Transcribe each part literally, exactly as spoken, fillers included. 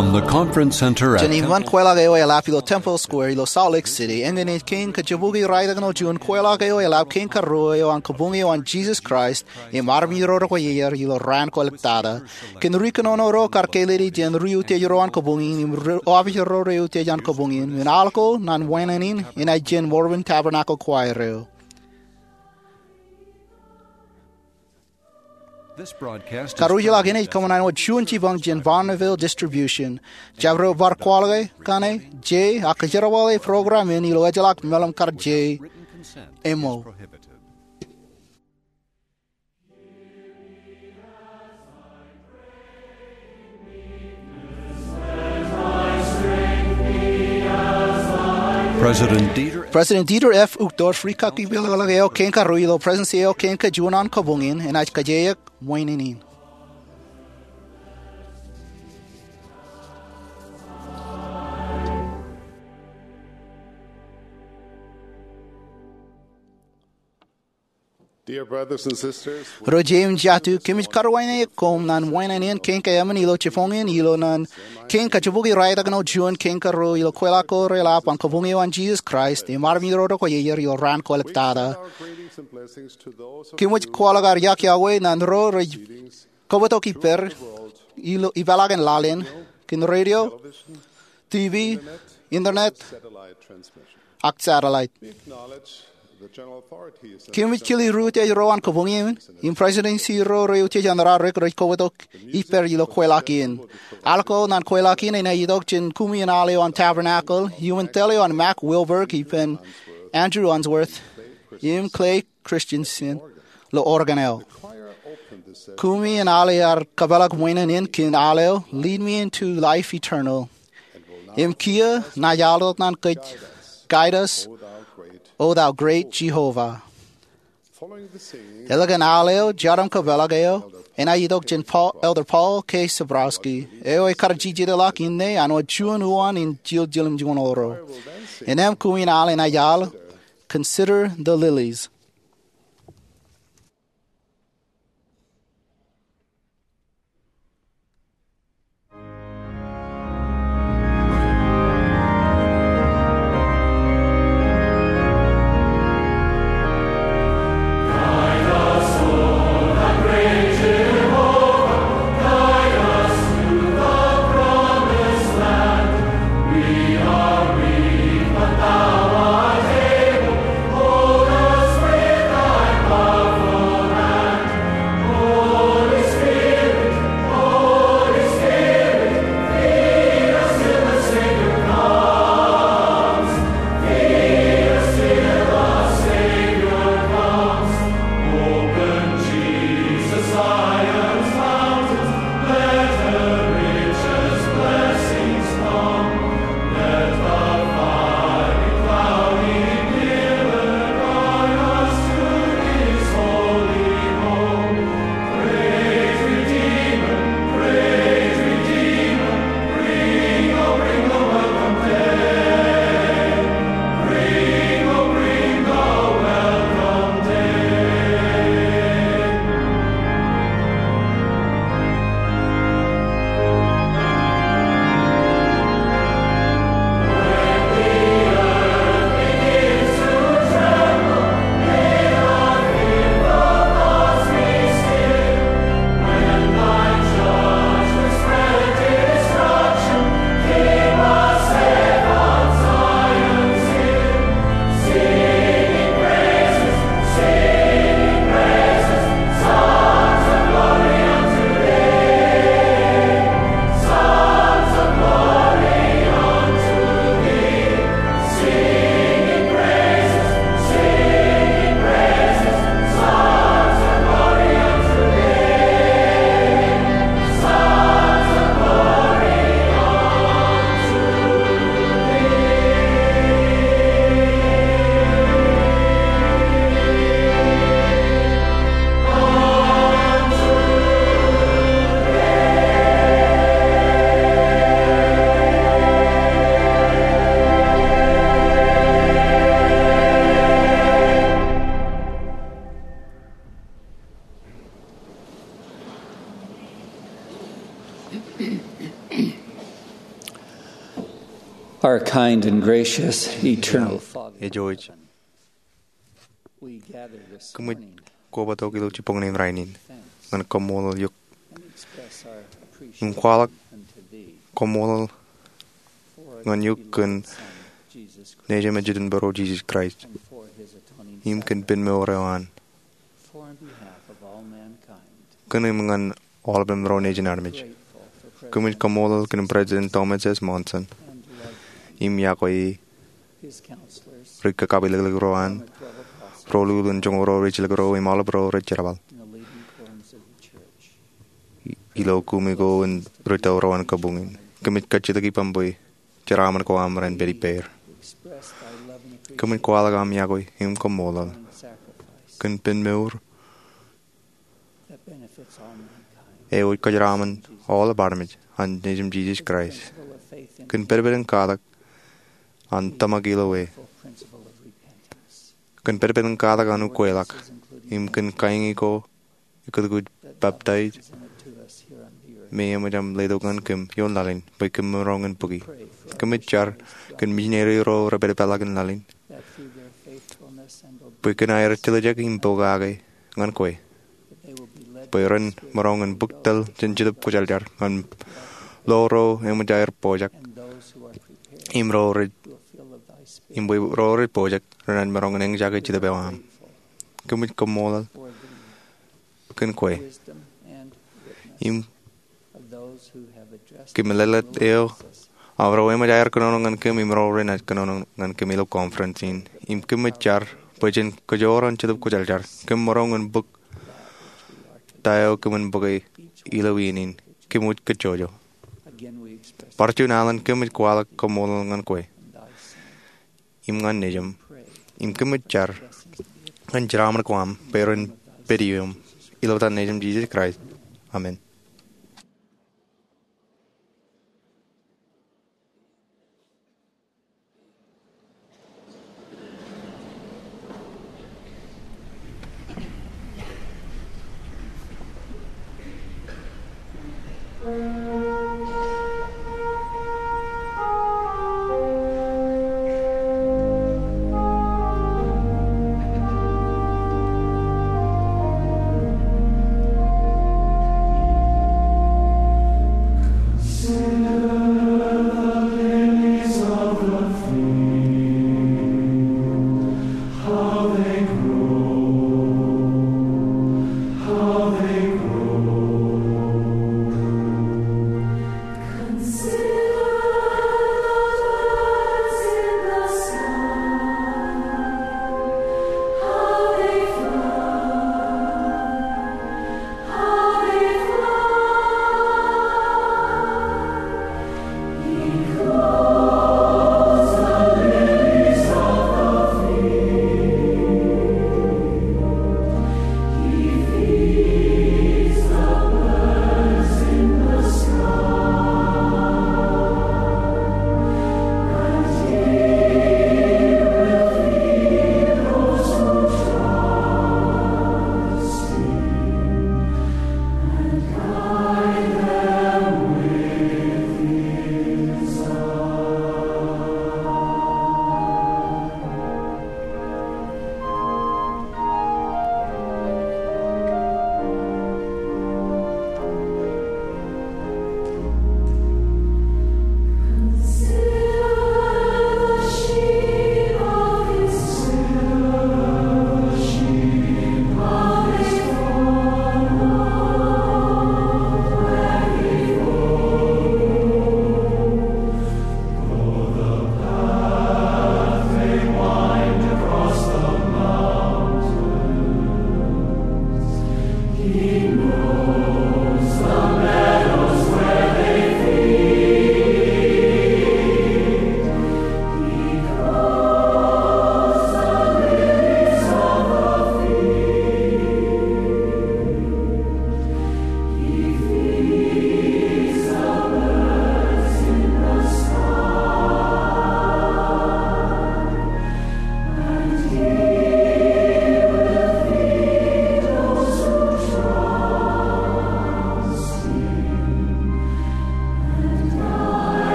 From the conference center at Jān iṃaan kweilọk eo eḷap ilo Temple Square ilo Salt Lake City, eñin ej kein kajjibukwi raelep ṇe juon kweilọk eo eḷap kein karuo eo an Kabuñ eo an Jesus Christ im armej ro rekwōj ier ilo raan kwōlōktata. Kōn ri kōnono ro kar kālele jān ri utiej ro an kabuñ in im ri, opiij ro rej utiej an kabuñ in, im aḷ ko ñan wāween in enaaj jān Mormon Tabernacle Choir eo. Karuj ḷọk in ej kōṃṃan wōt juon jipañ jān Bonneville Distribution. Jabdewōt bar kwaḷọk kaṇe, Jay, ak kōjerbale program in ilo ejjeḷọk meḷeḷe kar Jay ṃōk. President Dieter. President Dieter F. Uchtdorf, ri kaki peḷeḷe eo kein karuo ilo Prestuhnsi eo kein kajuon an kabuñ in, enaaj kajjitōk ṃweiin in. Dear brothers and sisters, ro jeiū im jatū, kōmij karuwainene koṃ ñan ṃweiin in kein kaemān ilo jibboñ in ilo ñan kein kajjibukwi raelep ṇe juon kein karuo ilo kweilọk ko reḷap an Kabuñ eo an Jesus Christ im armej ro rekwōj ier ilo raan kwōlōktata. Kōmij kwaḷọk ad iọkwe ñan ro rej kobōtok ippād ilo ipeḷaakin laḷ in kōn radio, TV, internet, ak satellite. Kōmij kile ri utiej ro an kabuñ in im prestuhnsi ro rej utiej an raorōk rej kobōtok ippād ilo kweilọk in. Aḷ ko ñan kweilọk in enaaj itok jān kumi in aḷ eo an Tabernacle, iuṃwin tōl eo an Mack Wilberg ippān Andrew Unsworth im Clay Christensen ilo organ eo. Kumi in aḷ ear kapeḷḷọk ṃweiin in kōn aḷ eo Lead Me Into Life Eternal im kiiō, Enaaj aḷ tok ñan kōj, Guide Us, O Thou Great Jehovah. Ālikin aḷ eo, jeraṃ kapeḷḷọk eo enaaj itok jān Paul, Elder Paul K. Sybrowsky, eo ekar jejjet ḷọk inne an wōt juon uwaan in jiljilimjuon ro. Innām kumi in aḷ enaaj aḷ Consider the Lilies. Our kind and gracious eternal Father, Ijo ej. We gather this Kōmij morning kobatok ilo jibboñōn in rainin ñan kaṃṃoolol eok and express our im appreciation kwaḷọk unto thee kaṃṃoolol for ñan eok kōn Jesus Christ, Nejūṃ ej Itok Būruo Jisōs Kraist and for his atoning im kōn sacrifice. Penmour eo an. For on behalf of all mankind, kōn im ñan aolepān ro nejin armej. Grateful for Kōmij President kaṃṃoolol kōn President Thomas S. Monson and love im iakwe e, his counselors, ri kakapilōklōk ro an, former twelve apostles, ro lukkuun joñoul ro rej jilkinḷọk ro im aolep ro rej jerbal in the leading quorums of the church. Ilo kumi ko in ri tōl ro an kabuñ in, kōmij kajjitōk ippaṃ bwe jeraaṃṃan ko aṃ ren pād ippāer. Express thy love and appreciation Kōmij kwaḷọk aṃ iakwe im kaṃṃoolol and sacrifice kōn penmour that benefits all mankind. Eo ej kōjeraaṃṃan aolep armej an Nejūṃ Jisōs Kraist. Principle of faith in kōn pedped in katak an tōmak ilo e. Principle of repentance. Kōn pedped in katak an ukweḷọk. Im kōn kain ko ekkūtkūt peptaij me eṃōj aṃ letok ñan kōm ioon laḷ in bwe kōm maroñ in bōki. Kōmij jar kōn misineri ro rej pād ippāḷọk in laḷ in bwe kōn aer tiljek im pokake ñan kwe bwe ren maroñ in bōk tōl jān Jetōb Kwōjarjar ñan lo ro eṃōj aer pojak im ro rej im bwe ro rej pojak renaaj maroñ in eñjake Jetōb eo aṃ. Kōmij kaṃṃoolol kōn kwe. Im kōmij leḷḷọk eo aṃ ro eṃōj aer kōnono ñan kōm im ro renaaj kōnono ñan kōm ilo conference in. Im kōmij jar bwe jen kōjoor an Jetōb Kwōjarjar kōm maroñ in bōk ta eo kōmin bōke ilo iien in. Kōmij kajjojo. Bar juon alen kōmij kwaḷọk kaṃṃoolol ñan kwe im ñan Nejūṃ. Im kōmij jar ñan jeraaṃṃan ko aṃ bwe ren pād ioṃ. Ilo etan Nejūṃ Jisōs Kraist. Amen.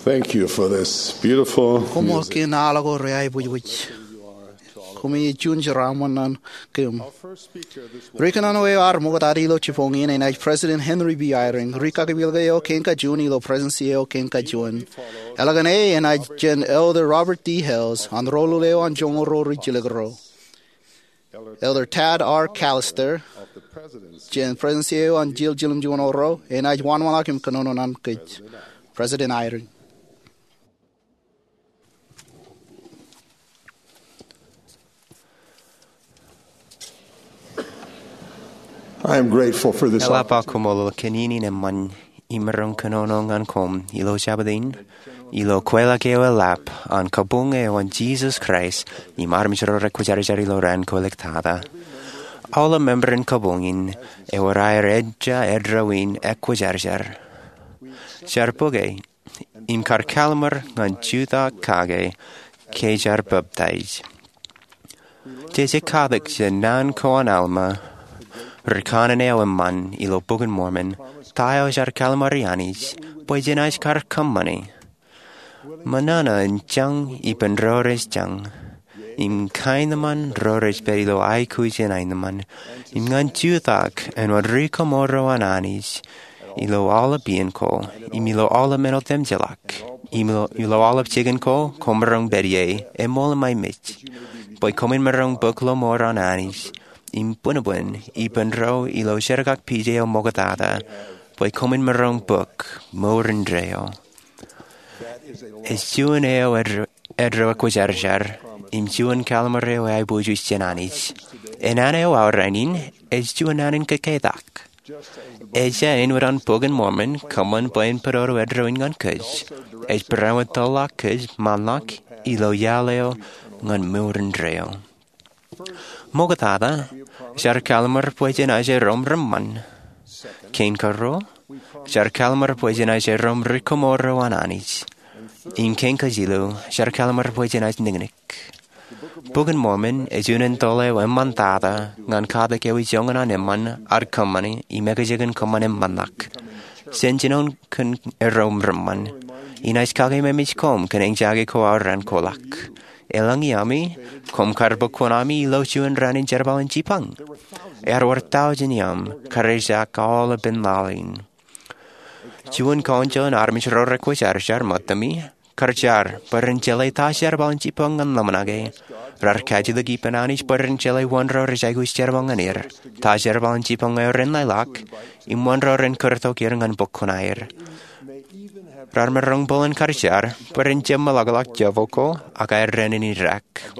Thank you for this beautiful Koṃṃool music. Kein al ko reaiboojoj. Koṃij juon jeraaṃṃan ñan kōm. Ri kōnono eo ear ṃoktata ilo jibboñ in enaaj President Henry B. Eyring. Ri kakipielke eo kein kajuon ilo Prestuhnsi eo kein kajuon. Eḷap an enaaj jān Elder Robert D. Hales an ro lule eo an joñoul ruo rijjilōk ruo. Elder Tad R. Callister, jān Prestuhnsi eo an jiljilōk juon ro, enaaj wōnṃaanḷọk im kōnono ñan kōj. President Eyring. I am grateful for this Eḷap aō koṃṃool kōn iien in eṃṃan im maroñ kōnono ñan koṃ ilo Jabōt in, ilo kweilọk eo eḷap an kabuñ eo an Jisōs Kraist im armej ro rekwōjarjar ilo raan ko iliktata. Aolep member in kabuñ in ewōr aer ejja eddo in ekwōjarjar. Jar bōke im kar kallimur ñan jutak kake ke jaar peptaij. Jej katak jān naan ko an Alma, ri kanaan eo eṃṃan ilo Bok in Mormon, ta eo jaar kallimuri Anij bwe jenaaj kar kōṃṃani. Ṃōṇōṇō in jañ ippān ro rej jañ, im kaenōṃṃan ro rej pād ilo aikuj in aenōṃṃan, im ñan jutak āinwōt ri kōmro an Anij, ilo aolep iien ko, im ilo aolep men otemjeḷọk, im ilo, ilo aolep jikin ko koṃ maroñ pād ie, eṃool im aimej, bwe koṃwin maroñ bōk lọmọọr an Anij, im bwinbwin ippān ro ilo jerkakpeje eo ṃoktata, bwe koṃwin maroñ bōk mour indeeo. Ej juon eo ed, eddo ekwōjarjar, im juon kallimur eo eaiboojoj jān Anij. Naan eo aorōk in, ej juon naan in kōkketak. Ejja āinwōt an Bok in Mormon kōṃṃan bwe en pād eddo in ñan kōj, ej barāinwōt tōlḷọk kōj ṃaanḷọk ilo iaḷ eo ñan mour indeeo. Ṃoktata, jaar kallimur bwe jenaaj erom reṃṃan. Kein karuo, jaar kallimur bwe jenaaj erom ri kōmro an Anij. Im kein kajilu, jaar kallimur bwe jenaaj niknik. Bok in Mormon ej unin tōl eo eṃṃantata ñan katak eo ijoñan an eṃṃan ad kōṃṃani im ekajjikōn kōṃṃan eṃṃanḷọk. Jān jinoin kōn erom reṃṃan, inaaj kakememej koṃ kōn eñjake ko aorōk in kwaḷọk. Eḷaññe ami, koṃ kar bōk kuṇaami ilo juon raan in jerbal in jipañ. Ear wōr tọujin iaam kar ejak aolepān laḷ in. Juon kaunjoin armej ro rekwōjarjar ṃōttami kar jar bwe ren jeḷā ta jerbal in jibboñ ñan ḷōmṇake. Raar kajjitōk ippān Anij bwe ren jeḷā wōn ro rej aikuj jerbal ñan er, ta jerbal in jibboñ eo ren lelọk, im wōn ro ren kūrtok er ñan bok kuṇaer. Raar maroñ bōlen kar jar bwe ren jab meḷọkḷọk jebok ko ak aer dān in idaak.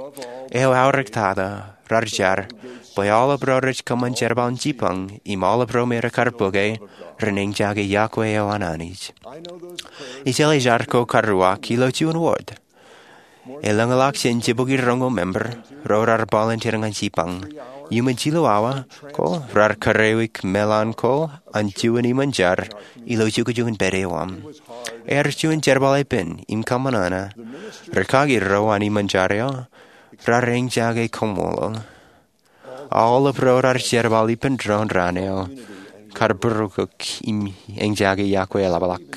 Eo aorōk tata, raar jar bwe aolep ro rej kōṃṃan jerbal in jibboñ im aolep ro me rekar bōke ren eñjake iọkwe eo an Anij. Ijeḷā jar ko karuwak ilo juon wōt. Elōñḷọk jān jibukwi roñoul member ro raar volunteer ñan jibboñ. Iuṃwin jilu awa ko raar kūreoik meḷan ko an juon iṃōn jar ilo jukjuk in pād eo aṃ. Ear juon jerbal epen im kōṃṃan ṇa. Rikaki ro an iṃōn jar eo raar eñjake koṃṃool. Aolep ro raar jerbal ippān doon raan eo kar būrukūk im eñjake iọkwe eḷapḷọk.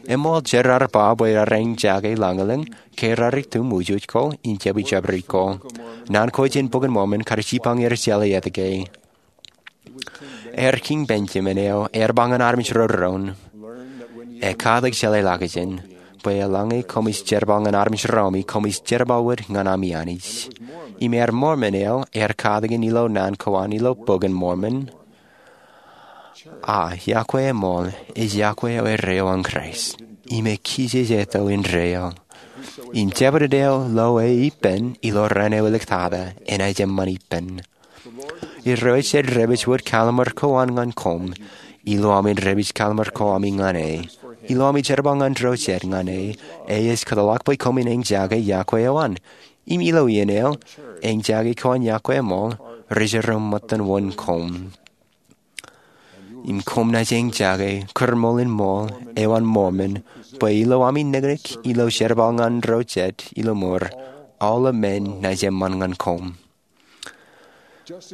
Eṃool jet raar ba bwe raar eñjake lañlōñ ke raar itumwujuj ko im jab ijabdewōt ko. Naan ko jān Bok in Mormon kar jibboñ er jeḷā etke. Ear Kiiñ Benjamin eo ear ba ñan armej ro doon, ekatōk jeḷā ḷọkjeṇ, bwe eḷaññe koṃij jerbal ñan armej romi koṃij jerbal wōt ñan ami Anij. Im ear Mormon eo ear katakin ilo naan ko an ilo Bok in Mormon, a iọkwe eṃool ej iọkwe eo erreo an Kraist, im ekijej eto indeeo. Im jabdewōt eo lo e ippān ilo raan eo iliktata enaaj eṃṃan ippān. Irooj ej dāpij wōt kallim̧ur ko an ñan koṃ, ilo ami dāpij kallim̧ur ko ami ñan e. Ilo ami jerbal ñan ro jet ñan e, e ej kōtḷọk bwe koṃwin eñjake iọkwe eo an. Im ilo iien eo, eñjake ko an iọkwe eṃool rej jiroñ ṃōttan wōn koṃ. Im koṃ naaj eñjake kūrmool in ṃool eo an Mormon, bwe ilo ami niknik ilo jerbal ñan ro jet ilo mour, aolep men naaj eṃṃan ñan koṃ.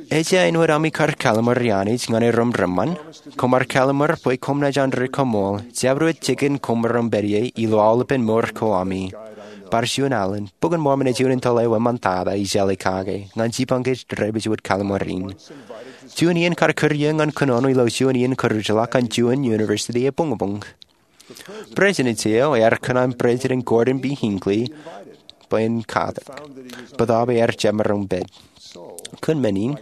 Ejja āinwōt ami kar kalli̧m̧uri Anij ñan e ro im reṃṃan, koṃ ar kalli̧m̧ur bwe koṃ naaj ri koṃṃool jabdewōt jikin koṃ ro im pād ie ilo aolepān mour ko ami. Bar juon alen, Bok in Mormon ej juon in tōl eo eṃṃantata ij jeḷā kake ñan jibboñ ke ej dāpij wōt kalli̧m̧ur in. Juon iien kar kūr ie ñan kōnono ilo juon iien kūrjilọk an juon university ebuñbuñ. Presidency eo ear kōṇaan President Gordon B. Hinckley bwe en katakin bōtaab ear jab maroñ pād. Kōn men in,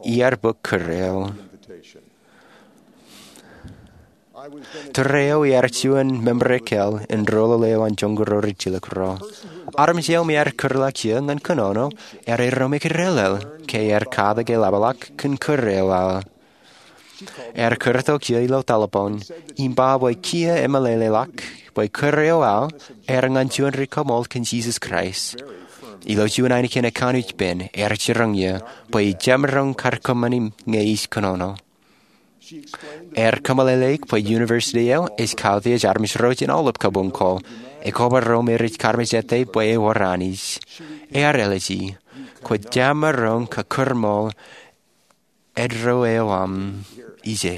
iar bōk kūr eo. Tōre eo iar juon member ekāāl in doulul eo an joñoul ro rijjilōk ro. Armej eo me ear kūrḷọk ie ñan kōnono ear eddo im ekdellel ke ear katakin eḷapḷọk kōn kūr eo aō. Ear kūrtok ie ilo telipoon im ba bwe kiiō emeḷeḷeḷọk bwe kūr eo aō ear ñan juon ri kaṃool kōn Jisōs Kraist. Ilo juon ainikien ekkanooj pen ear jiroñ ie bwe ij jab maroñ kar kōṃṃani ñe ij kōnono. Ear kōmeḷeḷeik bwe university eo ej kautiej armej ro jān aolep kabuñ ko, ekobara ro me rej karmejete bwe ewōr Anij. Ear āliji, kwōj jab maroñ kūrmool eddo eo aṃ ije.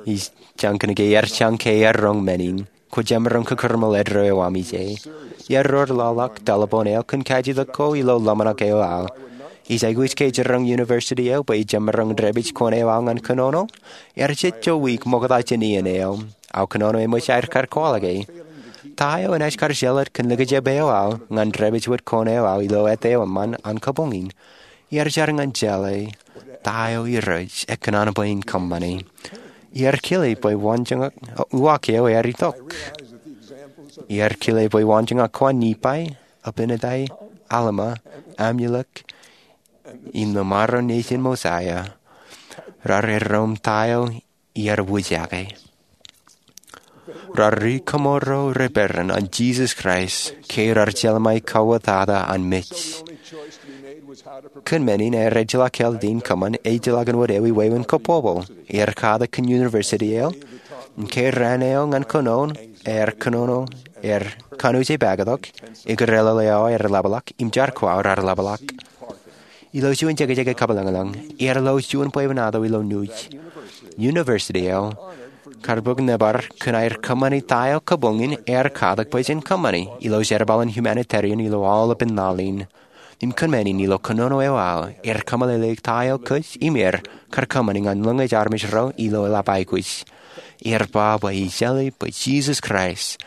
Ij jañ kōnke ear jañ ke ear roñ men in, kwōj jab maroñ kūrmool eddo eo aṃ ije. Ear ro ḷọk telipoon eo kōn kajjitōk ko ilo ḷōmṇak eo aō. Ij aikuj ke jiroñ university eo bwe ij jab maroñ dāpij kuṇ eo aō ñan kōnono. Ear jejjo wiik ṃokta jān iien eo. Aō kōnono eṃōj aer kar kwaḷọke. Ta eo enaaj kar jeḷā kōn likjab eo aō ñan dāpij wōt kuṇ eo aō ilo āt eo eṃṃan an kabuñ in. Iar jar ñan jeḷā ta eo Irooj ekōṇaan bwe in kōṃṃane. Iar kile bwe waanjoñak uwaak eo ear itok. Iar kile bwe waanjoñak ko an Nipai, Abinadi, Alma, Amulek, im ḷōṃaro nejin Mosaia raar eddo im ta eo iar wūjake. Raar ri kaṃooro ri peran an Jisōs Kraist ke raar jelṃae kauwōtata an mej. Kōn men in ear ejjeḷọk kāālōt in kōṃṃan ejjeḷọk in wōt ewi wāween kōpopo. Ear katakin kōn university eo. Im ke raan eo ñan kōnono ear kōnono, ear kanooj e pakitok. Ekdellel eo aer ḷapḷọk im jar ko aō raar ḷapḷọk. Ilo juon jekjek e kabwilōñlōñ, ear lo juon bwebwenato ilo nuuj. University eo kar bōk nōbar kōn aer kōṃṃani ta eo kabuñ in ear katak bwe jen kōṃṃani ilo jerbal in humanitarian ilo aolepān laḷ in. im kōn men in ilo kōnono eo aō, er kōmeḷeḷeik ta eo kōj im er kar kōṃṃani ñan lōñej armej ro ilo eḷap aikuj. Er ba bwe ejjeḷọk bwe Jisōs Kraist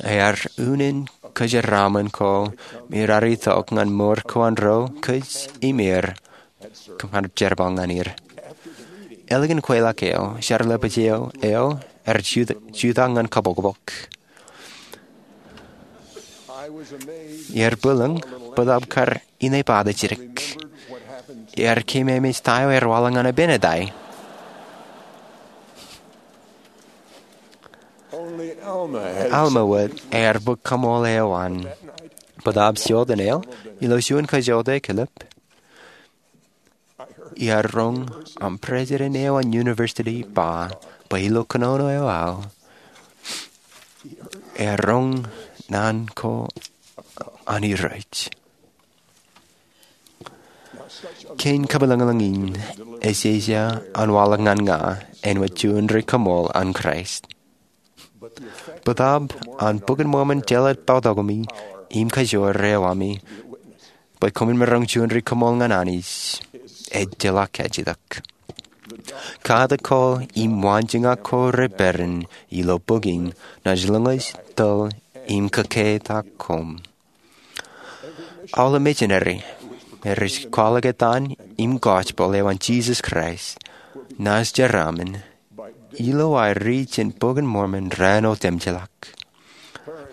ear unin kōjeraaṃṃan ko me raar itok ñan mour ko an ro kōj im er kar jerbal ñan er. Ālikin kweilọk eo, jar lepād eo ear jutak ñan kōpokpok. Ear bwilōñ bōtab kar inepata jidik. Ear keememej ta eo ear waḷọk ñan Abinadi. Alma wōt ear bōk kaṃool eo an. Bōtab jota ṇe eo, ilo juon kōjota e kilep, iar roñ aṃ president eo an university ba bwe ilo kōnono eo aō, ear roñ naan ko an Irooj. Kein kapeḷḷọk in ejeje an waḷọk ñan ña āinwōt juon ri kaṃool an Kraist. Bōtab an Bok in Mormon jeḷā bōktok me im kajoor eo ami bwe koṃwin maroñ juon ri kaṃool ñan Anij, ejjeḷọk kajjitōk. Katak ko im waanjoñak ko reperan ilo bok in naaj lōñōj, tōl, im kōketak koṃ. Aolep mejānari rej kwaḷọk etan im gospel eo an Jisōs Kraist naaj jeraaṃṃan ilo aer riit jān Bok in Mormon raan otemjeḷọk.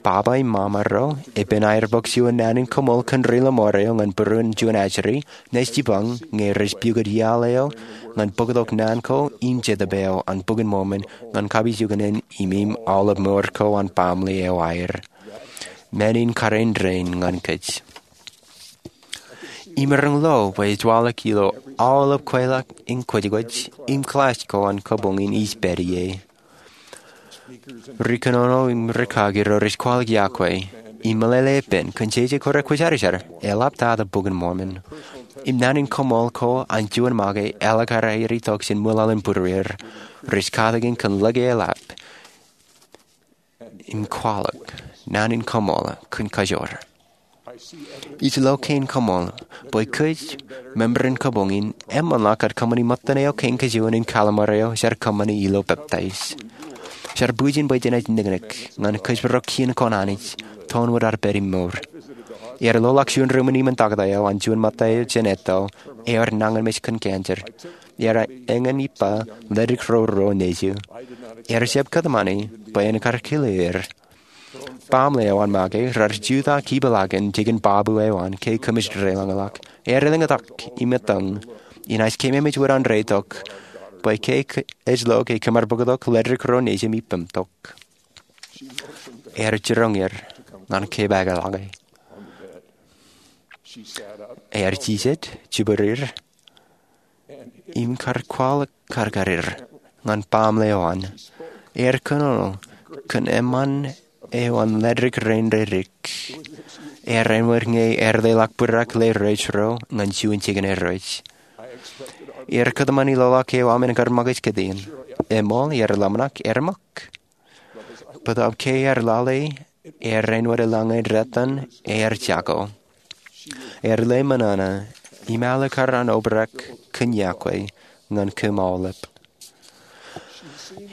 Baba im mama ro, epen aer bōk juon naan in kaṃool kōn ri lọmọọr eo ñan būruon juon ajri, naaj jipañ ñe rej pukot iaḷ eo ñan bōktok naan ko im Jetōb eo an Bok in Mormon ñan kapijuknen im eim aolep mour ko an baaṃle eo aer. Men in kariin rein ñan kōj. Imaroñ lo bwe ej waḷọk ilo aolep kweilọk im kwōjkwōj im kōḷaaj ko an kabuñ in ij pād ie. Ri kōnono im rikaki ro rej kwaḷọk yokwe im meḷeḷe ippān kōn jeje ko rekwōjarjar, eḷaptata Bok in Mormon im naan in kaṃool ko an juon make ālikin aer itok jān ṃwilaḷ in būrueir, rej katakin kōn lōke eḷap im kwaḷọk naan in kaṃool kōn kajoor. Ij lo kein kaṃool bwe kōj, member in kabuñ in, eṃṃanḷọk kar kōṃṃani ṃōttan eo kein kajuon in kalimur eo jar kōṃṃani ilo peptaij. Jar bwijin bwe jenaaj niknik ñan kōjparok kien ko an Anij, toon wōt ad pād im mour. Iar loḷọk juon ruuṃ in iṃōn taktō eo an juon ṃōtta eo jān etto eo ear nañinmej kōn cancer. Iar eñin ippa ledik ro ruo nejū. Iar jab kōtmāne bwe en kar kile er. Baaṃle eo an make raar jutak ipeḷaakin jikin babu eo an ke kōmij deḷọñḷọk. Ear elōñtak im etan, inaaj keememej wōt an reitok bwe ke ej lo ke kōmar bōktok ledik ro nejū im ippem tok. Ear jiroñ er ñan kepaakḷọke. Ear jijet, jibwirir, im kar kwaḷọk karkarir ñan baaṃle eo an. Ear kōnono kōn eṃṃan eo an ledik rein redik. Ear āinwōt ñe ear leḷọk bwidrak ḷeo rej ro ñan juon jikin rej. Ear kōtmāne loḷọk eo aṃ en kar ṃōkaj kōtien. Eṃool, ear ḷōmṇak, ear ṃōk. Bōtab ke ear lale, ear āinwōt eḷaññe detan ear jako. Ear lale ṃōṇōṇō im alikar an obrak kōn yokwe ñan kōm aolep.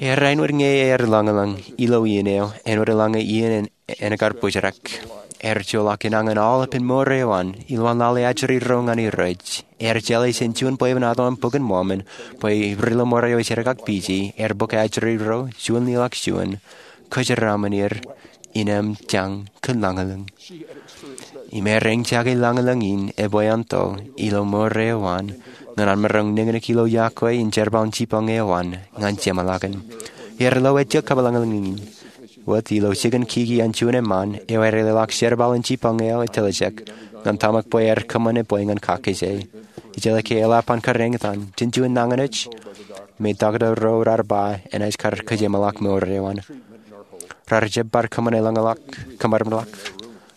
Ear āinwōt ñe ear ḷōñḷōñ ilo iien eo āinwōt eḷaññe iien en kar bōjrak. Ear joḷọk enañin aolepen mour eo an ilo an lale ajri ro ñan Irooj. Ear jeḷā jān juon bwebwenato an Bok in Mormon bwe ri lọmọọr eo ej jerkakpeje ear bōk ajri ro juon ḷọk juon, kōjeraaṃṃan er in eṃōj jañ kōn ḷōñḷōñ. Im ear eñjake ḷōñḷōñ in ebwe āinto ilo mour eo an ñan an maroñ niknik ilo yokwe in jerbal in jipañ eo an ñan jeṃḷọkin. Ear lo ejjab kapeḷḷọk ḷōñḷōñ in wōt ilo jikin kiki an juon eṃṃan eo ear leḷọk jerbal in jipañ eo etiljek ñan tōmak bwe ear kōṃṃan ebwe ñan kakkije. Ijellọke eḷap an kar eñtaan jān juon nañinmej me taktō ro raar ba enaaj kar kōjeṃḷọk mour eo an. Raar jab bar kōṃṃane ḷōñḷọk, kōṃṃan ḷọk,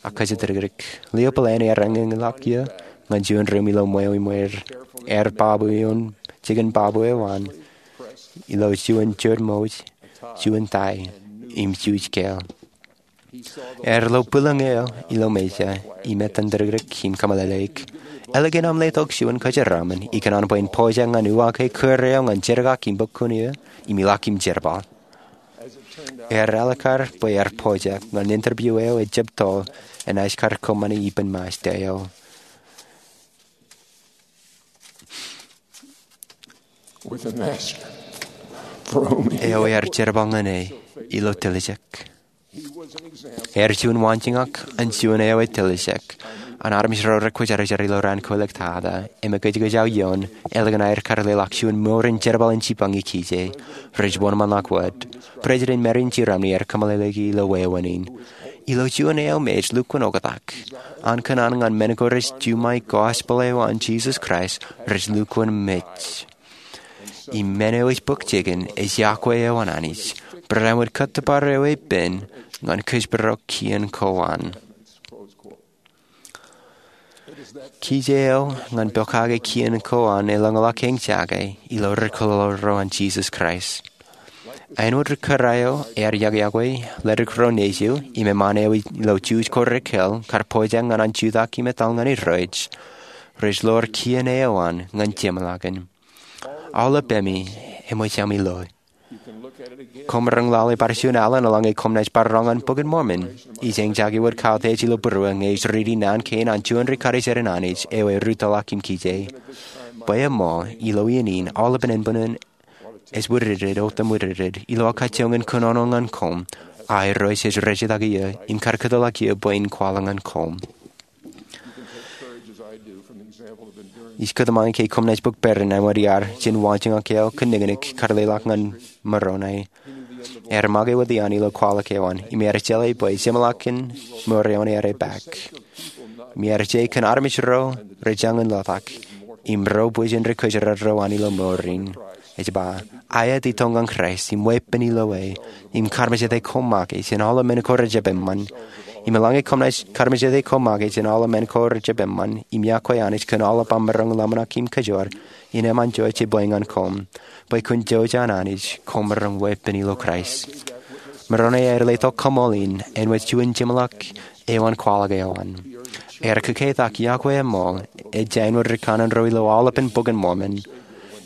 ak kōjatdikdik. Lio bōlen ear eñeñḷọk iiō ñan juon ruuṃ ilo ṃweo im er. Ear babu ioon jikin babu eo an ilo juon jodmouj, juon tie, im juuj kāāl. Ear lo bwilōñ eo ilo mejā im etan dikdik im kōmeḷeḷeik. Eḷap aṃ letok juon kōjeraṃōn ikōṇaan bwe in pojak ñan uwaak kōrā eo ñan jerkakpeḷḷọk im ilọk im jerbal. Ear ālikkar bwe ear pojak ñan interview eo ejjab toḷ enaaj kar kōṃṃani ippān Ṃajeḷ eo. Eo ear jerbal ñan e ilo tiljek. Ear juon waanjoñak an juon eo ej tiljek an armej ro rekwōjarjar ilo raan kwōlōktata im ekōjkōj aō ioon ālikin aer kar leḷọk juon mour in jerbal in jipañ ikijjien rej wōnṃaanḷọk wōt. President Marion G. Romney ear kōmeḷeḷeiki ilo wāween in, ilo juon eo me ej lukkuun oktak an kōṇaan ñan men ko rej juṃae gospel eo an Jesus Christ rej lukkuun mej. Im men eo ej bōk jikin ej iọkwe eo an Anij, barāinwōt kōttōpar eo epen ñan kōjparok kien ko an. Kijjien eo ñan pokake kien ko an elōñḷọk eñjake ilo ri-kōḷḷaḷḷaḷ ro an Jesus Christ. Āinwōt ri-kōrā eo ear iọkwe ledik ro nejū im eṃṃan eo ilo juj ko rekōl kar pojak ñan an jutak im etal ñan Irooj, rej ḷoor kien eo an ñan jeṃḷọkin. Aolep ami eṃōj ami lo. Koṃ maroñ lale bar juon alen eḷaññe koṃ naaj bar roñ ñan Bok in Mormon. Ij eñjake wōt kautiej ilo būruō ñe ij riiti naan kein an juon ri-karijer an Anij eo erūttoḷọk im kije. Bwe eṃool, ilo iien in aolepen eṇ buñūn ej wūdikdik otemwūdikdik ilo aō kajjioñ in kōnono ñan koṃ. Ak Irooj ej rejjitōk eō im kar kōtḷọk eō bwe en kwaḷọk ñan koṃ. Ij kōtmān ke koṃ naaj bōk peran āinwōt iar jān waanjoñak eo kōnnōknōk kar leḷọk ñan Moroni. Ear make wōt iaan ilo kwaḷọk eo an im ear jeḷā bwe jeṃḷọkin mour eo an ear epaak. Im ear je kōn armej ro rej jañin letak im ro bwijin ri-kōjro ro an ilo mour in. Ej ba, aet itok ñan Kraist im weeppān ilo e im karmejede koṃ make jān aolep men ko rejjab eṃṃan. Im eḷaññe koṃ naaj karmejede koṃ make jān aolep men ko rejjab eṃṃan im iọkwe Anij kōn aolep aṃ maroñ ḷōmṇak im kōjoor, innem an jejjet bwe ñan koṃ, bwe kōn jouj an Anij koṃ maroñ weeppān ilo Kraist. Moroni ear letok kaṃool in āinwōt juon jeṃḷọk eo an kwaḷọk eo an. Ear kōkeitak iọkwe eṃool ej āinwōt ri kanaan ro ilo aolepen Bok in Mormon.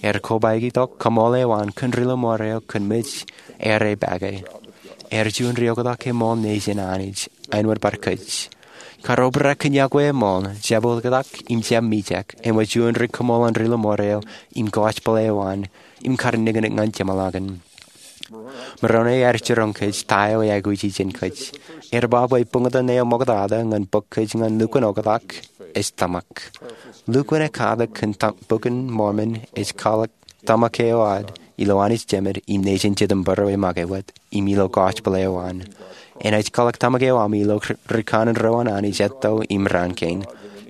Ear kobaik itok kaṃool eo an kōn ri-lọmọọr eo kōn mej ear epaake. Ear juon ri-oktak eṃool nejin Anij āinwōt bar kōj. Kar obrak kōn iọkwe eṃool, jab oktak im jab mijak āinwōt juon ri-kaṃool an ri-lọmọọr eo im gospel eo an im kar nōknōk ñan jeṃḷọkin. Moroni ear jiroñ kōj ta eo eaikuji jān kōj. Ear ba bwe buñtōn eo ṃoktata ñan bōk kōj ñan lukkuun oktak ej tōmak. Lukkuun ekkatak kōn Bok in Mormon ej kwaḷọk tōmak eo ad ilo Anij Jemed im nejin Jetōb Bōro e make wōt im ilo gospel eo an. Enaaj kwaḷọk tōmak eo ami ilo ri kanaan ro an Anij etto im raan kein.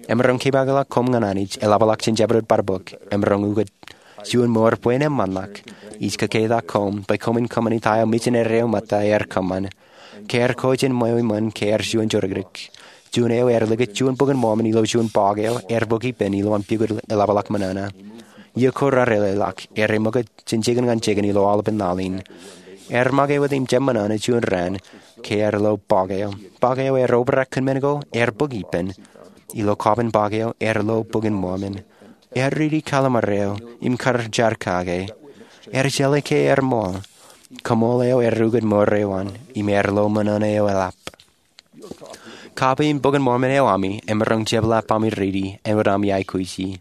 Emaroñ kepaakḷọk koṃ ñan Anij, eḷapḷọk jān jabdewōt bar bok. Emaroñ ukōt juon mour bwe en eṃṃanḷọk. Ij kōkeitak koṃ bwe koṃwin kōṃṃani ta eo misineri eo ṃōtta ear kōṃṃan. Ke ear ko jān ṃweo eṃṃan ke ear juon jodikdik, juon eo ear likūt juon Bok in Mormon ilo juon bọọk eo ear bōk ippān ilowaan pukot eḷapḷọk ṃōṇōṇō. Iiō ko raar eḷḷọk, ear eṃōkūt jān jikin ñan jikin ilo aolepen laḷ in. Ear make wōt im jab ṃōṇōṇō juon raan ke ear lo bọọk eo. Bọọk eo ear obrak kōn men ko ear bōk ippān. Ilo kọọban bọọk eo ear lo Bok in Mormon. Ear riiti kalimar eo im kar jar kake. Ear jeḷā ke ear ṃool. Kaṃool eo ear ukōt mour eo an im ear lo ṃōṇōṇō eo eḷap. Kape im Bok in Mormon eo ami emaroñ jepḷaak ami riiti āinwōt ami aikuji.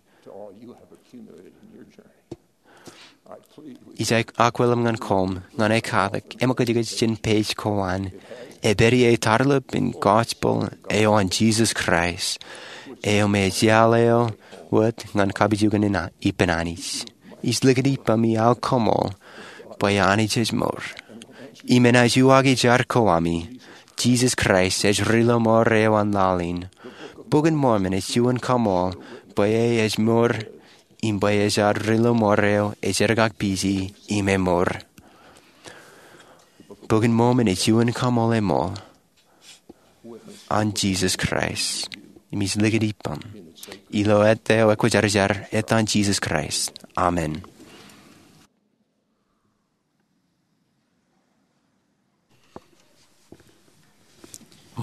Ij akwilōñ ñan koṃ ñan ekkatak im kajjitōk jān page ko an. Epād ie tarlōb in gospel eo an Jesus Christ eo me ej iaḷ eo wōt ñan kapijuknen ippān Anij. Ij likūt ippaṃ im aō kaṃool bwe Anij ej mour im enaaj uwaaki jar ko ami. Jesus Christ ej ri-lọmọọr eo an laḷ in. Bok in Mormon ej juon kaṃool bwe e ej mour im bwe ej ad ri-lọmọọr eo ej jerkakpije im emour. Bok in Mormon ej juon kaṃool eṃool an Jesus Christ. Im ij likūt ippaṃ ilo ettā eo ekwōjarjar, ettan Jesus Christ, amen.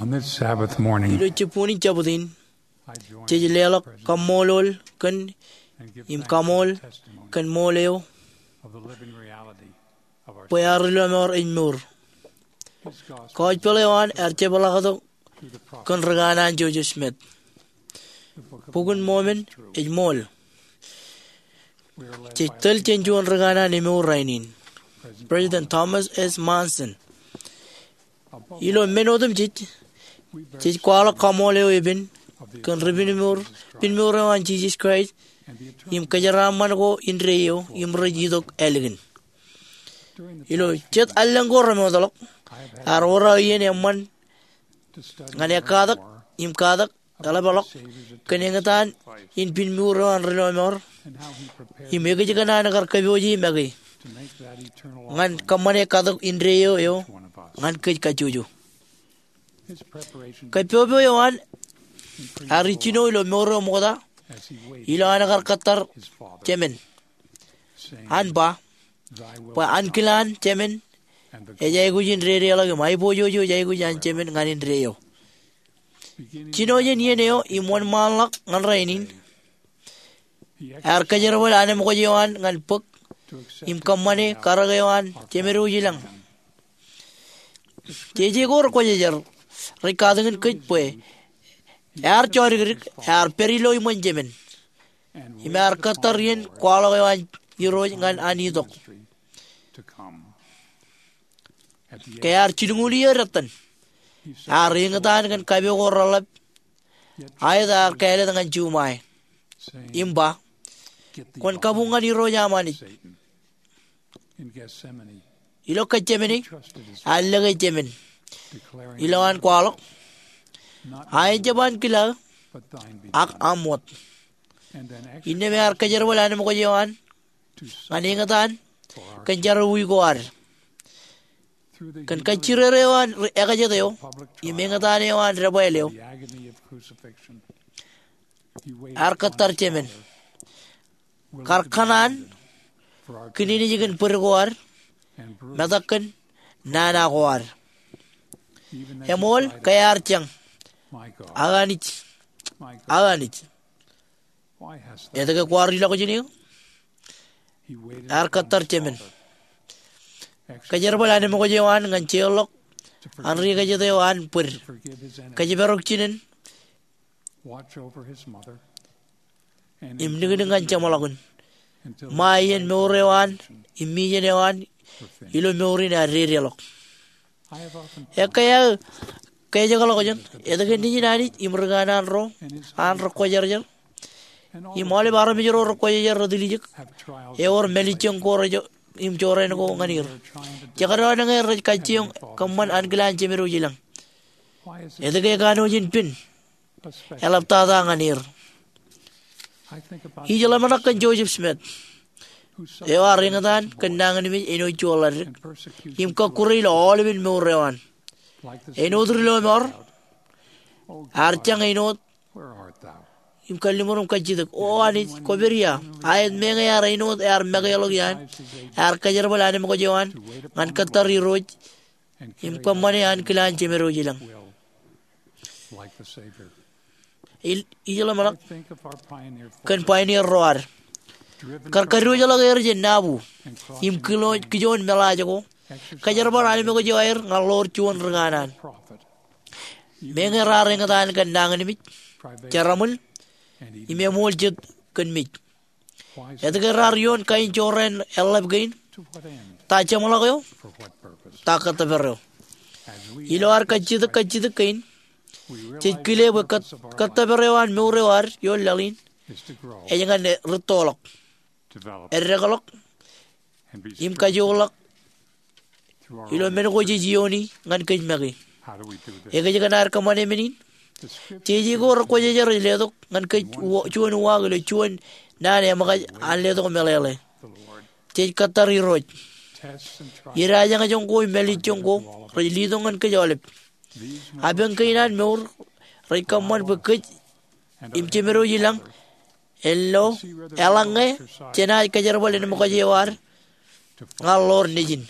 On this Sabbath morning, ilo jibboñin Jabōt in, I join jej leḷọk kaṃṃoolol kōn, and give im thanks kaṃool for the testimony kōn ṃool eo of the living reality of our bwe ear ri lọmọọr ej mour. His gospel Kaujpeḷ eo an ear jepḷaaktok through the prophet kōn ri kanaan Joseph Smith. The Book of Bukun Mormon ej ṃool. Jej tōl jān juon ri kanaan emour rainin, President Thomas S. Monson. Ilo men otemjej, jej kwaḷọk kaṃool eo epen kōn ri pinmour, pinmour eo an Jisōs Kraist im kōjeraaṃṃan ko indeeo im rej itok ālikin. Ilo jet allōñ ko remootḷọk, ear wōr aō iien eṃṃan ñan ekkatak im katak eḷapḷọk kōn eñtaan in pinmour eo an ri lọmọọr im ekōjkan an kar kōpooje make ñan kōṃṃane katak indeeo eo ñan kōj kajjojo. Kōpopo eo an ear ijjino ilo mour eo ṃokta ilo an kar kōttar jemān, an ba, bwe ankilaan jemān ej aikuj in dedeḷọk im aiboojoj ej aikuj an jemān ñan indeeo. Jino jān iien eo im wōnṃaanḷọk ñan rainin, ear kōjerbal anemkwōj eo an ñan bōk im kōṃṃane karōk eo an Jemed Wōj Ilañ. Jeje ko rekwōjarjar rej katakin kōj bwe ear jodikdik, ear pād ilo iṃōn jemān im ear kōttar iien kwaḷọk eo an Irooj ñan an itok. Ke ear jilñuul iiō detten, ear eñtaan kōn kape ko reḷap, aet ear kāālōt ñan juṃae im ba, kwōn kabuñ ñan Irooj aṃ Anij. Ilo Getsemane, ear lōke jemān ilo an kwaḷọk, aet jab ankilaaō, ak aṃ wōt. Innām ear kōjerbal anemkwōj eo an ñan eñtaan kōn jerọwiwi ko ad. Kōn kajjirere eo an ekajet eo im eñtaan eo an debwāāl eo, ear kōttar jemān, kar kōṇaan kōn enij kōn bōd ko ad, metak kōn nana ko ad. Eṃool ke ear jañ, Aō Anij, Aō Anij, etke kwaar ilọk jān eō? Ear kōttar jemān, kōjerbal anemkwōj eo an ñan jeorḷọk an ri-kajjitōk eo an bōd, kōjparok jinen, im niknik ñan jeṃḷọkin, ṃae iien mour eo an im mijen eo an ilo mour in ear dedeḷọk. Ekkā aō kajjitōk ḷọk jān etke Nejin Anij im ri kanaan ro an rekwōjarjar, im aolep armej ro rekwōjarjar retiljek, ewōr mālejjoñ ko rej, im jorrāān ko ñan er. Jekdọọn ñe rej kajjioñ kōṃṃan ankilaan Jemed Wōj Ilañ. Etke ekanooj in pen eḷaptata ñan er? Ij ḷōmṇak kōn Joseph Smith, eo ear eñtaan kōn nañinmej āinwōt juon ḷaddik im kọkkure ilo aolepen mour eo an. Āinwōt ri lọmọọr, ear jañ āinwōt im kalliṃur im kajjitōk, O Anij, kwōpād ia? Aet meñe ear āinwōt ear makeḷọk iaan, ear kōjerbal anemkwōj eo an ñan kōttar Irooj im kōṃṃane ankilaan Jemed Wōj Ilañ. Ij ḷōmṇak kōn pioneer ro ad, kar kadiwōjḷọk er jān Nauvoo im kijoon meḷaaj ko, kōjerbal anemkwōj eo aer ñan ḷoor juon ri kanaan. Meñe raar eñtaan kōn nañinmej, jeraṃōl, im eṃool jet kōn mej, etke raar ioon kain jorrāān eḷḷap kein? Ta jeṃḷọk eo? Ta kōttōpar eo? Ilo ad kajjitōk kajjitōk kein, jej kile bwe kōt, kōttōpar eo an mour eo ad ioon laḷ in ej ñan rūttoḷọk, eddekḷọk, im kajoorḷọk ilo men ko jej iooni ñan kōj make. Ekōjkan ad kōṃṃane men in? Jeje ko rekwōjarjar rej letok ñan kōj juon uwaak ilo juon naan eṃōkaj an letok meḷeḷe. Jej kōttar Irooj. Idaaj eñjoñ ko im mālejjoñ ko rej letok ñan kōj aolep. Apañ kein an mour rej kōṃṃan bwe kōj im Jemed Wōj Ilañ en lo eḷaññe jenaaj kōjerbal anemkwōj eo ad ñan ḷoor Nejin.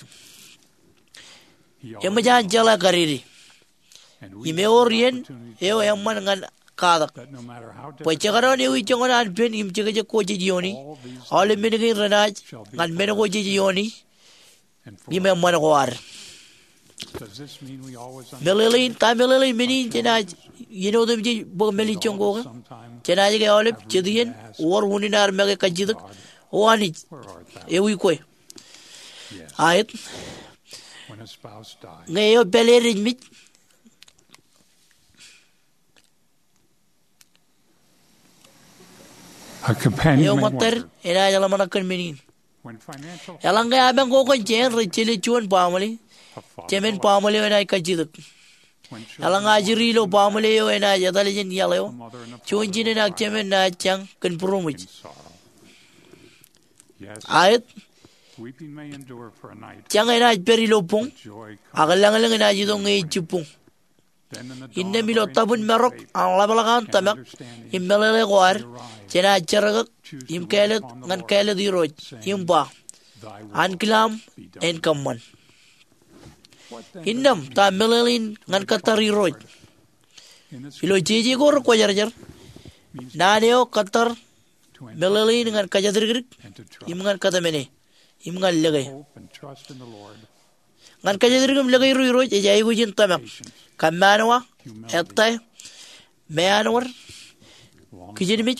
Eṃōj an jeḷā kadede. Im ewōr iien eo eṃṃan ñan katak. Bwe jekdọọn ewi joñan an pen im jekjek ko jej iioni, aolep men kein renaaj ñan men ko jej iioni im eṃṃan ko ad. Meḷeḷein, ta meḷeḷein men in jenaaj iien otemjej bōk mālejjoñ ko ke? Jenaaj ke aolep jet iien wōr unin ad make kajjitōk, O Anij, ewi kwe? Aet. Ñe eo pāleed ej mej, eo ṃōttad enaaj ḷōmṇak kōn men in. Eḷaññe apañ ko kōn jāān rej jelōt juon baaṃle, jemān baaṃle eo enaaj kajjitōk. Eḷaññe ajri ilo baaṃle eo enaaj etal jān iaḷ eo, juon jinen ak jemān naaj jañ kōn būroṃōj. Aet. Jañ enaaj pād ilo boñ, ak lañlōñ enaaj itok ñe ej jibboñ. Innām ilo tabwin marok an ḷapḷọk an tōmak im meḷeḷe ko ad, jenaaj jerkaktok im kāālōt ñan kāālōt Irooj im ba, Ankilaam en kōṃṃan. Innām ta meḷeḷein ñan kōttar Irooj? Ilo jeje ko rekwōjarjar, naan eo kōttar meḷeḷein ñan kōjatdikdik im ñan kōtmāne im ñan lōke. Ñan kōjatdikdik im lōke Irooj ej aikuj in tōmak, kōmmaanwa, ettā, meanwōd, kijenmej,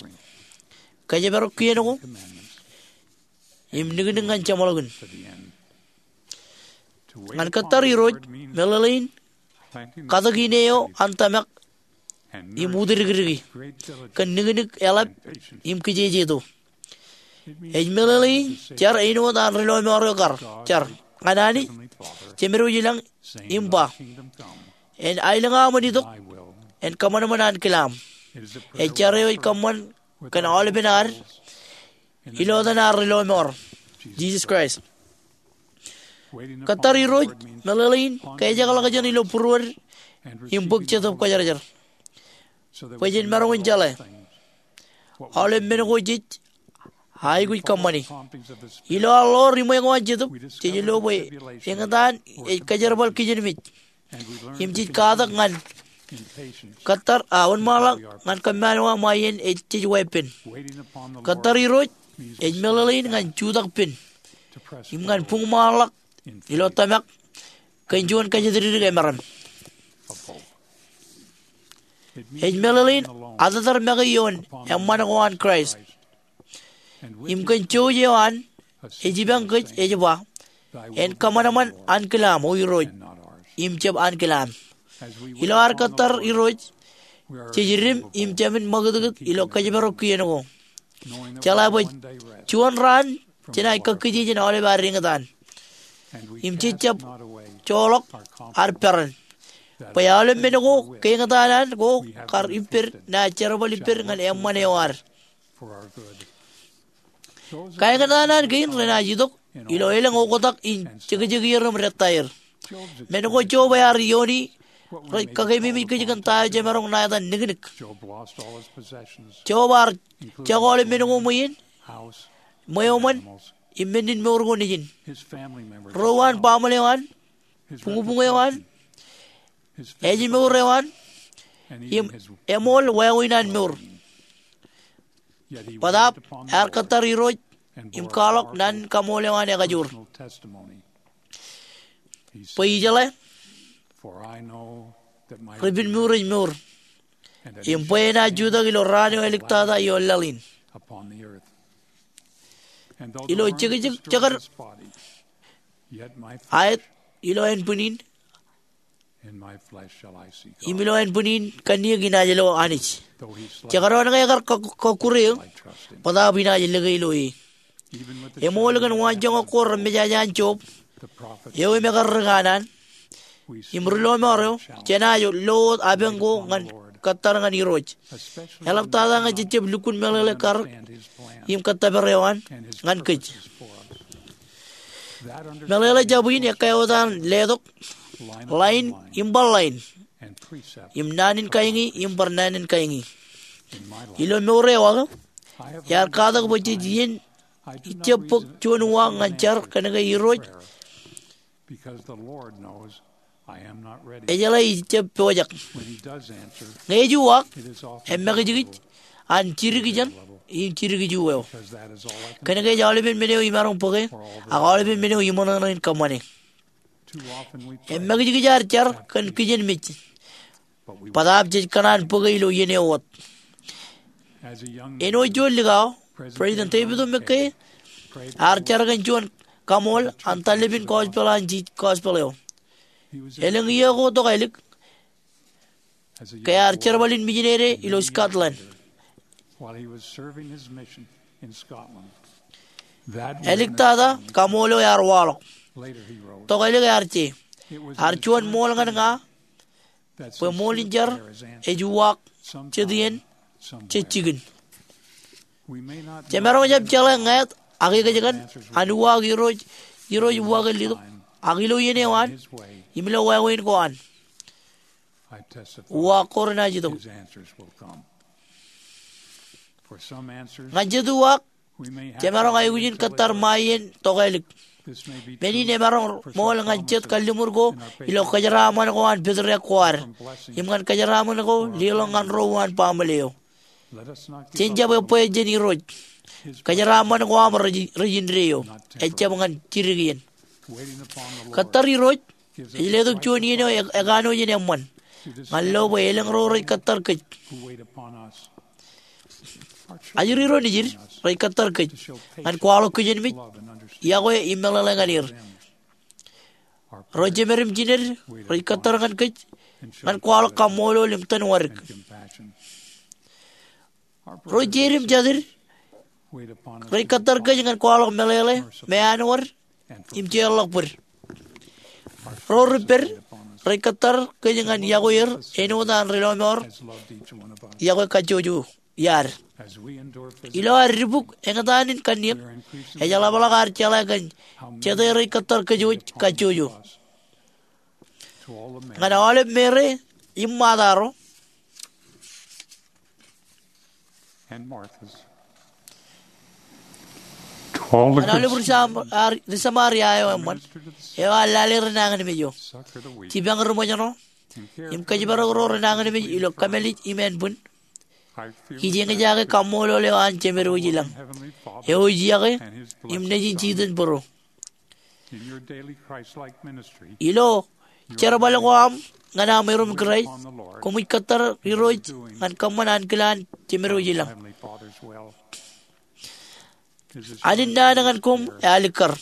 kōjparok kien ko, im niknik ñan jeṃḷọkin. Ñan kōttar Irooj, meḷeḷein katak ine eo an tōmak im utdikdiki kōn niknik eḷap im kijejeto. Ej meḷeḷein jar āinwōt an ri lọmọọr eo kar jar ñan Anij Jemedwōj ilañ im ba, En aelōñ aṃ en itok, en kōṃanṃan ankilaam. Ej jar eo ej kōṃṃan kōn aolepen ad ilo etan ad ri lọmọọr, Jisōs Kraist. Kōttar Irooj meḷeḷein kōjeḷāḷọkjeṇ ilo būruod im bōk Jetōb Kwōjarjar bwe jen maroñ in jeḷā aolep men ko jej aikuj kōṃṃani. Ilo ad ḷoor iṃwe ko an Jetōb, jej lo bwe eñtaan ej kōjerbal kijenmej im jej katak ñan kōttar, a, wōnṃaanḷọk ñan kōmmaanwa ṃae iien ej jej weeppān. Kōttar Irooj ej meḷeḷein ñan jutak pen im ñan buñṃaanḷọk ilo tōmak kōn juon kōjatdikdik emaroñ. Ej meḷeḷein atōtar make ioon eṃṃan ko an Kraist. Im kōn jouj eo an, ej ipañ kōj ej ba, En kōṃanṃan ankilaam, O Irooj, im jab ankilaam. Ilo ad kōttar Irooj, jej idim im jāmin ṃakūtkūt ilo kōjparok kien ko, jeḷā bwe juon raan jenaaj kakkije jān aolep ad eñtaan. Im jej jab joḷọk ad peran bwe aolep men ko ke eñtaan an ko kar ippād, naaj jerbal ippād ñan eṃṃan eo ad. Kaeñtaan an kein renaaj itok ilo elōñ oktak in jekjekier im dettaer. Men ko Job ear iioni rej kakeememej kōj kōn ta eo jemaroñ ṇa etan niknik. Job ear jako aolep men ko ṃweien, ṃweo ṃōn, im menninmour ko nejin. Ro an baaṃle eo an, buñbuñ eo an, ājmour eo an, im eṃool wāween an mour. Bōtaab ear kōttar Irooj im kwaḷọk naan in kaṃool eo an ekajoor. Bwe ijeḷā ri-penmour ej mour, im bwe enaaj jutak ilo raan eo āliktata ioon laḷ in. Ilo jekjek jekar aet, ilo ānbwin in im ilo ānbwin in kanniōk inaaj lo Anij. Jekdọọn ke ekar kọkkure eō, bōtaab inaaj lōke ilo e. Eṃool kōn waanjoñak ko remejaja an Job eo im ekar ri kanaan im ri lọmọọr eo, jenaaj lo wōt apañ ko ñan kōttar ñan Irooj, eḷaptata ñe jejjab lukkuun meḷeḷe karōk im kōttōpar eo an ñan kōj. Meḷeḷe jab in ekkā wōt an letok, line im bar line, im naan in kaingi im bar naan in kaingi. Ilo mour eo aō, iar katak bwe jej iien ijjab bōk juon uwaak ñan jar kōnke Irooj Ejeḷā ij jab pojak. Ñe ej uwaak, eṃṃakijkij an jidik ijeṇ im jidik ijo eo. Kōn ke ej aolepen men eo imaroñ bōke, ak aolepen men eo iṃōṇōṇō in kōṃṃane. Eṃṃakijkij ad jar kōn kijenmej, bōtaab jej kōṇaan bōke ilo iien eo wōt. Āinwōt juon likao, President David O. McKay ear jar kōn juon kaṃool an taḷapin gospel an Jisōs, gospel eo. Elōñ iiō ko tokālik, ke ear jerbal in mijinede ilo Scotland. Āliktata kaṃool eo ear waḷọk. Tokālik ear je, ear juon ṃool ñan ña bwe ṃool in jar ej uwaak jet iien, jet jikin. Jemaroñ jab jeḷā ñāāt ak ekōjkan an uwaak Irooj, Irooj uwaak eo letok, ak ilo iien eo an im ilo wāween ko an, uwaak ko renaaj itok. Ñan jet uwaak, jemaroñ aikuj in kōttar ṃae iien tokālik. Men in emaroñ ṃool ñan jet kalliṃur ko ilo kōjeraaṃṃan ko an pād ro ko ad, im ñan kōjeraaṃṃan ko leḷọk ñan ro uwaan baaṃle eo. Jen jab ebwe jān Irooj. Kōjeraaṃṃan ko aṃ rej, rej indeeo, ejjab ñan jidik iien. Kōttar Irooj ej letok juon iien eo e, ekanooj in eṃṃan ñan lo bwe elōñ ro rej kōttar kōj. Ajri ro nejid rej kōttar kōj ñan kwaḷọk kijenmej, iọkwe im meḷeḷe ñan er. Ro jemād im jined rej kōttar ñan kōj ñan kwaḷọk kaṃṃoolol im tōn wadik. Ro jeid im jatid rej kōttar kōj ñan kwaḷọk meḷeḷe, meanwōd im jeorḷọk bōd. Ro ripād rej kōttar kōj ñan iọkwe er āinwōt an Ri Lọmọọr iọkwe kajjojo iaad. Ilo ad dibuk eñtaan in kanniōk, ej ḷapḷọk ad jeḷā kōn jete rej kōttar kōj wōj kajjojo. Ñan aolep Meri im Ṃaata ro, ñan aolep ri Sam, ar, ri Samaria eo eṃṃan, eo ear lale renañinmej eo. Jipañ ri ṃōjṇọ im kōjparok ro renañinmej ilo kōmālij im ānbwin. Ij eñjake kaṃṃoolol eo an Jemed wōj ilañ, eo ej iọkwe im Nejin jitōnbōro. Ilo jerbal ko aṃ ñan aṃ erom Kraist, koṃij kōttar Irooj ñan kōṃṃan ankilaan Jemed wōj ilañ. An innaan ñan koṃ ealikkar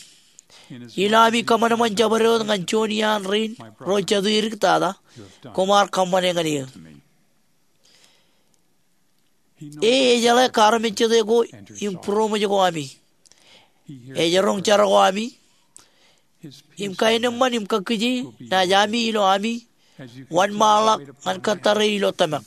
ilo ami kōṃanṃan jabdewōt ñan juon iaan rein ro jatū edik tata, koṃ ar kōṃṃane ñan eō. E ejeḷā kaarmejjete ko im būroṃōj ko ami. Ej roñ jar ko ami. Im kaenōṃṃan im kakkije naaj ami ilo ami wōnṃaanḷọk ñan kōttare ilo tōmak.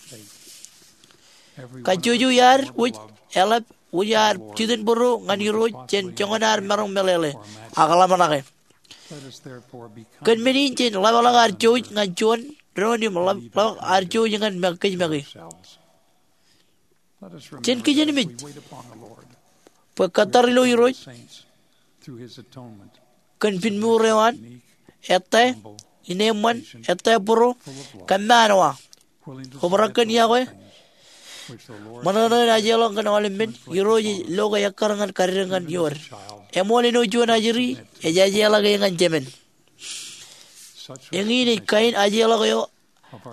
Kajjojo iaad wōj eḷap wōj ad jitōnbōro ñan Irooj jān joñan ad maroñ meḷeḷe ak ḷōmṇake. Kōn men in jen ḷapḷọk ad jouj ñan juon doon im ḷap, ḷapḷọk ad jouj ñan kōj make. Jen kijenmej bwe kōttar ilo Irooj kōn pinmuur eo an, ettā, ineeṃṃan, ettā būro, kōmmaanwa, obrak kōn iọkwe, ṃōṇōṇō in ajeḷọk kōn aolep men. Irooj ej lo ke ekkar ñan kaddek ñan iood. Eṃool āinwōt juon ajri ej ajeḷọk e ñan jemān. Eñin ej kain ajeḷọk eo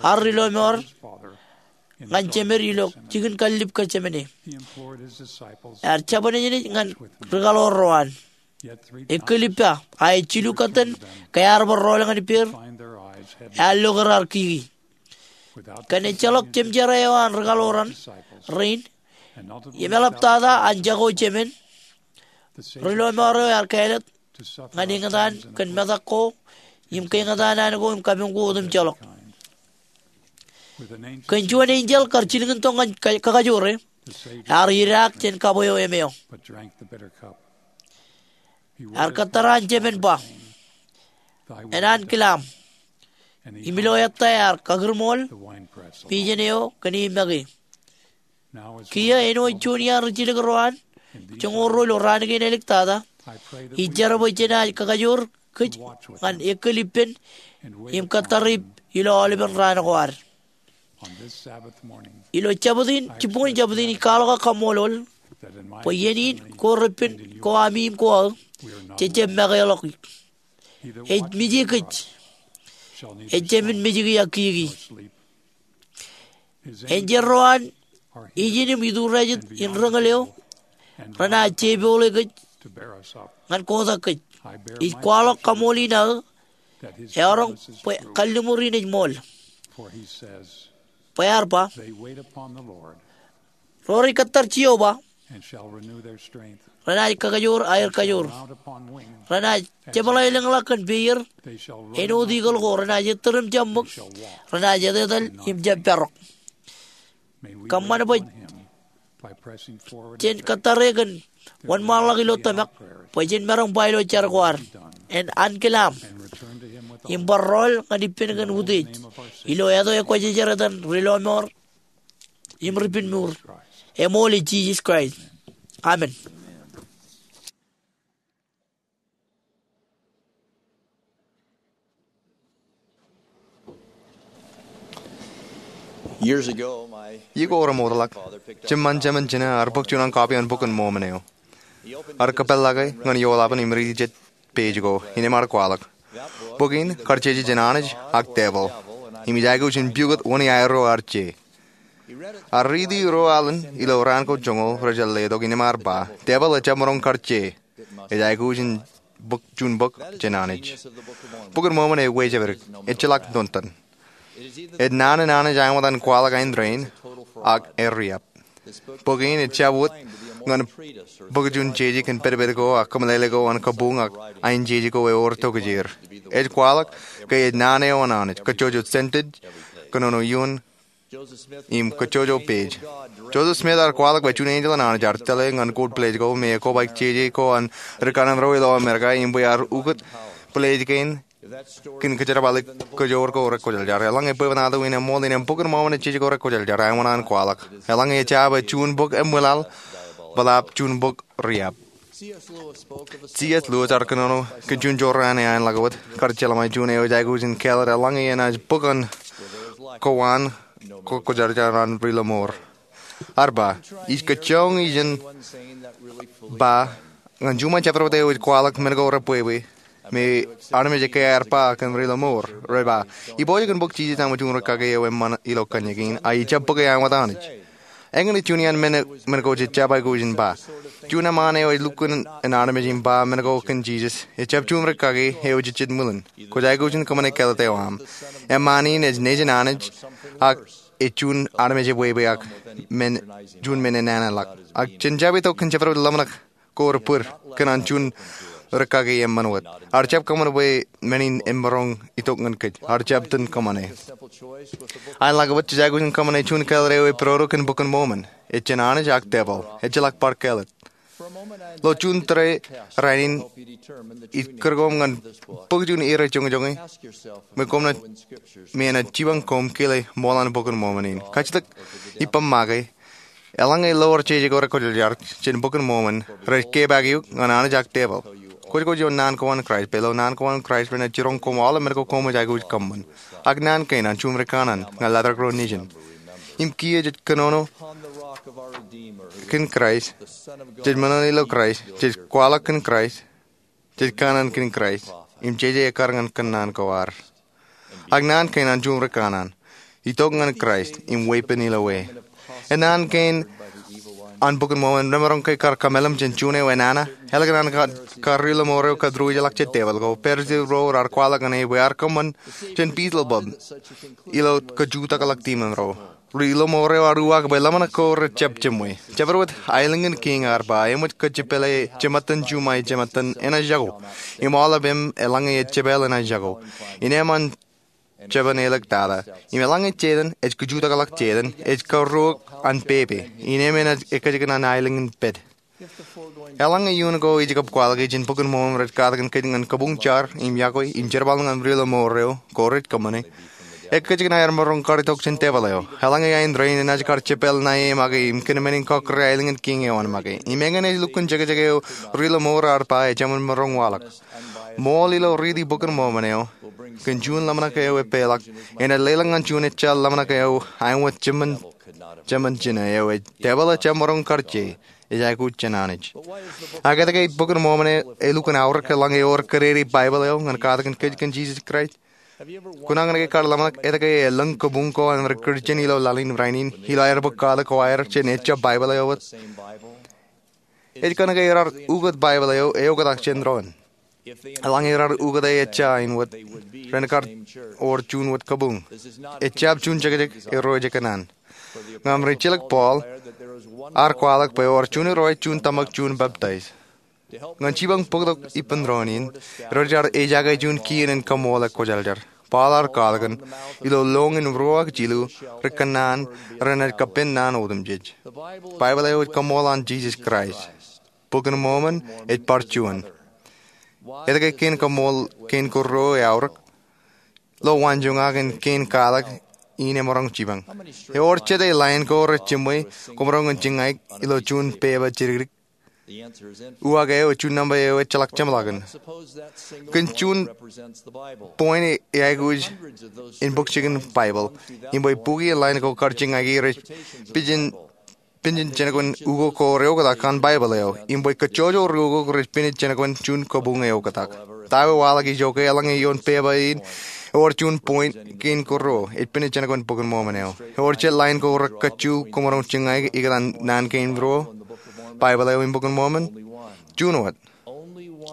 an Ri Lọmọọr ñan Jemed ilo jikin kallib Getsemane. Ear jabdewōt ñan ri kaḷoor ro an. Ekkilippa, a ej jilu kōttan ke ear bar rọọl ñan ippāer, ear lo ke raar kiki. Kōn ejjeḷọk jemjerā eo an ri kaḷoor rein im eḷaptata an jako jemān, Ri Lọmọọr eo ear kāālōt ñan eñtaan kōn metak ko im ke eñtaan an ko im kabuñ ko otemjeḷọk. Kōn juon enjeḷ kar jilkintok ñan ka, kakajoor e, ear idaak jān kab eo emeo. Ear kōttar an jemān ba, Enankilaṃ. Im ilo ettā ear kakūrṃool pijen eo kōn e make. Kiiō āinwōt juon iaan ri jilkintok ro an joñoul ruo ilo raan kein āliktata, ij jar bwe jenaaj kakajoor kōj ñan ekkal ippān im kōttar ip ilo aolepen raan ko ad. Ilo jabōt in, jibboñin jabōt in, ij kwaḷọk ak kaṃṃoolol bwe iien in ko repen ko ami im ko aō, jej jab make ḷọk. Ej mije kōj, ejāmin mejiki ak kiiki. Enjeḷ ro an ijin im ituriajet in rōñōl eo renaaj jepoḷe kōj ñan kotak kōj. Ij kwaḷọk kaṃool in aō eọroñ bwe kalliṃur in ej ṃool. Bwe ear ba, ro rej kōttar Jeova renaaj kakajoor aer kajoor. Renaaj jepḷaelōñḷọk kōn peier, āinwōt eagle ko, renaaj ettōr im jeṃṃōk, renaaj etetal im jab parọk. Kōṃṃan bwe jen kōttare kōn wōnṃaanḷọk ilo tōmak bwe jen maroñ ba ilo jar ko ad, en ankilaam im bar rọọl ñan ippān kōn utiej, ilo etan ekwōjarjar etan Rilọmọọr im Ripenmour, eṃool ej Jisōs Kraist. Amen. Iiō ko remootḷọk, jiṃṃan jemān jine ear bōk juon kọpy an Bok in Mọmon eo. Ear kōpeḷḷọke ñan eoḷapān im riiti jet page ko im ear kwaḷọk, bok in kar jeje jān Anij ak devil, im ij aikuj in pukot wōn iaer ro ar je. Ear riiti ro alen ilo raan ko joñoul rej letok im ear ba, devil ejjab maroñ kar je. Ej aikuj in bōk juon bok jān Anij. Bok in Mọmon ej wejāpdik, ejjeḷọk tonton. Ej naan in Anij āinwōt an kwaḷọk ain rein, ak eriab. Bok in ejjab wōt ñan bōk juon jeje kōn pedped ko ak kōmeḷeḷe ko an kabuñ ak ain jeje ko ewōr tokjāer. Ej kwaḷọk ke ej naan eo an Anij, kōjjojo sentence, kōnono iuun, im kōjjojo page. Joseph Smith ear kwaḷọk bwe juon enjeḷ an Anij ear tōlle ñan kōn pledge ko me ekobaik jeje ko an ri kanaan ro ilo Amerika im bwe ear ukōt pledge kein kōn kōjerbale kōjoor ko rekwōjarjar. Eḷaññe bwebwenato in eṃool, innem Bok in Mọmon ej jeje ko rekwōjarjar āinwōt an kwaḷọk. Eḷaññe ejja bwe juon bok eṃwilaḷ, bōtaab juon bok riab. C. S. Lewis ear kōnono kōn juon jorrāān eo an ḷak wōt kar jeḷā ṃōj, juon eo ej aikuj in kāālōt eḷaññe enaaj bōk an kowaan kwōjarjar an Ri Lọmọọr. Ear ba, ij kōjjoñ ijin ba ñan juṃae jabdewōt eo ej kwaḷọk men ko rebwebwe me armej ekkā aer ba kōn Ri Lọmọọr. Rej ba, ipojak in bōk Jisōs aṃ juon rūkaki eo eṃṃan ilo kōnnaan kein, a ijjab bōke āinwōt Anij. Eñin ej juon iaan men ko jej jab aikuj in ba. Juon eṃṃaan eo ej lukkuun an armej im ba men ko kōn Jisōs, ejjab juon rūkaki eo ejejjet ṃwilen. Kwōj aikuj in kōṃṃane kāālōt eo aṃ. Eṃṃaan in ej nejin Anij, ak ej juon armej ebwebwe ak men, juon men enana ḷọk. Ak jen jab itok kōn jabdewōt ḷōmṇak ko rej bōd kōn an juon rūkaki eṃṃan wōt. Ear jab kōṃṃan bwe men in emaroñ itok ñan kōj. Ear jab itōn kōṃṃane. An ḷak wōt jej aikuj in kōṃṃane juon kāālōt eo ej pād ro kōn Bok in Mọmon. Ej jān Anij ak devil. Ejjeḷọk bar kāālōt. Ilo juon tōre rainin ij kūr koṃ ñan bōk juon ire joñojoñe me koṃ naaj, me enaaj jipañ koṃ kile ṃool an Bok in Mọmon in. Kajjitōk ippaṃ make, eḷaññe lowar jeje ko rekwōjarjar jān Bok in Mọmọn, rej kepaak eok ñan Anij ak devil. Kwōj kwōj ioon naan ko an Kraist, bwe ilo naan ko an Kraist renaaj jiroñ koṃ aolep men ko koṃij aikuj kōṃṃan. Ak naan kein an juon ri kanaan ñan laḷtak ro nejin. Im kiiō jej kōnono kōn Kraist, jej ṃōṇōṇō ilo Kraist, jej kwaḷọk kōn Kraist, jej kanaan kōn Kraist, im jeje ekkar ñan kōnono ko ad. Ak naan kein an juon ri kanaan, itok ñan Kraist im weeppān ilo e. Ej naan kein an Bok in Mọmọn remaroñ ke kar kōmeḷeḷe jān juon eo enana, ālikin an kar, kar Ri Lọmọọr eo kōtūrjeḷọk je devil ko, Parisi ro raar kwaḷọk ñan e bwe ear kōṃṃan jān Beelzebub ilo kajutakḷọk demon ro. Ri Lọmọọr eo ear uwaak bwe ḷōmṇak ko rej jab jiṃwe. Jabdewōt aelōñ in kiiñ ear ba, eṃōj kōjepāle jemattan juṃae jemattan enaaj jako. Im aolep im eḷaññe ejepāl enaaj jako. Innem an jeban āliktata. Im eḷaññe Setan ej kajutakḷọk Setan, ej karuok an pepe. Innem enaaj ekkejkan an aelōñ in pād. Eḷaññe iuun ko ij kab kwaḷọk jān Bok in Mọmọn rej katakin kōj ñan kabuñ jar im yokwe im jerbal ñan Ri Lọmọọr eo ko rej kōṃṃane, ekkejkan aer maroñ kar itok jān devil eo. Eḷaññe ain rein enaaj kar jepāl ṇae e make im kōn men in kọkkure aelōñ in kiiñ eo an make. Im eñin ej lukkuun jekjek eo Ri Lọmọọr ear ba ejāmin maroñ waḷọk. Ṃool ilo riiti Bok in Mormon eo kōn juon ḷōmṇak eo epeḷḷọk enaaj leḷọk ñan juon ejjeḷọk ḷōmṇak eo āinwōt jemān jino eo ej tepel ejjab maroñ kar je, ej aikuj jān Anij. Ak etke ej Bok in Mormon elukkuun aorōk eḷaññe ewōr kōdede Baibōḷ eo ñan katak in kōj kōn Jisōs Kraist? Kwōnaaj kar ḷōmṇak etke elōñ kabuñ ko an ri-Kūrjin ilo laḷ in rainin ilo aer bōk katak ko aer jān ejjab Baibōḷ eo wōt? Ej kōnke ear ukōt Baibōḷ eo eoktak jān doon. Eḷaññe ear ukōte ejja āinwōt, ren kar wōr juon wōt kabuñ. Ejjab juon jekjek, erro ej kōṇaan. Ñan ri-jilōk Paul, ear kwaḷọk bwe ewōr juon irooj, juon tōmak, juon peptaij. Ñan jipañ bōktok ippān doon in, rej ejaake juon kien in kaṃool ekwōjarjar. Paul ear kwaḷọk kōn, ilo lọñiin ruo ak jilu, ri-kōṇaan renaaj kapen naan otemjej. Baibōḷ eo ej kaṃool an Jisōs Kraist. Bok in Mormon ej bar juon. Etke kein kaṃool kein kōrro eaorōk? Ilo waanjoñak in kein kwaḷọk in emaroñ jipañ, ewōr jete lain ko rej jiṃwe koṃ maroñ jiñaik ilo juon pepa jidikdik? Uwaak eo ej juon nōṃba eo ejjeḷọk jeṃḷọkin. Kōn juon point eaikuj in bōk jikin Baibōḷ, im bwe bukwi in lain ko kar jiñaiki rej pijin, pijin jenōkwe ukok ko reoktak an Baibōḷ eo, im bwe kajjojo ri ukok rej pijin jenōkwe juon kabuñ eoktak. Ta eo waḷọk ijoke? Eḷaññe ioon pepa in ewōr juon point kein kōrro, ej pijin jenōkwe Bok in Mormon eo. Ewōr jet lain ko rekajju koṃ maroñ jiñaik ikōtaan naan kein ruo, Baibōḷ eo im Bok in Mormon? Juon wōt.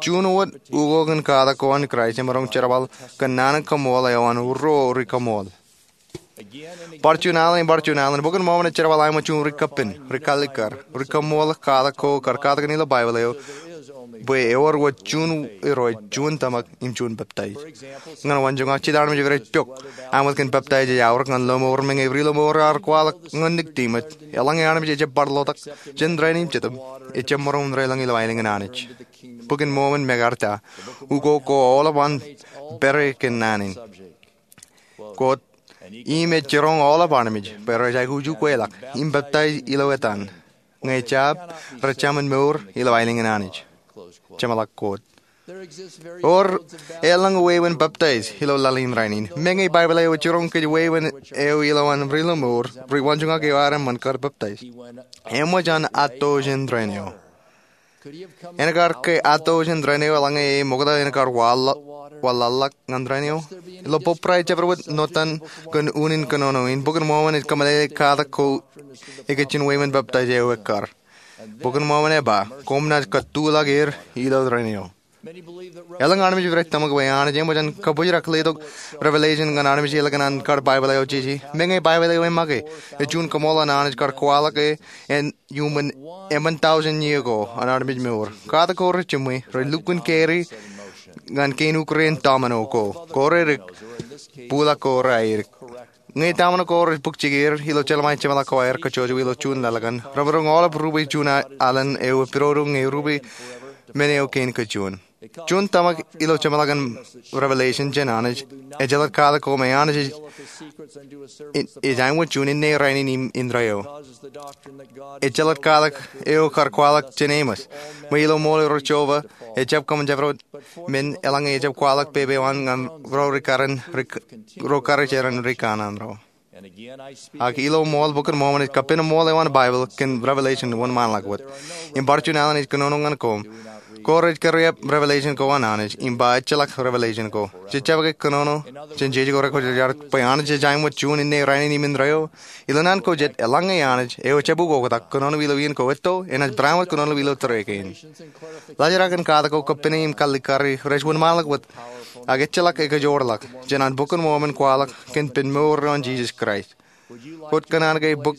Juon wōt ukok in katak ko an Kraist emaroñ jerbal kōn naan in kaṃool eo an ruo ri-kaṃool. Bar juon alen im bar juon alen, Bok in Mormon ej jerbal āinwōt juon ri-kapen, ri-kallikkar, ri-kaṃool katak ko kar katakin ilo Baibōḷ eo, bwe ewōr wōt juon irooj, juon tōmak, im juon peptaij. Ñan waanjoñak, jet armej rej pok āinwōt kōn peptaij ej aorōk ñan lọmọọr. Meñe ri-lọmọọr ear kwaḷọk ñan Nikodimōs, eḷaññe armej ejjab bar ḷotak jān rainin im Jetōb, ejjab maroñ in deḷọñ ilo aelōñ in Anij. Bok in Mormon mekarta ukok ko aolep an pere kōn naan in. Quote, im ej jiroñ aolep armej bwe rej aikuj ukweḷọk im peptaij ilo etan, ñe jab, rej jāmin mour ilo aelōñ in Anij. Jeṃḷọk quote. Ewōr elōñ wāween peptaij ilo laḷ in rainin. Meñe Baibōḷ eo ej jiroñ kōj wāween eo ilo an ri-lọmọọr rej waanjoñak eo ad eṃṃan kar peptaij. Eṃōj an atto jān dān eo. En kar ke atto jān dān eo eḷaññe e ṃokta en kar waḷọk, waḷọk ñan dān eo? Ilo Pope Pius ejjab wōt notan kōn unin kōnono in, Bok in Mormon ej kōmeḷeḷe katak ko ikijjien wāween peptaij eo ekkar. Bok in Mormon ej ba, koṃ naaj kōttuḷọk er ilo dān eo. Elōñ armej rej tōmak bwe Anij eṃōj an kabōjrak letok revelation ñan armej ilikin an kar Baibōḷ eo jeje. Meñe Baibōḷ eo ej make, ej juon kaṃool an Anij kar kwaḷọk e en iuṃwin emān tọujin iiō ko an armej mour. Katak ko rej jiṃwe, rej lukkuun carry ñan kein ukreen domino ko, ko redik, buḷọk ko reaedik. Ñe domino ko rej bōk jikier ilo jelṃae jeṃḷọk ko aer kajjojo ilo juon laḷ kaṇ, remaroñ aolep rupe juon a-, alen eo epidodo ñe rupe men eo kein kajjojo. Juon tōmak ilo jeṃḷọkin revelation jān Anij, ejjeḷọk katak ko me Anij ej, ej āinwōt juon inne, rainin im indeeo. Ejjeḷọk katak eo kar kwaḷọk jān Amos, bwe ilo ṃool ro Jeova, ejjab kōṃṃan jabdewōt men eḷaññe ejjab kwaḷọk pepe eo an ñan ro ri-karijeran, ri-, ro karijeran rikōṇaan ro. Ak ilo ṃool Bok in Mormon ej kapen ṃool eo an Baibōḷ kōn revelation wōnṃaanḷọk wōt. Im bar juon alen ij kōnono ñan koṃ. Ko rej kariep revelation ko an Anij, im ba ejjeḷọk revelation ko. Jej jab ke kōnono jān jeje ko rekwōjarjar bwe Anij ej āinwōt juon inne, rainin im indeeo? Ilo naan ko jet, eḷaññe Anij, eo ejjab ukoktak, kōnono ilo iien ko etto, enaaj barāinwōt kōnono ilo tōre kein. Laajrak in katak ko, kapene im kallikkari rej wōnṃaanḷọk wōt, ak ejjeḷọk ekajoorḷọk jān an Bok in Mormon kwaḷọk kōn pen mour eo an Jisōs Kraist. Kwōj kōṇaan ke bōk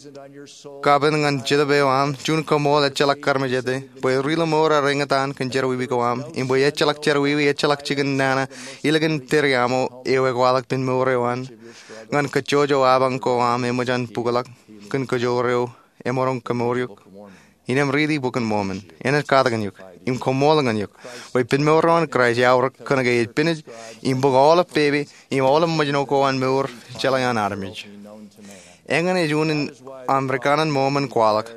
kapen ñan jetōb eo aṃ juon kaṃool ejjeḷọk karmejete, bwe ri-lọmọọr ar eñtaan kōn jerọwiwi ko aṃ, im bwe ejjeḷọk jerọwiwi, ejjeḷọk jikin nana ilikin tōre aṃo eo ekwaḷọk pen mour eo an, ñan kajjojo apañ ko aṃ eṃōj an bukḷọk kōn kajoor eo emaroñ kemour eok. Innem riiti Bok in Mormon, enaaj katakin eok im kaṃool ñan eok bwe pen mour eo an Kraist eaorōk kōnke ej pinej im bōk aolep pepe im aolep ṃōjṇọ ko an mour jeḷā an armej. Eñin ej unin aṃ rikōṇaan Mormon kwaḷọk,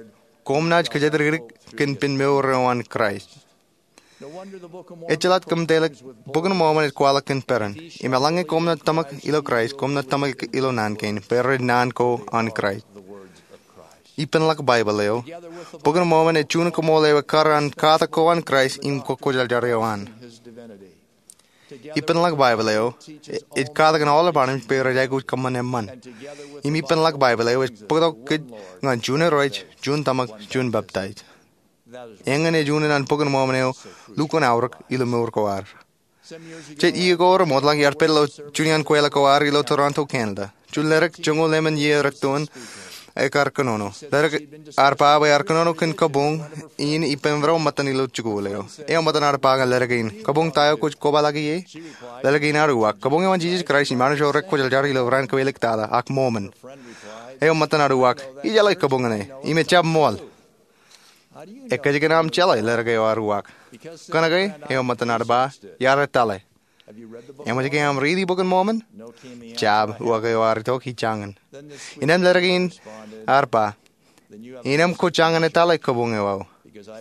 koṃ naaj kōjatdikdik kōn pen mour eo an Kraist. Ejjeḷọk kōmtōlōk, Bok in Mormon ej kwaḷọk kōn peran. Im eḷaññe koṃ naaj tōmak ilo Kraist, koṃ naaj tōmak ilo naan kein, bwe rej naan ko an Kraist. Ippānḷọk Baibōḷ eo, Bok in Mormon ej juon kaṃool eo ekkar an katak ko an Kraist im kwōjarjar eo an. Ippānḷọk Baibōḷ eo ej katakin aolep armej bwe rej aikuj kōṃṃan eṃṃan. Im ippānḷọk Baibōḷ eo ej bōktok kōj ñan juon Irooj, juon tōmak, juon peptaij. Eñin ej unin an Bok in Mormon eo lukkuun aorōk ilo mour ko ad. Jet iiō ko remootḷọk iar pād ilo juon iaan kweilọk ko ad ilo Toronto, Canada. Juon ledik joñoul emān iiō rektoon ekkar kōnono. Ledik ear ba bwe ear kōnono kōn kabuñ in ippān ro ṃōttan ilo jikuuḷ eo. Eo ṃōttan ear ba ñan ledik in, "Kabuñ ta eo kwōj kobaḷọki e?" Ledik in ear uwaak, "Kabuñ eo an Jisōs Kraist im armej ro rekwōjarjar ilo raan kawōj iliktata, ak Mormon." Eo ṃōttan ear uwaak, "Ijeḷā kabuñ ṇe, im ejjab ṃool." "Ekōjkan aṃ jeḷā?" ledik eo ear uwaak. "Kōnke," eo ṃōttan ear ba, "iar etale." "Eṃōj ke aṃ riiti Bok in Mormon?" "Jab," uwaak eo ear itok ijjañin. Innām ledik in ear ba, "Innām kwōj jañin etale kabuñ eo aō.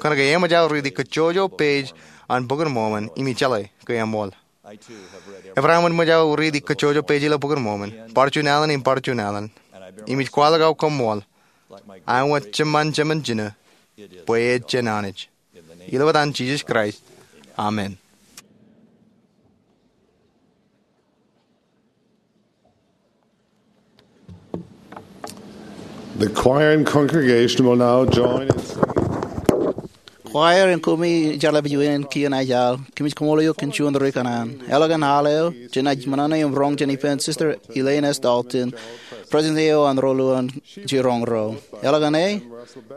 Kōnke eṃōj aō riiti kōjjojo page an Bok in Mormon im ijeḷā ke eṃool." Ebar aṃ wōt ṃōj aō riiti kōjjojo page ilo Bok in Mormon, bar juon alen im bar juon alen. Im ij kwaḷọk aō koṃṃool, aṃ wōt jemān jemān jino, bwe ej jān Anij. Ilo etan Jisōs Kraist, amen. The choir and congregation will now join in singing. Kwaer im koṃi ij jar ḷap ijo in kien aō. Kōmij koṃṃool eok kōn juon ri kanaan. Eḷap an al eo, jenaaj ṃōṇōṇō im roñ jān ippān Sister Elaine S. Dalton, president eo an Rōlulu an Jiroñ Ro. Eḷap an e,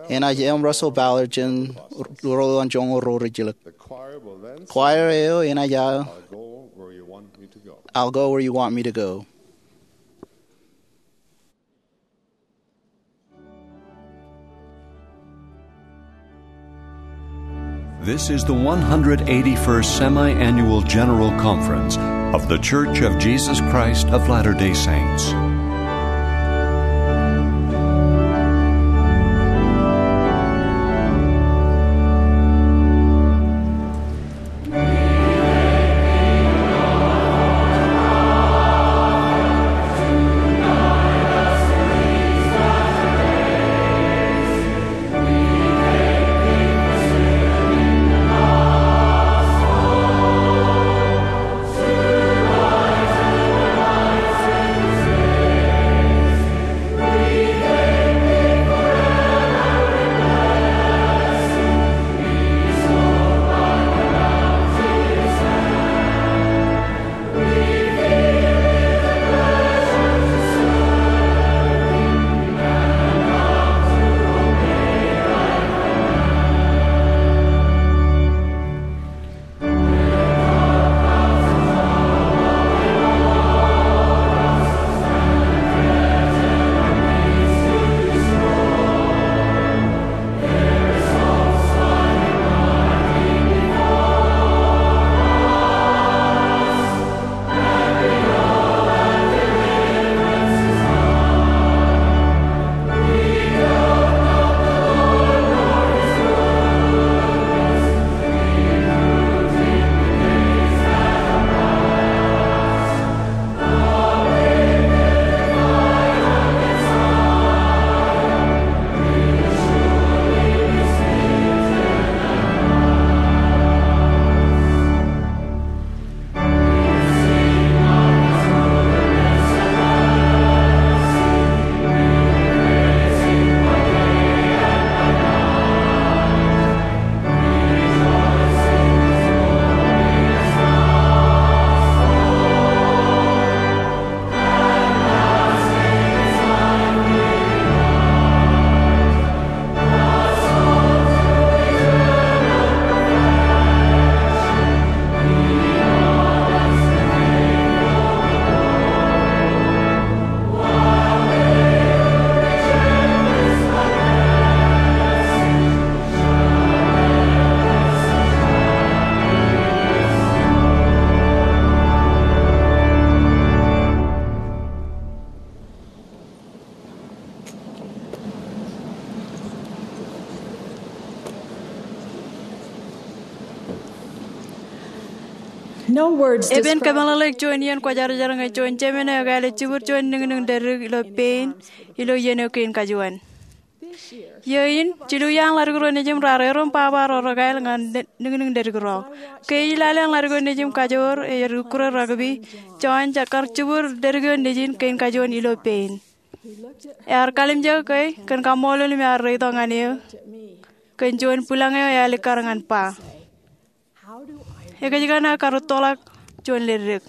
enaaj M. Russell Ballard jān Rōlulu an Joñoul Ro Rijjilōk. Kwaer eo enaaj aō I'll Go Where You Want Me to Go. This is the one hundred eighty-first Semi-Annual General Conference of The Church of Jesus Christ of Latter-day Saints. Epen kōmeḷeḷeik juon iien kwōjarjar ñe juon jemān eo ekāāle jibwid juon niñniñ dedik ilo pein ilo iien eo kein kajuon. Iiō in, jilu iaan ḷaddik ro nejūṃ raar erom baba ro rekāāl ñan niñniñ dedik ro. Ke ij lale an ḷaddik eo nejūṃ kajoor ej ukkure rugby, John ej kar jibwid dedik eo nejin kein kajuon ilo pein. Ear kalimjek ke kōn kaṃṃoolol im ear reitok ñan eō kōn juon bwilōñ eo ealikkar ñan ba, ekōjkan aō karūttoḷọk juon ledik.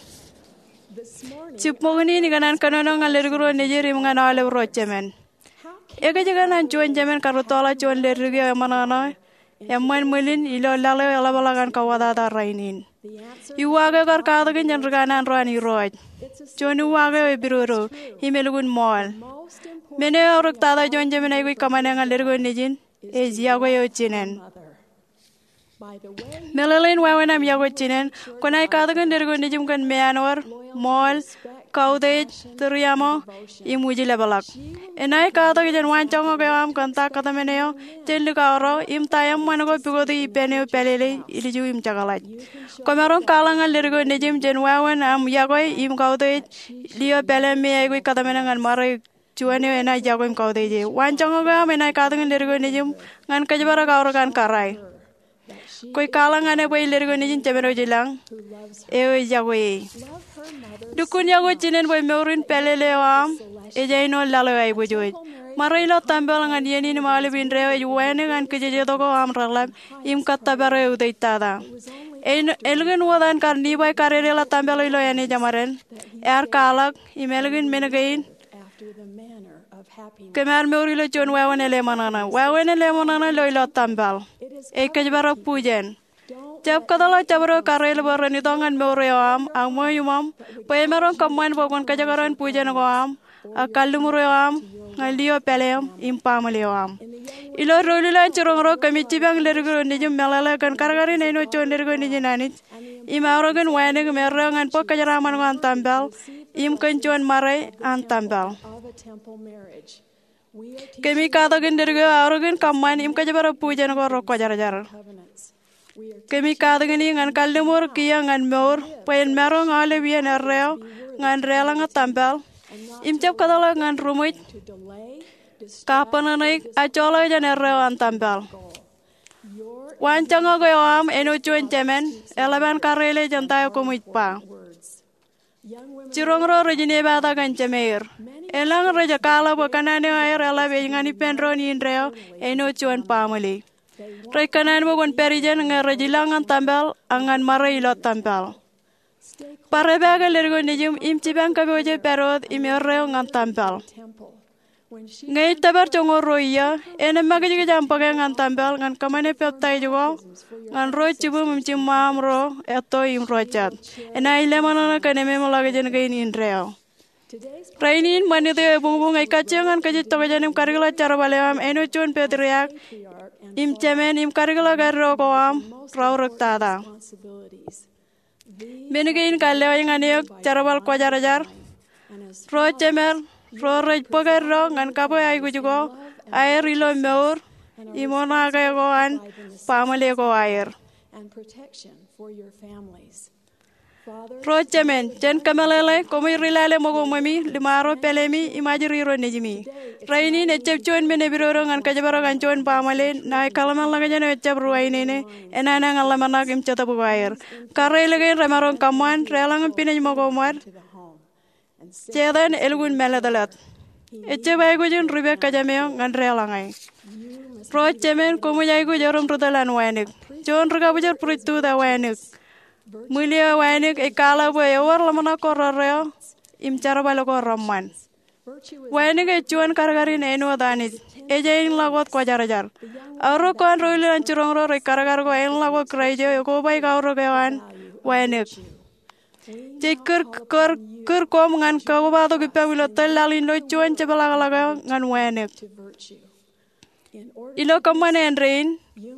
Jibboñōn in ikōṇaan kōnono ñan leddik ro nejid im ñan aolep ro jemān. Ekōjkan an juon jemān karūttoḷọk juon ledik eo eṃōṇōṇō eṃṃan ṃwilin ilo laḷ eo eḷapḷọk an kauwōtata rainin? Uwaak eo kar katakin jān ri kanaan ro an Irooj. Juon uwaak eo epidodo im elukkuun ṃool. Men eo eaorōk tata juon jemān aikuj kōṃṃane ñan leddik eo nejin ej yokwe eo jinen. Meḷeḷein wāween aṃ yokwe jinen, kwōnaaj katakin leddik eo nejūṃ kōn meanwōd, ṃool, kautiej, tūriaṃo, im wijlepḷọk. Enaaj katak jān waanjoñak eo aṃ kōn ta kōtmān eo jān likao ro im ta eṃṃan ko pukoti ippān eo pālele, ilju im jekḷaj. Kwōmaroñ kwaḷọk ñan leddik eo nejūṃ jān wāween aṃ yokwe im kautiej, lio pāleaṃ me aikuj kōtmāne ñan ṃare juon eo enaaj yokwe im kautiej e. Waanjoñak eo aṃ enaaj katakin leddik eo nejūṃ ñan kōjparok aorōk an kōrā. Kwōj kwaḷọk ñan e bwe ej leddik eo nejin Jemān eo ilañ eo ej yokwe e. Lukkuun yokwe jinen bwe mour in pālele eo aṃ ej āinwōt laḷ eo aiboojoj. Ṃare ilo tempel ñan iien in im aolep indeeo ej wānōk an kijejetok eo aṃ reḷap im kōttōpar e utiej tata. Elukkuun wōt an kar Nifai kadede ḷọk tempel eo ilo āne jeṃaden, ear kwaḷọk, im elukkuun men kein kōm ar mour ilo juon wāween ḷōṃōṇōṇō. Wāween ḷōṃōṇōṇō ilo, ilo tempel ej kōjparok bujen. Jab kōtḷọk jabdewōt kareel bwe ren itok ñan mour eo aṃ, ak ṃweo iṃōṃ, bwe emaroñ kōṃṃan bwe kwōn kōjekdọọn bujen ko aṃ, ak kalliṃur eo aṃ, ñan lio pāleaṃ, im baaṃle eo aṃ. Ilo doulul an jiroñ ro kōmij jipañ leddik eo nejūṃ meḷeḷe kōn kadkadin āinwōt juon leddik eo nejin Anij, im aorōkin wānōk im erreo ñan bōk kōjeraaṃṃan ko an tempel, im kōn juon ṃare an tempel. Kōmij katakin leddik eo aorōkin kōṃṃan im kōjparok bujen ko rekwōjarjar. Kōmij katakin e ñan kalliṃur kiiō ñan mour, bwe en maroñ aolep iien erreo ñan deḷọñe tempel, im jab kōtḷọk ñan ruṃwij, kabbōnōṇōik, ak joḷọk jān erreo an tempel. Waanjoñak eo aṃ āinwōt juon jemān, eḷap an kareel e jān ta eo koṃij ba. Jiroñ ro rej inepata kōn jemeir. Elōñ rej kwaḷọk bwe kōṇaan eo aer eḷap ej ñan ippān doon indeeo āinwōt juon baaṃle. Rej kōṇaan bwe kwōn pād ijeṇ ñe rej ilọk ñan tempel ak ñan ṃare ilo tempel. Bar epaake leddik eo nejūṃ im jipañ kōpooje pād wōt im erreo ñan tempel. Ñe ej tōpar joñoul ruo iiō, en emakijkij aṃ bōke ñan tempel ñan kōṃṃane peptaij ko ñan ro jibūṃ im jiṃṃaṃ ro etto im ro jet. Enaaj ḷōṃōṇōṇō kōn ememḷọkjeṇ kein indeeo. Rainin ṃanit eo ebuñbuñ ej kajjioñ ñan kōj ej tokjān im kadikḷọk jerbal eo aṃ āinwōt juon petriak im jemān im kadikḷọk eddo ko aṃ reaorōk tata. Men kein kar lewōj ñan eok jerbal kwōjarjar, ro jemed, ro rej bōk eddo ñan kabwe aikuj ko aer ilo mour im oṇaake ko an baaṃle ko aer. Ro jemān, jān kōmeḷeḷe, koṃij ri-lale ṃōko ṃwemi, liṃaro pālemi, im ajri ro nejimi. Rainin ejjab juon men epidodo ñan kōjparok an juon baaṃle ṇae kōḷmānḷọkjeṇ eo ejjab ruwainene, enana ñan ḷōmṇak im jetōb ko aer. Kareel kein remaroñ kōṃṃan, deḷọñ im pinej ṃōko ṃōd. Setan elukkuun mālōtlōt. Ejjab aikuj in rupe kōjām eo ñan deḷọñe. Ro jemān, koṃij aikuj erom ri tōl an wānōk. Juon ri-kabwijor priesthood ewānōk. Ṃwil eo ewānōk ej kwaḷọk bwe ewōr ḷōmṇak ko rerreo im jerbal ko reṃṃan. Wānōk ej juon kadkadin āinwōt Anij. Ej āinḷọk wōt kwōjarjar. Aorōk ko an doulul an jiroñ ro rej kadkad ko āinḷọk wōt Kraist eo ekoba aorōk eo an wānōk. Jej kūr, kūr, kūr koṃ ñan kakobatok ippaṃ ilo tōl laḷ in ilo juon jepḷaakḷọk eo ñan wānōk. Ilo kōṃṃan āindein,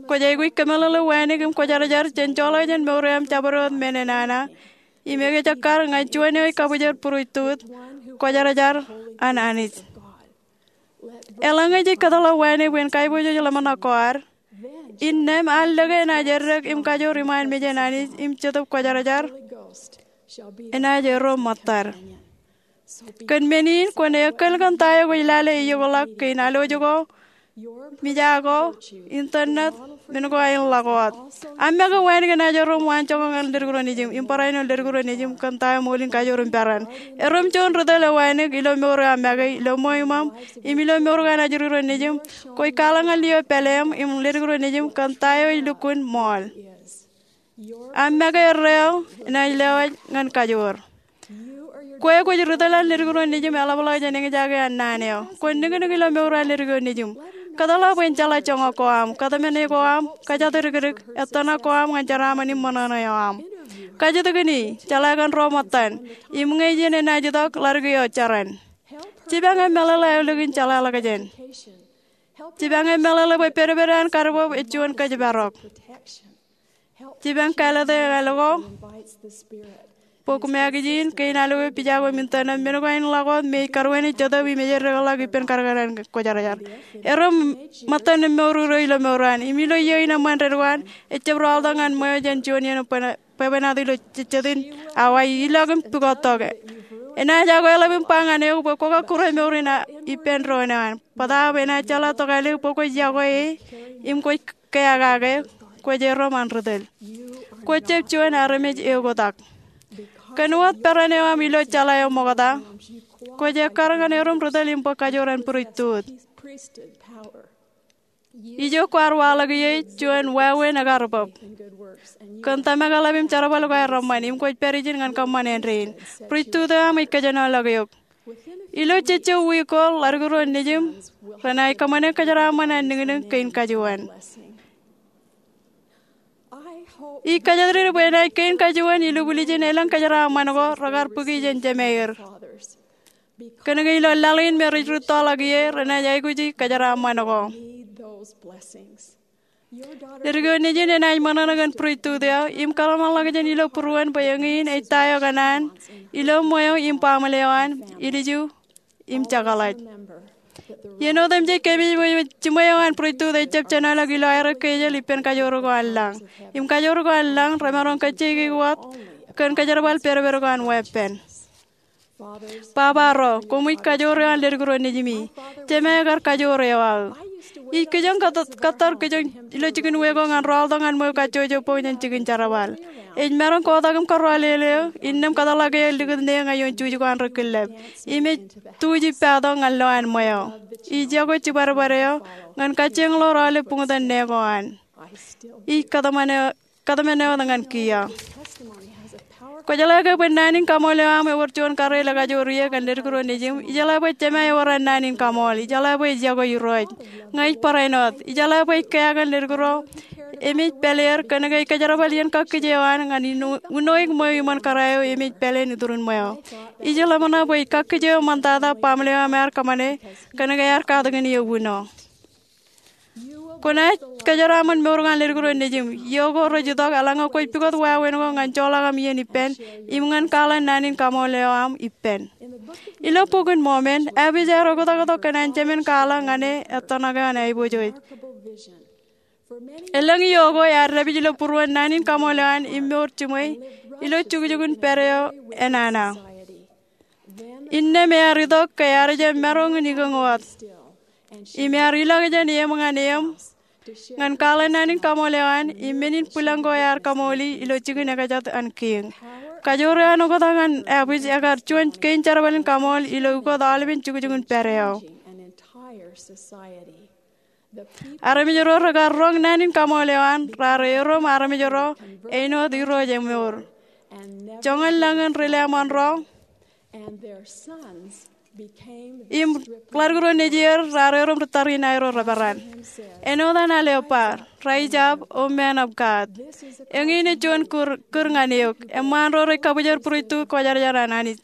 kwōj aikuj kōmeḷeḷe wānōk im kwōjarjar jān joḷọk jān mour eo aṃ jabdewōt men enana, im ekejekkar ñan juon eo ej kabwijor priesthood, kwōjarjar an Anij. Eḷaññe jej kōtḷọk wānōk bwe en kaiboojoj ḷōmṇak ko ad, Innām ear lōke enaaj eddek im kajoor iṃaan mejān Anij im Jetōb Kwōjarjar enaaj erom ṃōttad. Kōn men in kwōn eokōl kōn ta eo kwōj lale eokḷọk kein alwōj ko, mijak ko, internet, men ko aer ḷak wōt. Aṃ make wānōk enaaj erom waanjoñak ñan leddik ro nejiṃ im barāinwōt leddik ro nejiṃ kōn ta eo mour in kajoor im peran. Erom juon ri tōl eo wānōk ilo mour eo aṃ make, ilo ṃweo iṃaṃ, im ilo mour ko an ajri ro nejiṃ. Kwōj kwaḷọk ñan lio pāleeṃ im leddik ro nejiṃ kōn ta eo ej lukkuun ṃool. Aṃ make erreo enaaj lewōj ñan kajoor. Kwe kwōj ri tōl an leddik ro nejiṃ eḷapḷọk jān eñjake an naan eo. Kwōn niknik ilo mour an leddik ro nejiṃ. Kōtḷọk bwe en jeḷā joñak ko aṃ, kōtmāne ko aṃ, kōjatdikdik, ettōṇak ko aṃ ñan jeraaṃṃan im ṃōṇōṇō eo aṃ. Kajjitōkin, jeḷā kōn ro ṃōttan, im ñe ijin enaaj itok, ḷaddik eo jeran. Jipañ eṃṃanḷọk aolep in jeḷāḷọkjeṇ. Jipañ eṃṃanḷọk bwe pedped an kadbweb ej juon kōjparok. Jipañ kāālōt e ḷọk bwe kwō make ijin, kein alwōj, pija ko im internet, men ko aer ḷak wōt me ej karuwene Jetōb im ej eddekḷọk ippān kadkad an kwōjarjar. Erom ṃōttan im mour ro ilo mour an, im ilo iiō in eṃṃan dedik ko an, ejjab rọọltok ñan ṃweo jān juon iien bwebwenato ilo jejjet in awa, ilọk im pukot tok. Enaaj akweḷap im ba ñan eok bwe kwō kakkure mour in ippān doon eo an. Bōtaab enaaj jeḷā tokālik bwe kwōj yokwe e im kwōj keakake, kwōj erom an ri tōl. Kwōj jab juon armej eoktak. Kōn wōt peran eo aṃ ilo jeḷā eo ṃokta, kwōj ekkar ñan erom ri tōl im bōk kajoor an priesthood. Ijo kwaar waḷọk ie juon wāween ekar bōb. Kōn tōmak eḷap im jerbal ko aer eṃṃan, im kwōj pād ijin ñan kōṃṃan āindein. Priesthood eo aṃ ej kōjenolọk eok. Ilo jejjo wiik ko, ḷaddik ro nejiṃ renaaj kōṃṃane kōjeraaṃṃan an niknik kein kajuon. Ij kōjatdikdik bwe enaaj kein kajuon ilubwiljin elōñ kōjeraaṃṃan ko rekar bōki jān jemāer. Kōnke ilo laḷ in me rej rūttoḷọk ie, renaaj aikuji kōjeraaṃṃan ko. Leddik eo nejin enaaj ṃōṇōṇō kōn priesthood eo im kōḷmānḷọkjeṇ ilo būruon bwe eñin ej ta eo kōṇaan ilo ṃweo im baaṃle eo an, ilju im jekḷaj. Iien otemjej kōmij bwe jiṃwe eo an priesthood ejjab jenoḷọk ilo aerro kejel ippān kajoor ko an lañ. Im kajoor ko an lañ remaroñ kajjieiki wōt kōn kōjerbal pedped ko an weeppān. Baba ro, koṃij kajoor eo an leddik ro nejimi. Jemāe kar kajoor eo aō. Ij kijoñ kōttar kijoñ ilo jikin wōt ko ñan rọọltok ñan ṃweo kajjojo bok jān jikin jerbal. Ej maroñ kotak im kōrọọl eo, innām kōtḷọk eō likūt ṇe ñan ioon juj ko an ri killep. Im ej tuj ippato ñan lowaan ṃweo. Ij yokwe jibadbad eo ñan kajjieñḷọk aolep buñtōn ṇe ko an. Ij kōtmāne wōt ñan kiiō. Kwōjeḷā ke bwe naan in kaṃool eo aṃ ewōr juon kōrā eo ekajoor ie kōn leddik ro nejiṃ? Ijeḷā bwe Jemāe ewōr an naan in kaṃool. Ijeḷā bwe ej yokwe Irooj. Ña ij barāinwōt. Ijeḷā bwe ej kea kōn leddik ro emej pāleer kōnke ej kōjerbal iien kakkije eo an ñan unoik ṃweo iṃōn kōrā eo emej pāleen iturin ṃweo. Ij ḷōmṇak bwe ej kakkije eo ṃoktata baaṃle eo aṃ ear kōṃṃane kōnke ear katakin eō uno. Kwōnaaj kōjeraaṃṃan mour ko an leddik ro nejiṃ. Iiō ko rej itok eḷaññe kwōj pukot wāween ko ñan joḷọk aṃ iien ippān im ñan kwaḷọk naan in kaṃool eo aṃ ippān. Ilo Bok in Mormon, Abbott ear oktaktok kōn an jemān kwaḷọk ñan e ettōṇak eo an aiboojoj. Elōñ iiō ko ear dāpij ilo būruon naan in kaṃool eo an im mour jiṃwe ilo jukjukun pād eo enana. Innām ear itok ke ear jab maroñ in ikōñ wōt. Im ear ilọk jān eṃ ñan eṃ ñan kwaḷọk naan in kaṃool eo an im men in bwilōñ ko ear kaṃooli ilo jikin ekjat an kiiñ. Kajoor eo an oktak an Abbott ekar juon kein jerbal in kaṃool ilo ukot aolepen jukjukun pād eo. Armej ro rekar roñ naan in kaṃool eo an raar erom armej ro āinwōt Irooj emour. Joñan lañ in ri-leṃōn ro im ḷaddik ro nejier raar erom ri tariṇae ro reperan. Āinwōt an al eo ba, Rise up, O man of God. Eñin ej juon kūr ñan eok. Eṃṃaan ro rej kabwijer priesthood kwōjarjar an Anij.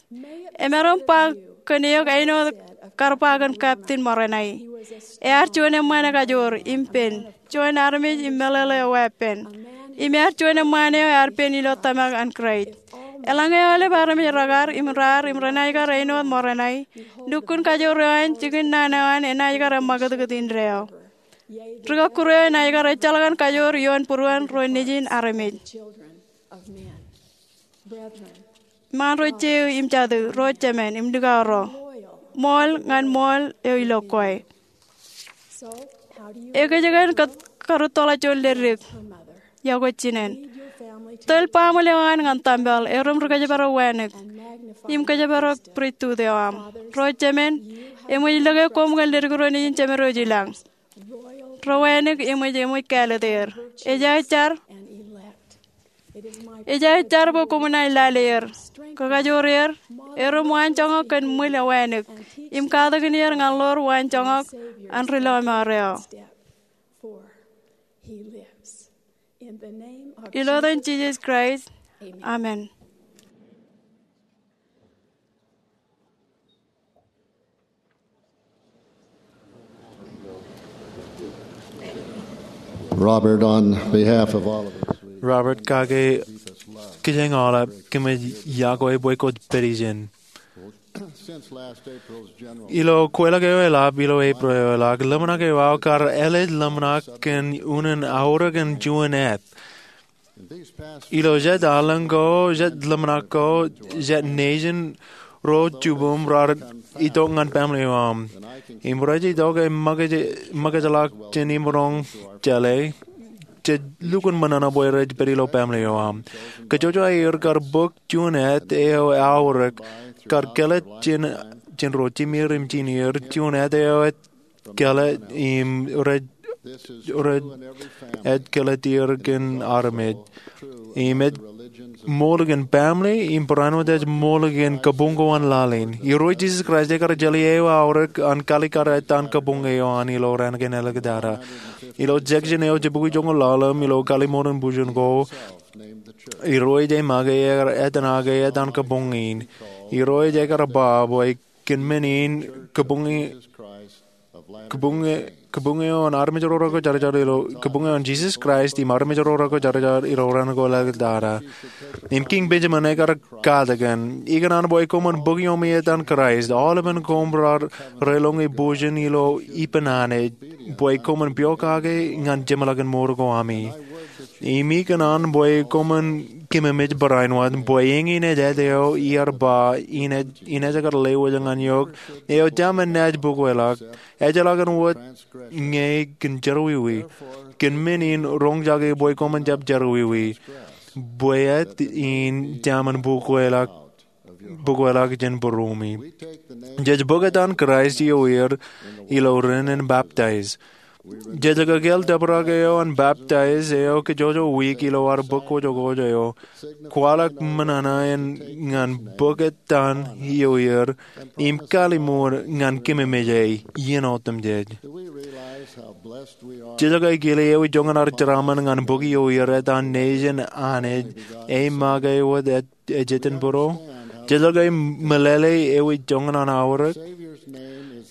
Emaroñ ba kōn eok āinwōt kar ba kōn Captain Moroni. Ear juon eṃṃaan ekajoor im pen, juon armej im meḷeḷe eo weeppān. Im ear juon eṃṃaan eo ear pen ilo tōmak an Kraist. Eḷaññe aolep armej rekar im raar im renaaj kar āinwōt Moroni, lukkuun kajoor eo an, jikin naan eo an enaaj kar eṃṃakūtkūt indeeo. Ri kọkkure eo enaaj kar ejjeḷọk an kajoor ioon būruon ro nejin armej. Ṃaan ro jeiū im jatū, ro jemān im likao ro, ṃool ñan ṃool eo ilo kwe. Ekōjkan kōt kar rūttoḷọk juon ledik? Iọkwe jinen. Tōl baaṃle eo an ñan tempel, erom ri kōjparok wānōk im kōjparok priesthood eo aṃ. Ro jemān, eṃōj lōke koṃ kōn ledik ro nejin Jemedwōj ilañ. Ro wānōk eṃōj, eṃōj kāālōt er. Ej aō jar, ej aō jar bwe koṃwin naaj lale er, kakajoor er, erom waanjoñak kōn ṃwil eo wānōk im katakin er ñan ḷoor waanjoñak an ri lọmọọr eo. Ilo etan Jisōs Kraist, amen. Robert, on behalf of all of us, we Robert, kake kijeñ aolep, kōmij yokwe bwe kwōj pād ijin. Since last April's general Ilo kweilọk eo eḷap ilo Eprel eo eḷak, ḷōmṇak eo aō kar ālij ḷōmṇak kōn unin aorōk in juon āt. Ilo jet aolōñ ko, jet ḷōmṇak ko, jet nejin, ro jibūṃ raar itok ñan baaṃle eo aṃ. Im rej itok im ṃōkaj, ṃōkajḷọk jān im roñ jeḷā, jej lukkuun ṃōṇōṇō bwe rej pād ilo baaṃle eo aṃ. Kōjwōj aer kar bōk juon āt eo aorōk kar kōḷḷā jān, jān ro jimir im jinir, juon āt eo ej kōḷḷā im rej, rej, ej kōḷḷāer kōn armej. Im ej ṃool kōn baaṃle, im barāinwōt ej ṃool kōn kabuñ ko an laḷ in. Irooj Jisōs Kraist ekar jeḷā eo aorōk an kalikkar etan kabuñ eo an ilo raan kein āliktata. Ilo section eo jibukwi joñoul ḷalem ilo kallimur in bujen ko, Irooj ej make, ekar etōnake etan kabuñ in. Irooj ekar ba bwe kōn men in kabuñ, kabuñ, kabuñ eo an armej ro rekwōjarjar ilo, kabuñ eo an Jisōs Kraist im armej ro rekwōjarjar ilo raan ko āliktata. Im Kiiñ Benjamin ekar katakin, ikōṇaan bwe koṃwin bōk iọkwe etan Kraist, aolepen koṃ raar reloñe bujen ilo ippān Anij, bwe koṃwin piokake ñan jeṃḷọkin mour ko ami. Im ikōṇaan bwe koṃwin kememej barāinwōt, bwe eñin ej āt eo iar ba, in ej, in ej kar lewōj ñan eok, eo jab men naaj bōkweḷọk, ejjeḷọkin wōt ñe kōn jerọwiwi. Kōn men in roñjake bwe koṃwin jab jerọwiwi, bwe āt in jab men bōkweḷọk, bōkweḷọk jān būruemi. Jej bōk etan Kraist ioer ilo ren in baptize. Jej kōkāāl tōprak eo an baptize eo kajjojo wiik ilo ad bōk kwōjkwōj eo, kwaḷọk ṃōṇōṇō in ñan bōk etan ioer, im kalliṃur ñan kememej e iien otemjej. Jej kile ewi joñan ad jeraaṃṃan ñan bōk ioer etan nejin Anij, e make wōt ej, ej iien būro? Jej meḷeḷe ewi joñan an aorōk?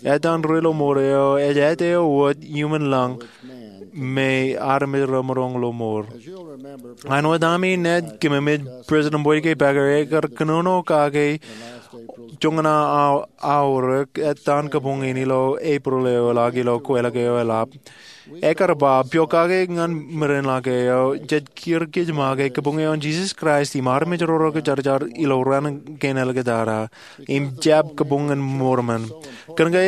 Etan ri lọmọọr eo ej āt eo wōt iuṃwin lañ me armej remaroñ lọmọọr. Āinwōt ami naaj kememej, President Boyd K. Packer ekar kōnono kake joñan an aorōk etan kabuñ in ilo Eprel eo eḷak ilo kweilọk eo eḷap. Ekar ba, piokake ñan merenḷọk eo, jej kūr kōj make kabuñ eo an Jisōs Kraist im armej ro rekwōjarjar ilo raan kein āliktata, im jab kabuñ in Mormon. Kōnke,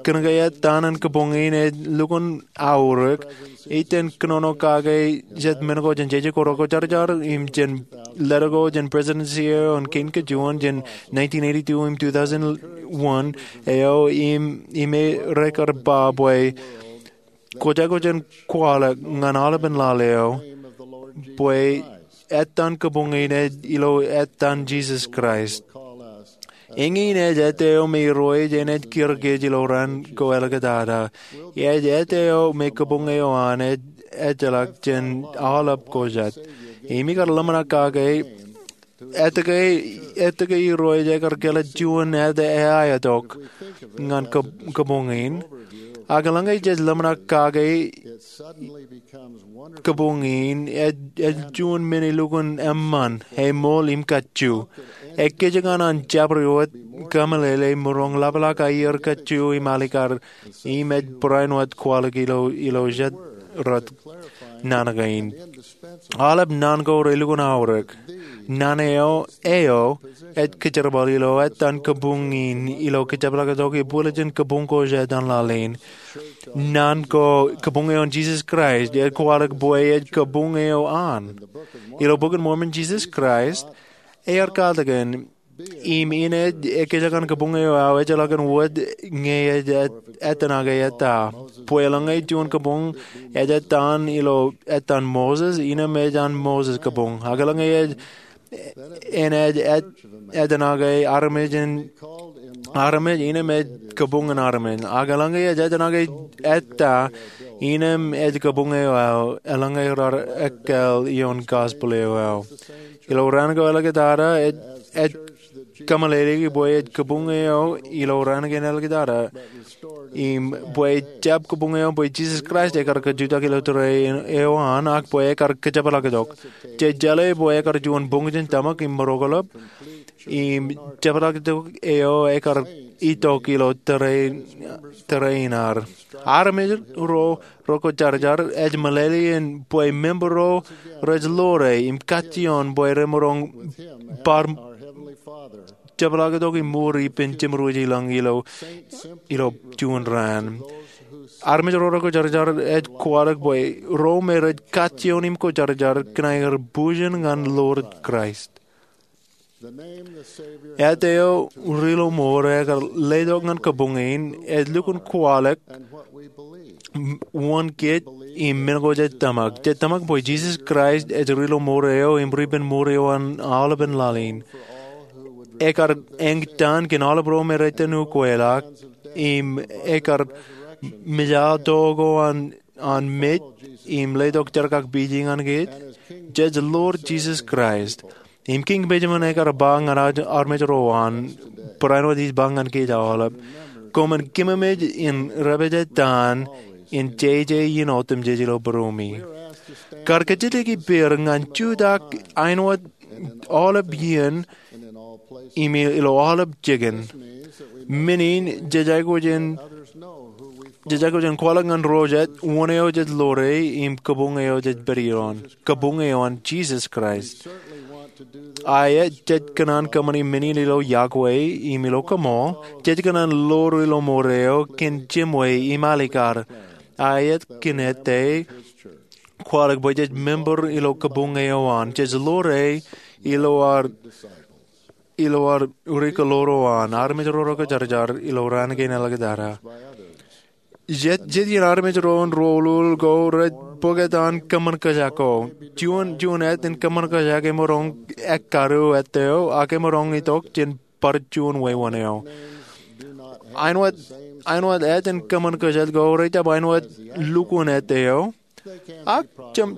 kōnke etan in kabuñ in ej lukkuun aorōk, ij itōn kōnono kake jet men ko jān jeje ko rekwōjarjar im jān letter ko jān presidency eo an kein kajuon jān nineteen eighty-two im two thousand one eo im, im rekar ba bwe kwōj aikuj in kwaḷọk ñan aolepen laḷ eo bwe etan kabuñ in ej ilo etan Jisōs Kraist. Eñin ej āt eo me Irooj enaaj kūr kōj ilo raan ko āliktata. Ej āt eo me kabuñ eo an ej ejjeḷọk jān aolep ko jet. Im ikar ḷōmṇak kake, etke, etke Irooj ekar kōḷḷā juon āt eaetok ñan kab-, kabuñ in. Ak eḷaññe jej ḷōmṇak kake, kabuñ in ej, ej juon men elukkuun eṃṃan, eṃool im kajju. Ekkejek ñan an jabdewōt kōmeḷeḷe im maroñ lapḷọk aier kajju im alikar im ej barāinwōt kwaḷọk ilo jet rot naan kein. Aolep naan ko relukkuun aorōk. Naan eo ej kōjerbal ilo ettan kabuñ in ilo kōjepḷaaktok ibwiljin kabuñ ko jān laḷ in. Naan ko kabuñ eo an Jisōs Kraist ej kwaḷọk bwe ej kabuñ eo an. Ilo Bok in Mormon Jisōs Kraist ear katakin im inaaj ekkejek an kabuñ eo aō ejjeḷọkin wōt ñe ej ettanake ettā. Bwe eḷaññe juon kabuñ ej ettan ilo ettan Moses, innem ej an Moses kabuñ. Ak eḷaññe enaaj ettanake armej, innem ej kabuñ in armej. Ak eḷaññe ej ettanake ettā, innem ej kabuñ eo aō, eḷaññe raar ekkāāl ioon gospel eo aō. Ilo raan ko āliktata, ej kōmeḷeḷeiki bwe ej kabuñ eo ilo raan kein āliktata, im bwe ejjab kabuñ eo bwe Jisōs Kraist ekar kajutak ilo tōre eo an, ak bwe ekar kōjepḷaaktok. Jej jeḷā bwe ekar juon boñjin tōmak im motoḷọk, im jepḷaaktok eo ekar itok ilo tōre in ad. Armej ro rekwōjarjar ej meḷeḷe in bwe member ro rej ḷoore im kajjioñ bwe remaroñ bar jepḷaaktok im mour ippān Jemedwōj ilañ ilo juon raan. Armej ro rekwōjarjar ej kwaḷọk bwe ro me rej kajjioñ im kwōjarjar kōn aer bujen ñan Lord Kraist. Āt eo Rilomour ekar letok ñan kabuñ in ej lukkuun kwaḷọk wōn kōj im men ko jej tōmak. Jej tōmak bwe Jisōs Kraist ej Rilomour eo im Ripenmour eo an aolepān laḷ in. Ekar eñtaan kōn aolep ro me rej itōn ukeḷọk, im ekar mejato ko an mej im letok jerkakpeje ñan kōj. Jej ḷoor Jisōs Kraist im Kiiñ Benjamin ekar ba ñan armej ro an, barāinwōt ij ba ñan kōj aolep, koṃwin kememej in repejtōn in jeje in otemjej ilo būruemi. Kar kōjatdikdik ippāer ñan jutak āinwōt aolep iien im ilo aolep jikin. Men in jej aikuj in kwaḷọk ñan ro jet wōn eo jej ḷoore im kabuñ eo jej pād ioon, kabuñ eo an Jisōs Kraist. Aet, jej kōṇaan kōṃṃani men in ilo yokwe im ilo kaṃool. Jej kōṇaan ḷoor Rilomour eo kōn jemwe im alikar. Aet, kōn ete kwaḷọk bwe jej member ilo kabuñ eo an. Jej ḷoore ilo ad ri-kōḷoḷ ro an, armej ro rekwōjarjar ilo raan kein āliktata. Jet iien armej ro an ri-ullul ko rej bōk etan kōṃṃan kōjak ko. Juon āt in kōṃṃan kōjak emaroñ ekkadu āt eo ak emaroñ itok jān bar juon wāween eo. Āinwōt āt in kōṃṃan kōjak ko rejjab āinwōt lukkuun āt eo, ak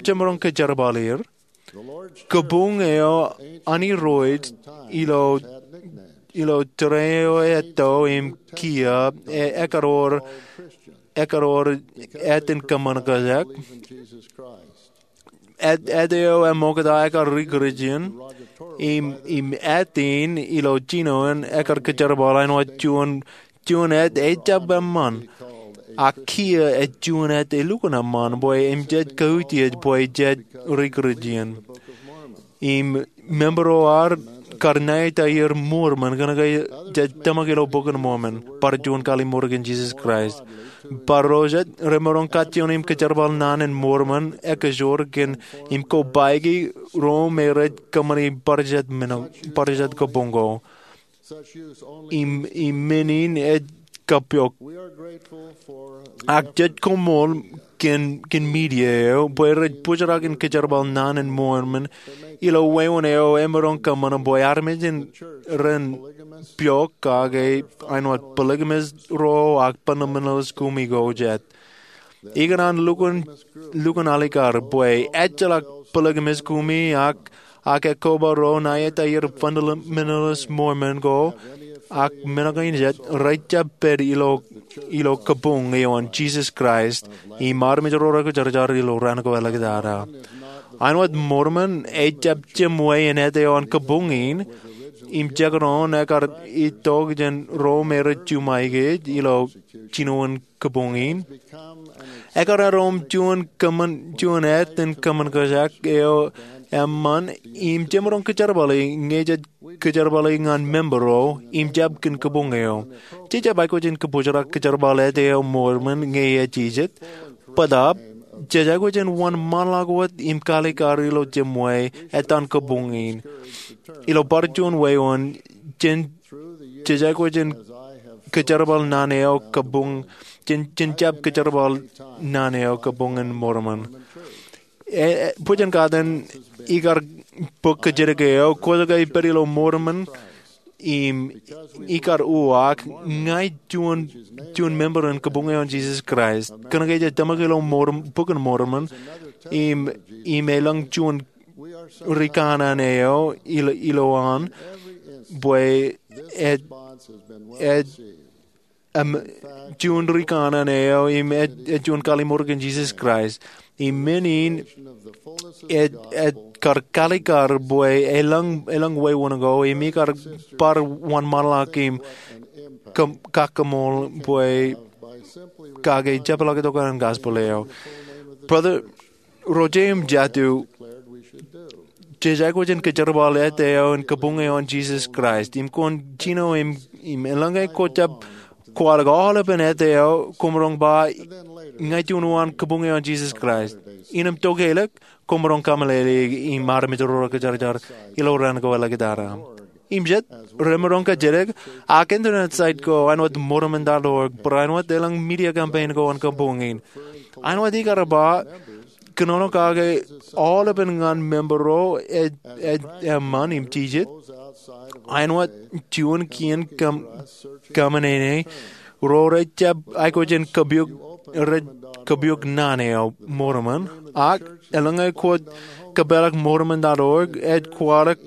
jemaroñ kōjerbal er. Kabuñ eo an Irooj ilo tōre eo etto im kiiō, ekkar wōr āt in kōṃṃan kōjak. Āt eo eṃokta ekkar ri-Kūrjin, im āt in ilo jino in ekkar kōjerbal āinwōt juon āt ejjab eṃṃan. Ak kiiō ej juon āt elukkuun eṃṃan bwe im jej kautiej bwe jej ri-Kūrjin. Im member ro ad kar ṇa etaer Mormon kōnke jej tōmak ilo Bok in Mormon, bar juon kallimur kōn Jisōs Kraist. Bar ro jet remaroñ kajjioñ im kōjerbal naan in Mormon ekajoor kōn im kobaiki ro me rej kōṃṃani bar jet kabuñ ko. Im men in ej kapok. Ak jej koṃṃool kōn media eo bwe rej bōjrak in kōjerbal naan in Mormon ilo wāween eo emaroñ kōṃṃan bwe armej ren piọk kake āinwōt polygamist ro ak fundamentalist kumi ko jet. Ikōṇaan lukkuun alikar bwe ejjeḷọk polygamist kumi ak ak ekkoba ro ṇa etaer fundamentalist Mormon ko ak men kein jet rejjab pād ilo kabuñ eo an Jisōs Kraist im armej ro rekwōjarjar ilo raan ko āliktata. Āinwōt Mormon ejjab jemwe in āt eo an kabuñ in, im jekdọọn ekar itok jān ro me rej juṃae kōj ilo jinoin kabuñ in. Ekar eddo im juon kōṃṃan, juon āt in kōṃṃan kōjak eo eṃṃan im jemaroñ kōjerbale ñe jej kōjerbale ñan member eo im jab kōn kabuñ eo. Jej jab aikuj in kabōjrak kōjerbal āt eo Mormon ñe ej jijet. Bōtaab, jej aikuj in wōnṃaanḷọk wōt im kaalikkar ilo jeṃwe ettan kabuñ in. Ilo bar juon wāween, jen, jej aikuj in kōjerbal naan eo kabuñ, jen, jen jab kōjerbal naan eo kabuñ in Mormon. E, e, bwe jen kate in ikar bōk kōjatdikdik eo, kwōj ke pād ilo Mormon, im ikar uwaak, ña ij juon, juon member in kabuñ eo an Jesus Christ. Kōnke jej tōmak ilo Morm-, Bok in Mormon, im, im elōñ juon rikanaan eo ilo, ilowaan, bwe ej, ej, im, juon rikanaan eo, im ej, ej juon kallimur kōn Jesus Christ. Im men in, ej, ej kar kaalikkar bwe elōñ, elōñ wāween ko, im ikar bar wōnṃaanḷọk im kōm-, kakkōṃṃool bwe kake jepḷaak tok an gospel eo. Brother, ro jeiū im jatū, jej aikuj in kōjerbal āt eo in kabuñ eo an Jesus Christ. Im kwōn jino im, im eḷaññe kwō jab kwaḷọk aolepān āt eo, kwōmaroñ ba ña ij juon uwaan kabuñ eo an Jesus Christ. Innām tokālik, kwōmaroñ kameḷeḷeik im armej ro rekajarjar ilo raan ko āliktata. Im jet, remaroñ kōjatdikdik, ak internet site ko āinwōt Mormon dot org, barāinwōt elōñ media campaign ko an kabuñ in. Āinwōt ikar ba, kōnono kake aolepān ñan member ro ej, ej eṃṃan im jijet. Āinwōt juon kien kaṃ-, kaṃōṇōṇō ro rej jab aikuj in kōpuk, rej kōpuk naan eo Mormon. Ak eḷaññe kwōj kōpeḷḷọk Mormon dot org, ej kwaḷọk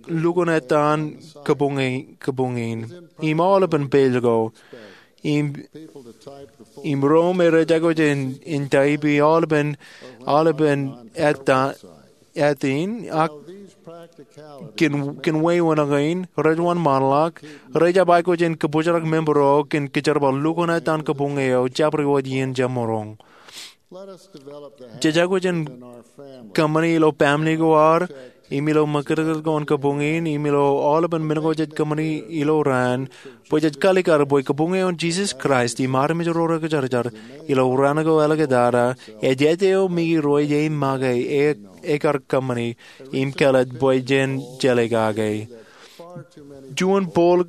lukkuun ettan kabuñ in, kabuñ in. Im aolepān page ko. Im, im ro me rej aikuj in, in type-i aolepān, aolepān ettan, āt in, ak kōn, kōn wāween kein, rej wōnṃaanḷọk, rej jab aikuj in kabōjrak member eo kōn kōjerbal lukkuun ettan kabuñ eo, jabdewōt iien jemaroñ. Jej aikuj in kōṃṃani ilo family ko ad, im ilo ṃakūtkūt ko an kabuñ in, im ilo aolepān men ko jej kōṃṃani ilo raan, bwe jej kaalikkar bwe kabuñ eo an Jesus Christ im armej ro rekajarjar ilo raan ko āliktata, ej āt eo Miki ruo ej make, e, ekar kōṃṃani, im kāālōt bwe jen jeḷā kake. Juon pool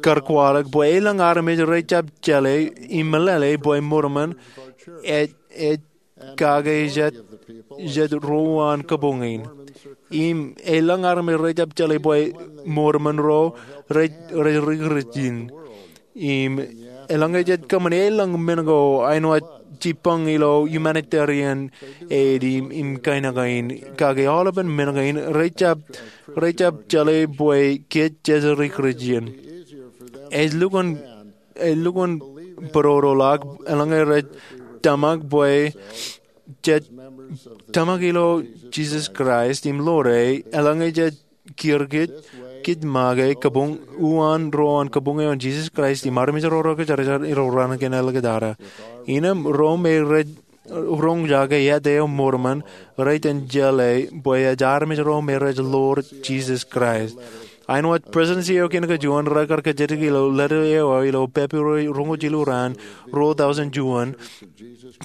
kar kwaḷọk bwe elōñ armej rej jab jeḷā im meḷeḷe bwe Mormon ej, ej kake jet, jet ro uwaan kabuñ in. Im elōñ armej rej jab jeḷā bwe Mormon ro rej, rej ri-Kūrjin. Im eḷaññe jej kōṃṃani elōñ men ko āinwōt jibboñ ilo humanitarian aid im, im kain kein, kake aolepān men kein rej jab, rej jab jeḷā bwe kōj jej ri-Kūrjin. Ej lukkuun, ej lukkuun būrodoḷọk eḷaññe rej tōmak bwe jej tōmak ilo Jesus Christ im ḷoor e, eḷaññe jej kiiō kōj, kōj make kabuñ, uwaan ro an kabuñ eo an Jesus Christ im armej ro rekajarjar ilo raan kein āliktata. Innām ro me rej roñjake āt eo Mormon, rej iten jeḷā bwe ej armej ro me rej ḷoor Jesus Christ. Āinwōt Presidency eo kein kajuon rekar kōjatdikdik ilo letter eo ilo February roñoul jilu raan, ruo tọujin juon,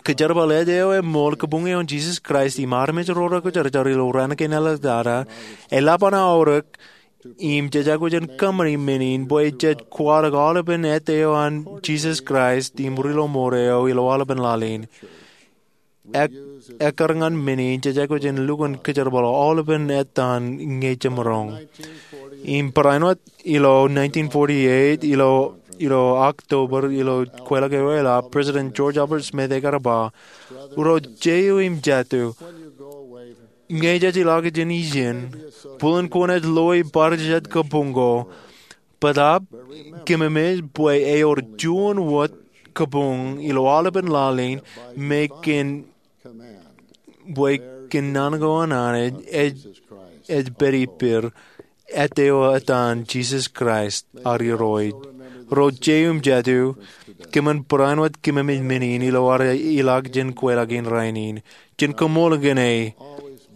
kōjerbal āt eo eṃool kabuñ eo an Jesus Christ im armej ro rekajarjar ilo raan kein āliktata, eḷap an aorōk, im jej aikuj in kōṃṃani men in bwe jej kwaḷọk aolepān āt eo an Jesus Christ im ri-lọmọọr eo ilo aolepān laḷ in. Ek, ekkar ñan men in jej aikuj in lukkuun kōjerbal aolepān ettan ñe jemaroñ. Im barāinwōt ilo nineteen forty-eight, ilo, ilo October, ilo kweilọk eo eḷap, President George Albert Smith ekar ba, ro jeiū im jatū, ñe jej ilọk jān ijin, bōlen kwōnaaj loe bar jet kabuñ ko, bōtaab kōmemej bwe ewōr juon wōt kabuñ ilo aolepān laḷ in me kōn, bwe kōn naan ko an Anij ej, ej pād ippād. ettā eo etan Jisōs Kraist ad Irooj. Ro jeiū im jatū, kōmin barāinwōt kōmemej men in ilo ad ilọk jān kweilọk in rainin, jān koṃṃool kōn e,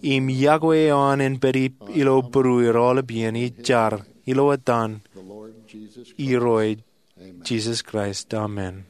im yokwe eo an en pād ilo būrueir aolep iien ij jar ilo etan Irooj Jisōs Kraist, amen.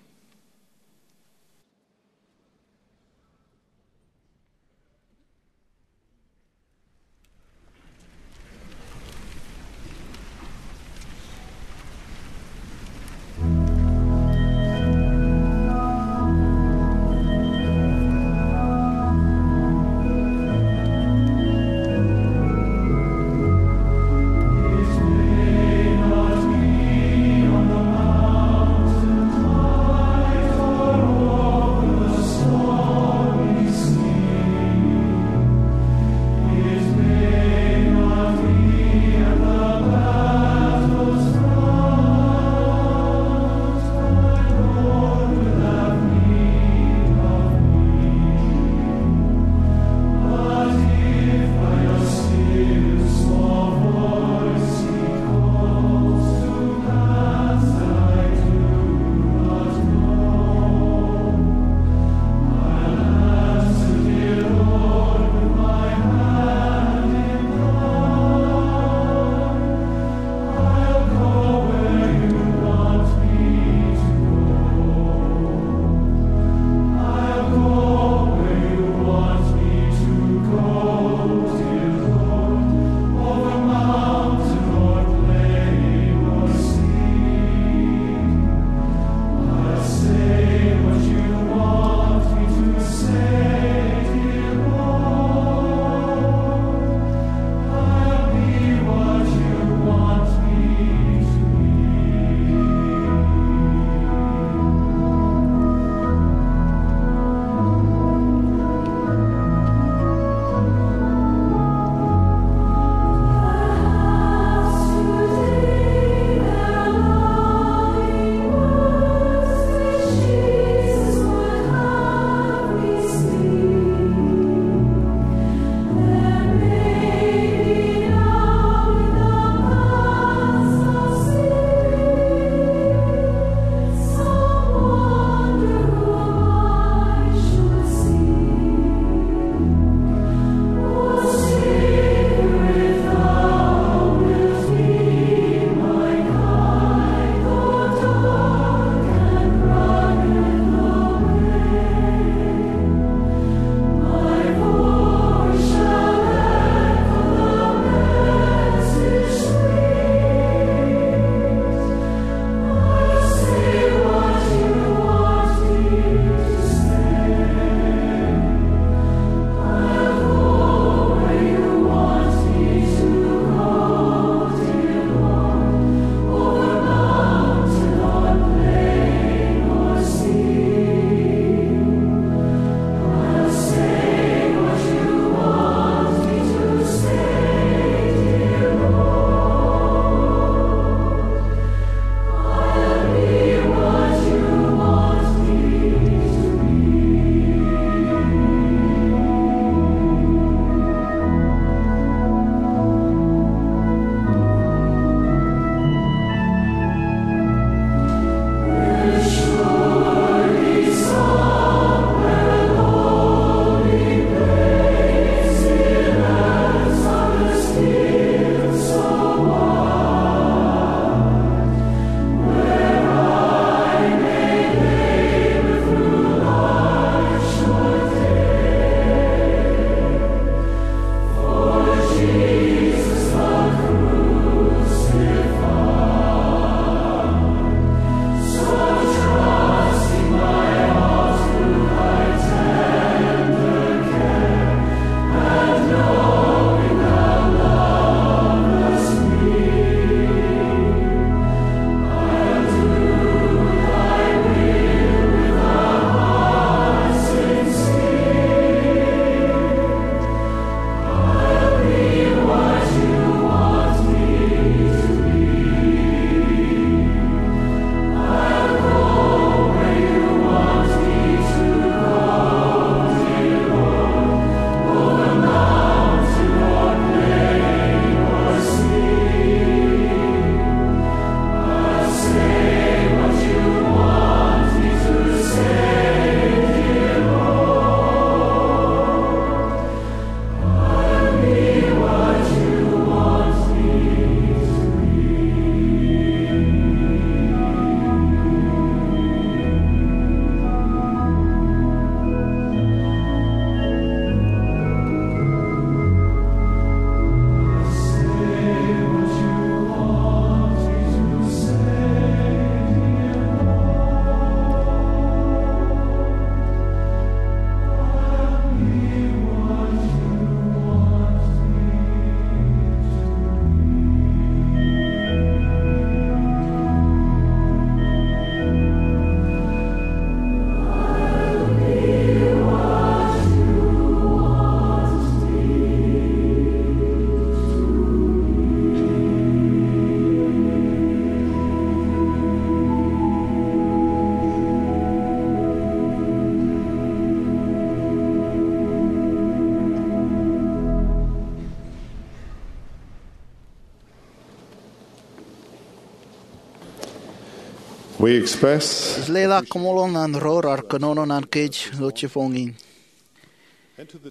We express Ij leḷọk koṃṃool ḷọk ñan ro raar kōnono ñan kōj ilo jibboñ in.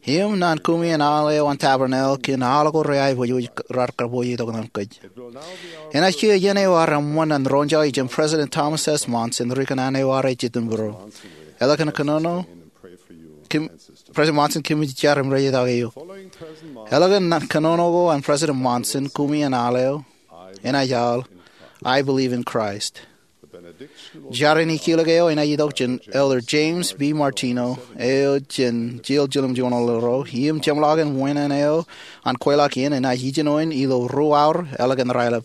Im ñan kumi en aḷ eo an Tabernacle kōn aḷ ko reaiboojoj raar kōpooj tok ñan kōj. Enaaj kiiō iien eo ear eṃṃan an roñjake jān President Thomas S. Monson, ri-kōṇaan eo ear ejjeḷọk būruō. Eḷap kōn kōnono, President Monson, kōmij jar im rej itok eok. Eḷap kōn kōnono ko an President Monson, kumi en aḷ eo enaaj aḷ, "I believe in Christ." Jar in ikilōk eo enaaj itok jān Elder James B. Martino, eo jān Yale Jiljilimjuon Ro, im jeṃḷọkin wāween eo an kweilọk iien enaaj ijin eo in ilo ruo aor eḷap kōn raelep.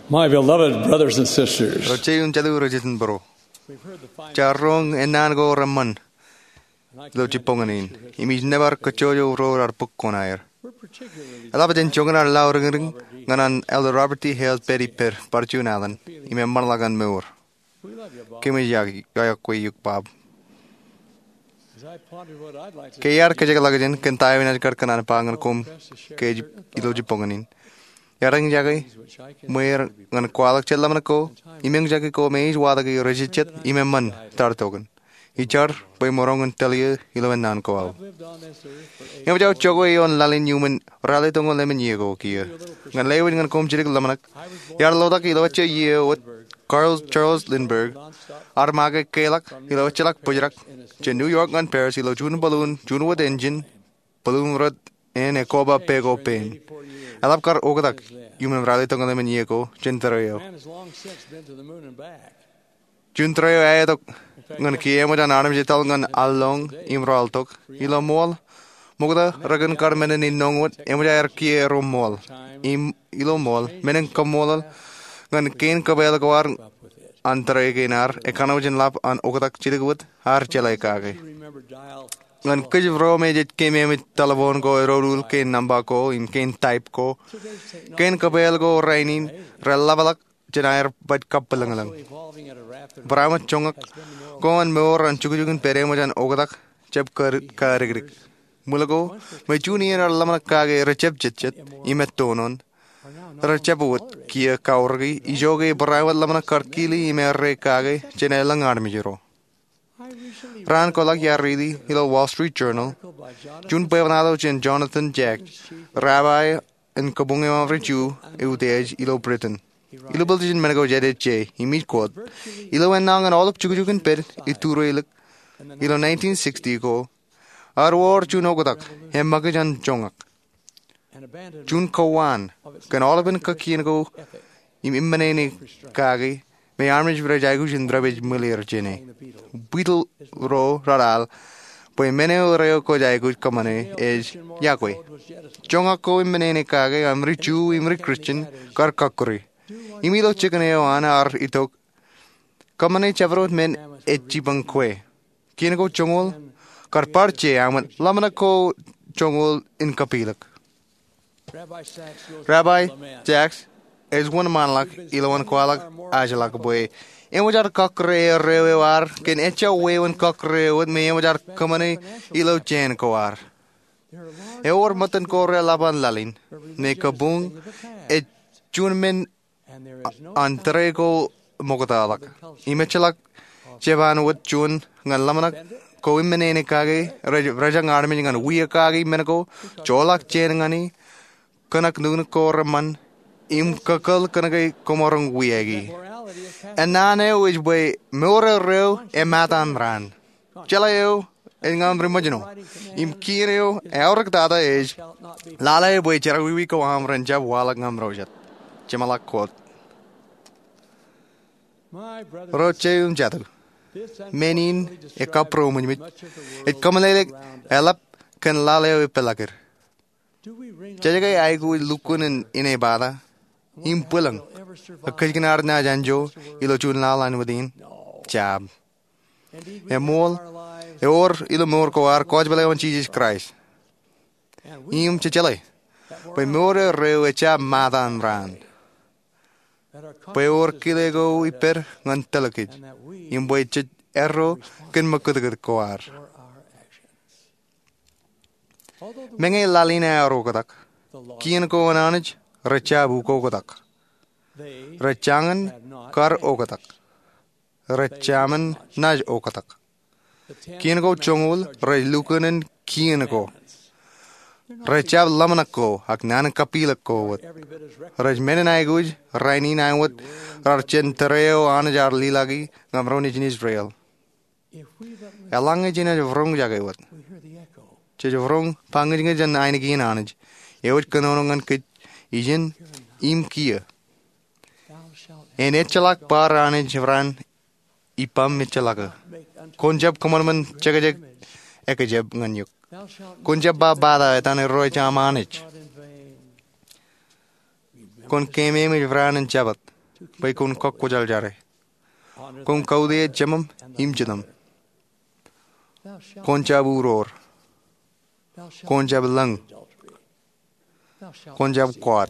My beloved brothers and sisters, Ro jeiū im jatū ro jet in būruō, jaar roñ ennaan ko reṃṃan ilo jibboñōn in, im ij nōbar kajjojo ro raar bōk kuṇaer. Eḷap jān joñan ad lauriñriñ ñan an Elder Robert D. Hales pād ippād bar juon alen im eṃṃanḷọk an mour. Kōmij iọkwe eok, Bob. Ke iar kōjekḷọkjeṇ kōn ta eo inaaj kar kōṇaan ba ñan koṃ kōj ilo jibboñōn in, iar eñjake ṃweer ñan kwaḷọk jet ḷōmṇak ko im eñjake ko me ej watōki rijejjet im eṃṃan tartokōn. Ij jar bwe emaroñ in tōl eō ilo ennaan ko aō. Eṃōj aō jokwe ioon laḷ in iuṃwin ralitōñoul emān iiō ko kiiō. Ñan lewōj ñan koṃ jidik ḷōmṇak, iar lotak ilo ejja iiō wōt Carl Charles Lindberg, ear make keḷọk ilo ejjeḷọk bōjrak jān New York ñan Paris ilo Juun bōlun, juon wōt enjin, bōlun rot en ekoba peko pein. Eḷap kar oktak iuṃwin ralitōñoul emān iiō ko jān tōre eo. Juon tōre eo eaetok ñan kiiō eṃōj an armej etal ñan allōñ im rọọltok. Ilo ṃool, ṃokta rekōn kar men in innoñ wōt eṃōj aer kiiō ro ṃool. Im ilo ṃool, men in kaṃṃoolol ñan kein kōpeḷḷọk ko ad an tōre kein ad ekanooj in ḷap an oktak jidik wōt, ad jeḷā kake. Ñan kōj ro me jej keememej telephone ko edoduḷ kein nōṃba ko im kein type ko, kein kōpeḷḷọk ko rainin reḷapḷọk jān aer baj kappilōñlōñ. Barāinwōt joñak ko an mour an jukjuk in pād eṃōj an oktak jab kadikdik. Ṃwil ko, ṃōj juon iien ad ḷōmṇak kake rejab jejjet im ettoon, rejab wōt kiiō kaorōki ijoke barāinwōt ḷōmṇak kar kile im errā kake jān elōñ armej ro. Raan koḷak iar riiti ilo Wall Street Journal juon bwebwenato jān Jonathan Jacks, rabbi in kabuñ eo aṃ ri-Ju eutiej ilo Britain. Ilo pālejin men ko jet ej je, im ij quote, "Ilo ennaan aolep jukjuk in pād iturilik ilo nineteen sixty ko, ear wōr juon oktak eṃṃakūt jān joñak, juon kowaan kōn aolepen kakkien ko im eṃṃan eo kake me armej rej aikuj in repād ṃwilir jāne." Beatles ro raar al bwe men eo reo kwōj aikuj kōṃṃane ej, yokwe, joñak ko im men eo kake aṃ ri-Ju im ri-Christian kar kọkkure. Im ilo jikin eo an ear itok, kōṃṃane jabdewōt men ej jipañ kwe. Kien ko joñoul kar bar je aṃ ḷōmṇak ko joñoul in kapilōk. Rabbi Jacks ej wōnṃaanḷọk ilowaan kwaḷọk ajḷọk bwe eṃōj ad kọkkure erreo eo ad kōn ejja wāween kọkkure eo wōt me eṃōj ad kōṃṃane ilo jān ko ad. Ewōr ṃōttan ko reḷap an laḷ in me kabuñ ej juon men an tōre ko ṃoktaḷọk. Im ejjeḷọk jepaan wōt juon ñan ḷōmṇak ko im men eo kake rej, rejañ armej ñan wiia kaki men ko, joḷọk jān ñan e, kōṇak nuknuk ko reṃṃan, im kakōḷ kōnke koṃaroñ wiaiki. Ennaan eo ej bwe mour eo reo emōttan raan. Jeḷā eo ej ñan ri-ṃōjṇọ. Im kien eo eaorōk tata ej, lale bwe jerọwiwi ko aṃ ren jab waḷọk ñan ro jet. Jeṃḷọk quote. Ro jeiū im jatū, men in ekabūroṃōjṃōj, ej kōmeḷeḷeik eḷap kōn laḷ eo epeḷḷọk er. Jej ke aikuj lukkuun in inepata im bwilōñ, ak kōjkan ad naaj anjọ ilo juon laḷ āinwōt in? Jab. Eṃool, ewōr ilo mour ko ad kwōjeḷā eo an Jisōs Kraist. Im jej jeḷā bwe mour eo reo ejjab ṃōttan raan. bwe ewōr kile ko ippād ñan tōl kōj, im bwe jej erro kōn mokūtkūt ko ad. Meñe laḷ in ear oktak, kien ko an Anij rej jab ukoktak. Rej jañin kar oktak. Rej jamin naaj oktak. Kien ko joñoul rej lukkuun kien ko. Rej jab ḷōmṇak ko ak naan in kapilōk ko wōt. Rej men in aikuj rainin āinwōt raar jān tōre eo Anij ear lilaki ñan ro nejin Israel. Eḷaññe jenaaj roñjake wōt, jej roñ ba ñūjñūj jān ainikien Anij eo ej kōnono ñan kōj ijin im kiiō. En ejjeḷọk bar Anij raan ippaṃ ejjeḷọk. Kwōn jab kōṃanṃan jekjek ekjab ñan eok. Kwōn jab ba bata etan Irooj aṃ Anij. Kwōn keememej raan in Jabōt bwe kwōn kọkkwojarjare. Kwōn kautiej jeṃaṃ im jitōṃ. Kwōn jab uroor. Kwōn jab lōñ. Kwōn jab kwaad.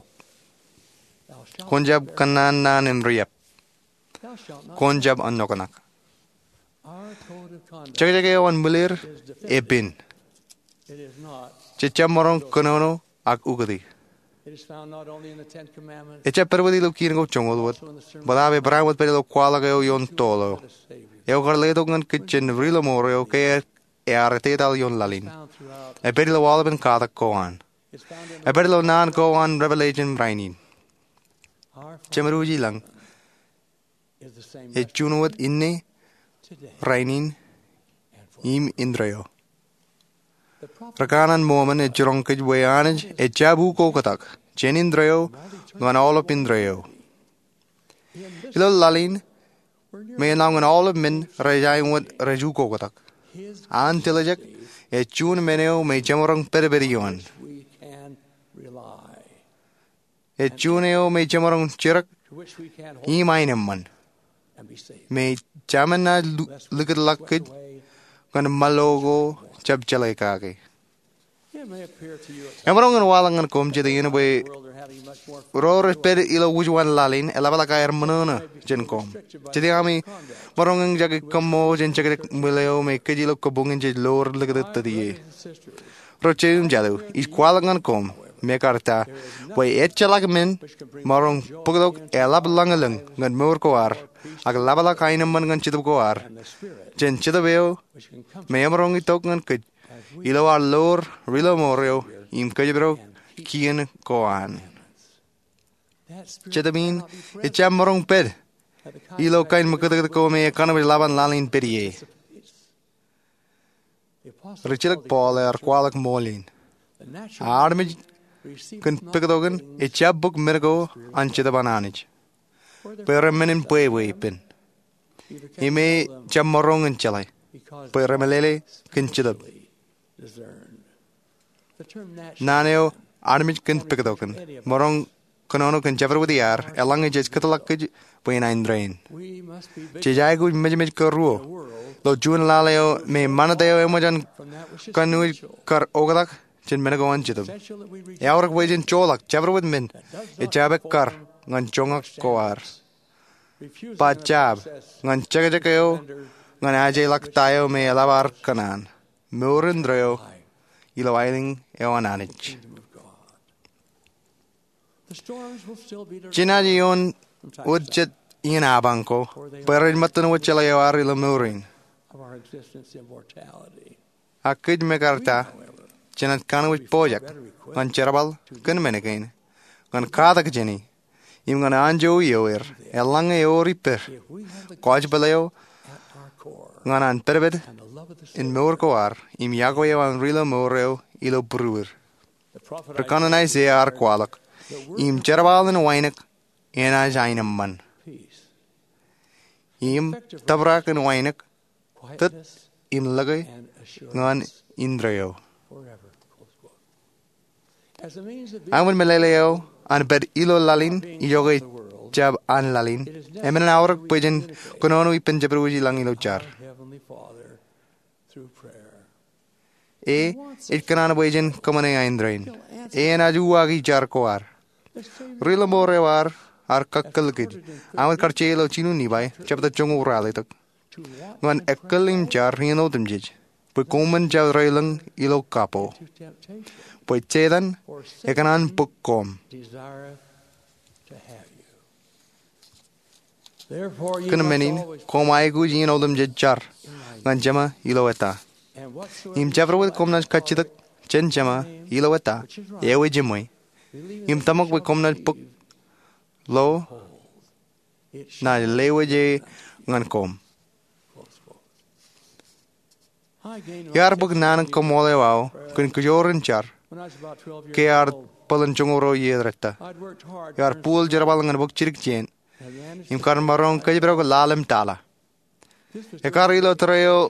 Kwōn jab kōnnaan naan in riab. Kwōn jab āinwōt aō kōṇaan. Jekjek eo an ṃwileer epen. Jej jab maroñ kōnono ak ukōti. Ejjab pād wōt ilo kien ko joñoul wōt, bōtaab ebarāinwōt pād ilo kwaḷọk eo ioon toḷ eo. Eo kar letok ñan kōj jān ri-lọmọọr eo ke ear etetal ioon laḷ in. Epād ilo aolepān katak ko an. Epād ilo naan ko an Revelation rainin. Jemedwōj i lañ ej juon wōt inne, rainin, im indeeo. Rikanaan Mōmon ej jiroñ kōj bwe Anij ejjab ukoktak jān indeeo ñan aolep indeeo. Ilo laḷ in, me enañin aolep men rej āinwōt rej ukoktak, an tiljek ej juon men eo me jemaroñ pedped ioon. Ej juon eo me jemaroñ jidik im aenōṃṃan, me jemaroñ likūtḷọk kōj ñan ṃōḷo ko jab jeḷā kake. Emaroñ in waḷọk ñan koṃ jet iien bwe ro rej pād ilo wūjuon laḷ in eḷapḷọk aer ṃōṇōṇō jān koṃ. Jet iien ami maroñ in jake kōṃṃool jān jekjek ṃwiin eo me kōj ilo kabuñ in jej loor likūt tōt ie. Ro jeiū im jatū, ij kwaḷọk ñan koṃ, mekarta, bwe ejjeḷọk men emaroñ bōktok eḷap ḷōñlōñ ñan mour ko ad, ak eḷapḷọk aenōṃṃan ñan Jetōb ko ad, jān Jetōb eo me emaroñ itok ñan kōj ilo ad loor ri-lọmọọr eo im kōjparok kien ko an. Jetōb in ejjab maroñ pād ilo kain ṃōkūtkūt ko me ekanooj ḷap an laḷ in pād ie. Rijjilōk Paul ear kwaḷọk ṃool in. Armej kōn pōktokin ejjab bōk men ko an Jetōb an Anij, bwe ren men in bwebwe ippān. Im e jab maroñ in jeḷā, bwe remeḷeḷe kōn Jetōb. Naan eo armej kōn pōktokin maroñ kōnono kōn jabdewōt iaad eḷaññe jej kōtḷọk kōj bwe en aenōṃṃan. Jej aikuj mejmej kōruo ilo juon laḷ eo me ṃanit eo eṃōj an kanooj kar oktak jān men ko an Jetōb. Eaorōk bwe jen joḷọk jabdewōt men ejjab ekkar ñan joñak ko ad. Ba jab ñan jekjek eo ñan ajeḷọk ta eo me eḷap ad kōṇaan, mour indeeo ilo aelōñ eo an Anij. Jenaaj ioon wōt jet iien apañ ko bwe rej ṃōttan wōt jeḷā eo ad ilo mour in. Ak kōj mekarta, jenaaj kanooj pojak ñan jerbal kōn men kein, ñan katak jāni, im ñan anjọ ioer eḷaññe ewōr ippād kwōj pād eo ñan an pedped in mour ko ad im yokwe eo an ri-lọmọọr eo ilo būruod. Ri-kanaan Aiseia ear kwaḷọk, im jerbal in wainek enaaj aenōṃṃan, im tōprak in wainek tōt im lōke ñan indeeo. Aṃ in meḷeḷe eo an pād ilo laḷ in ijoke jab an laḷ in, eṃṃan aorōk bwe jen kōnono ippān jabdewōt ilañ ilo jar. E ej kōṇaan bwe jen kōṃṃane aenōṃṃan. E enaaj uwaaki jar ko ad. Ri-lọmọọr eo ad ear kakkōl kōj, aṃ kar je ilo Jino Nifai jebta joñoul ralitōk, ñan ekkōl im jar iien otemjej bwe koṃwin jab reiḷọñ ilo kapo, bwe Setan ekōṇaan bōk koṃ. Kōn men in koṃ aikuj iien otemjej jar ñan Jema ilo eta. Im jabdewōt koṃ naaj kajjitōk jān Jema ilo eta, eo ej eṃṃan, im tōmak bwe koṃ naaj bōk lo, naaj lewōj e ñan koṃ. Iar bōk naan in kaṃṃoolol eo aō kōn kōjoor in jar ke iar bōlen joñoul ruo iiō ḷọk. Iar buul jerbal ñan bōk jidik jān im kar maroñ kōjparok ḷalem tala. Ekar ilo tōre eo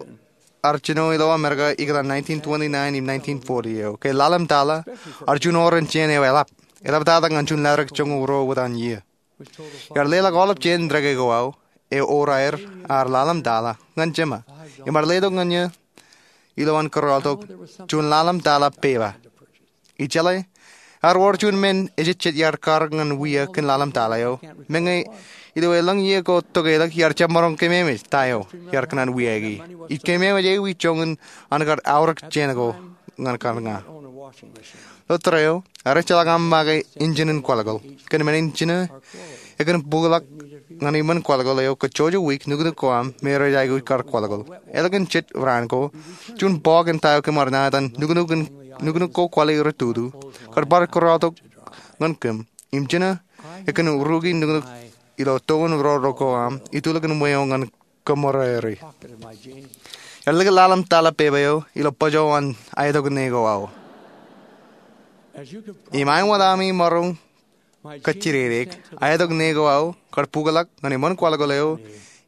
ear jino ilo Amerika ikōtaan nineteen twenty-nine im nineteen forty eo, ke ḷalem tala ear juon oren jān eo eḷap, eḷaptata ñan juon laḷ ḷọk joñoul ruo wōt an iiō. Iar leḷọk aolep jān ḷọk eo aō, eo oraer, ear ḷalem tala ñan Jema, im ear letok ñan eō ilowaan kōrọọltok juon ḷalem tala pepa. Ijeḷā, ear wōr juon men ejejjet iar kar ñan wia kōn ḷalem tala eo, meñe ilo elōñ iiō ko tokālik iar jab maroñ kememej ta eo iar kōṇaan wiaiki. Ij kememej ewi joñan an kar aorōk jān ko ñan kar ña. Ilo tōre eo, ear ejjeḷọk aṃ make injin in kwaḷkwaḷ. Kōn men in jino, ekōn bukḷọk ñan iṃōn kwaḷkwaḷ eo kajjojo wiik nuknuk ko aṃ me rej aikuj kar kwaḷkwaḷ. Ālikin jet raan ko, juon bọọk in ta eo kōm ar ña etan nuknuk in, nuknuk ko kwaḷi rej tutu, kar bar kōrọọltok ñan kōm. Im jino, ekōn ruki nuknuk ilo toon roro ko aṃ itulōk in ṃweo ñan kōṃōrere. Ear likūt ḷalem tala pepa eo ilo bōjō an aetok ṇe ko aō. Im aenwōt ami maroñ kajjidikdik, aetok ṇe ko aō kar bukḷọk ñan iṃōn kwaḷkwaḷ eo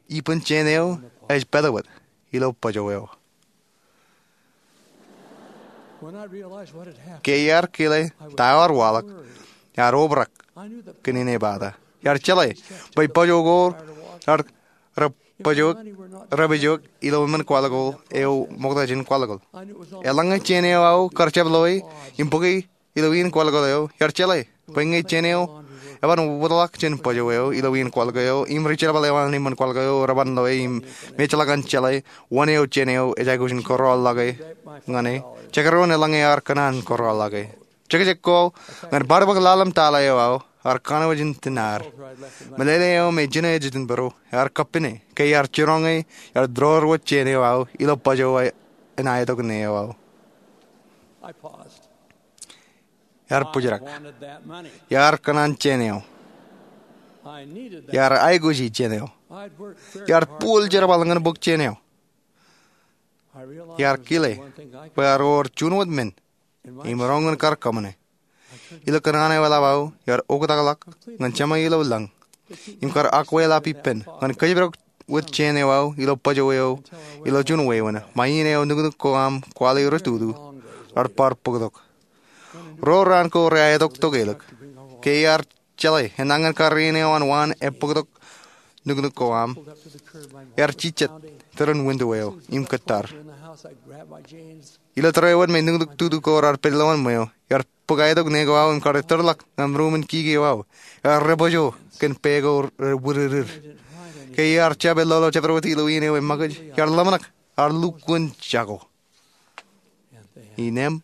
ippān jān eo ej pād wōt ilo bōjō eo. Ke iar kile ta eo ear waḷọk, iar obrak kōn inepata. Iar jeḷā bwe bōjō ko rej pād wōt ilo iṃōn kwaḷkwaḷ eo ṃokta jān kwaḷkwaḷ. Eḷaññe jān eo aō kar jab loe im bōke ilo iien kwaḷkwaḷ eo, iar jeḷā bwe ñe jān eo eban wōtlọk jān bōjō eo ilo iien kwaḷkwaḷ eo im ri jerbal eo an iṃōn kwaḷkwaḷ eo reban loe im me ejjeḷọk an jeḷā wōn eo jān eo ej aikuj in kōrọọl ḷọk ñan e, jekdọọn eḷaññe ear kōṇaan kōrọọl ḷọk e. Jekjek ko ñan bar bōk ḷalem tala eo aō, ear kanooj in tinaar. Meḷeḷe eo me jino ej itok bōro, ear kappin e, ke iar jiroñ e, iar ḷoor wōt jān eo aō ilo bōjō an aetok ṇe eo aō. Iar bōjrak. Iar kōṇaan jān eo. Iar aikuji jān eo. Iar buul jerbal ñan bōk jān eo. Iar kile bwe ear wōr juon wōt men im roñ in kar kōṃṃane. Ilo kōṇaan eo eḷap aō, iar oktakḷọk ñan Jema ilo lañ im kar akweḷap ippān ñan kōjparok wōt jān eo aō ilo bōjō eo ilo juon wāween, ṃae iien eo nuknuk ko aṃ kwaḷi rej tutu rej bar bōktok. Ro raan ko reaetok tokālik. Ke iar jeḷā enañin kar iien eo an waan ebōktok nuknuk ko aṃ, iar jijet tōre in winto eo im kōttar. Ilo tōre eo wōt me nuknuk tutu ko raar pād ilowaan ṃweo, iar bōk aetok ṇe ko aō im kar tōrḷọk ñan ruuṃ in kiki eo aō. Iar rebōjō kōn pā ko rej wūdidik. Ke iar jab ellolo jabdewōt ilo iien eo eṃōkaj, iar ḷōmṇak, ear lukkuun jako. Innām,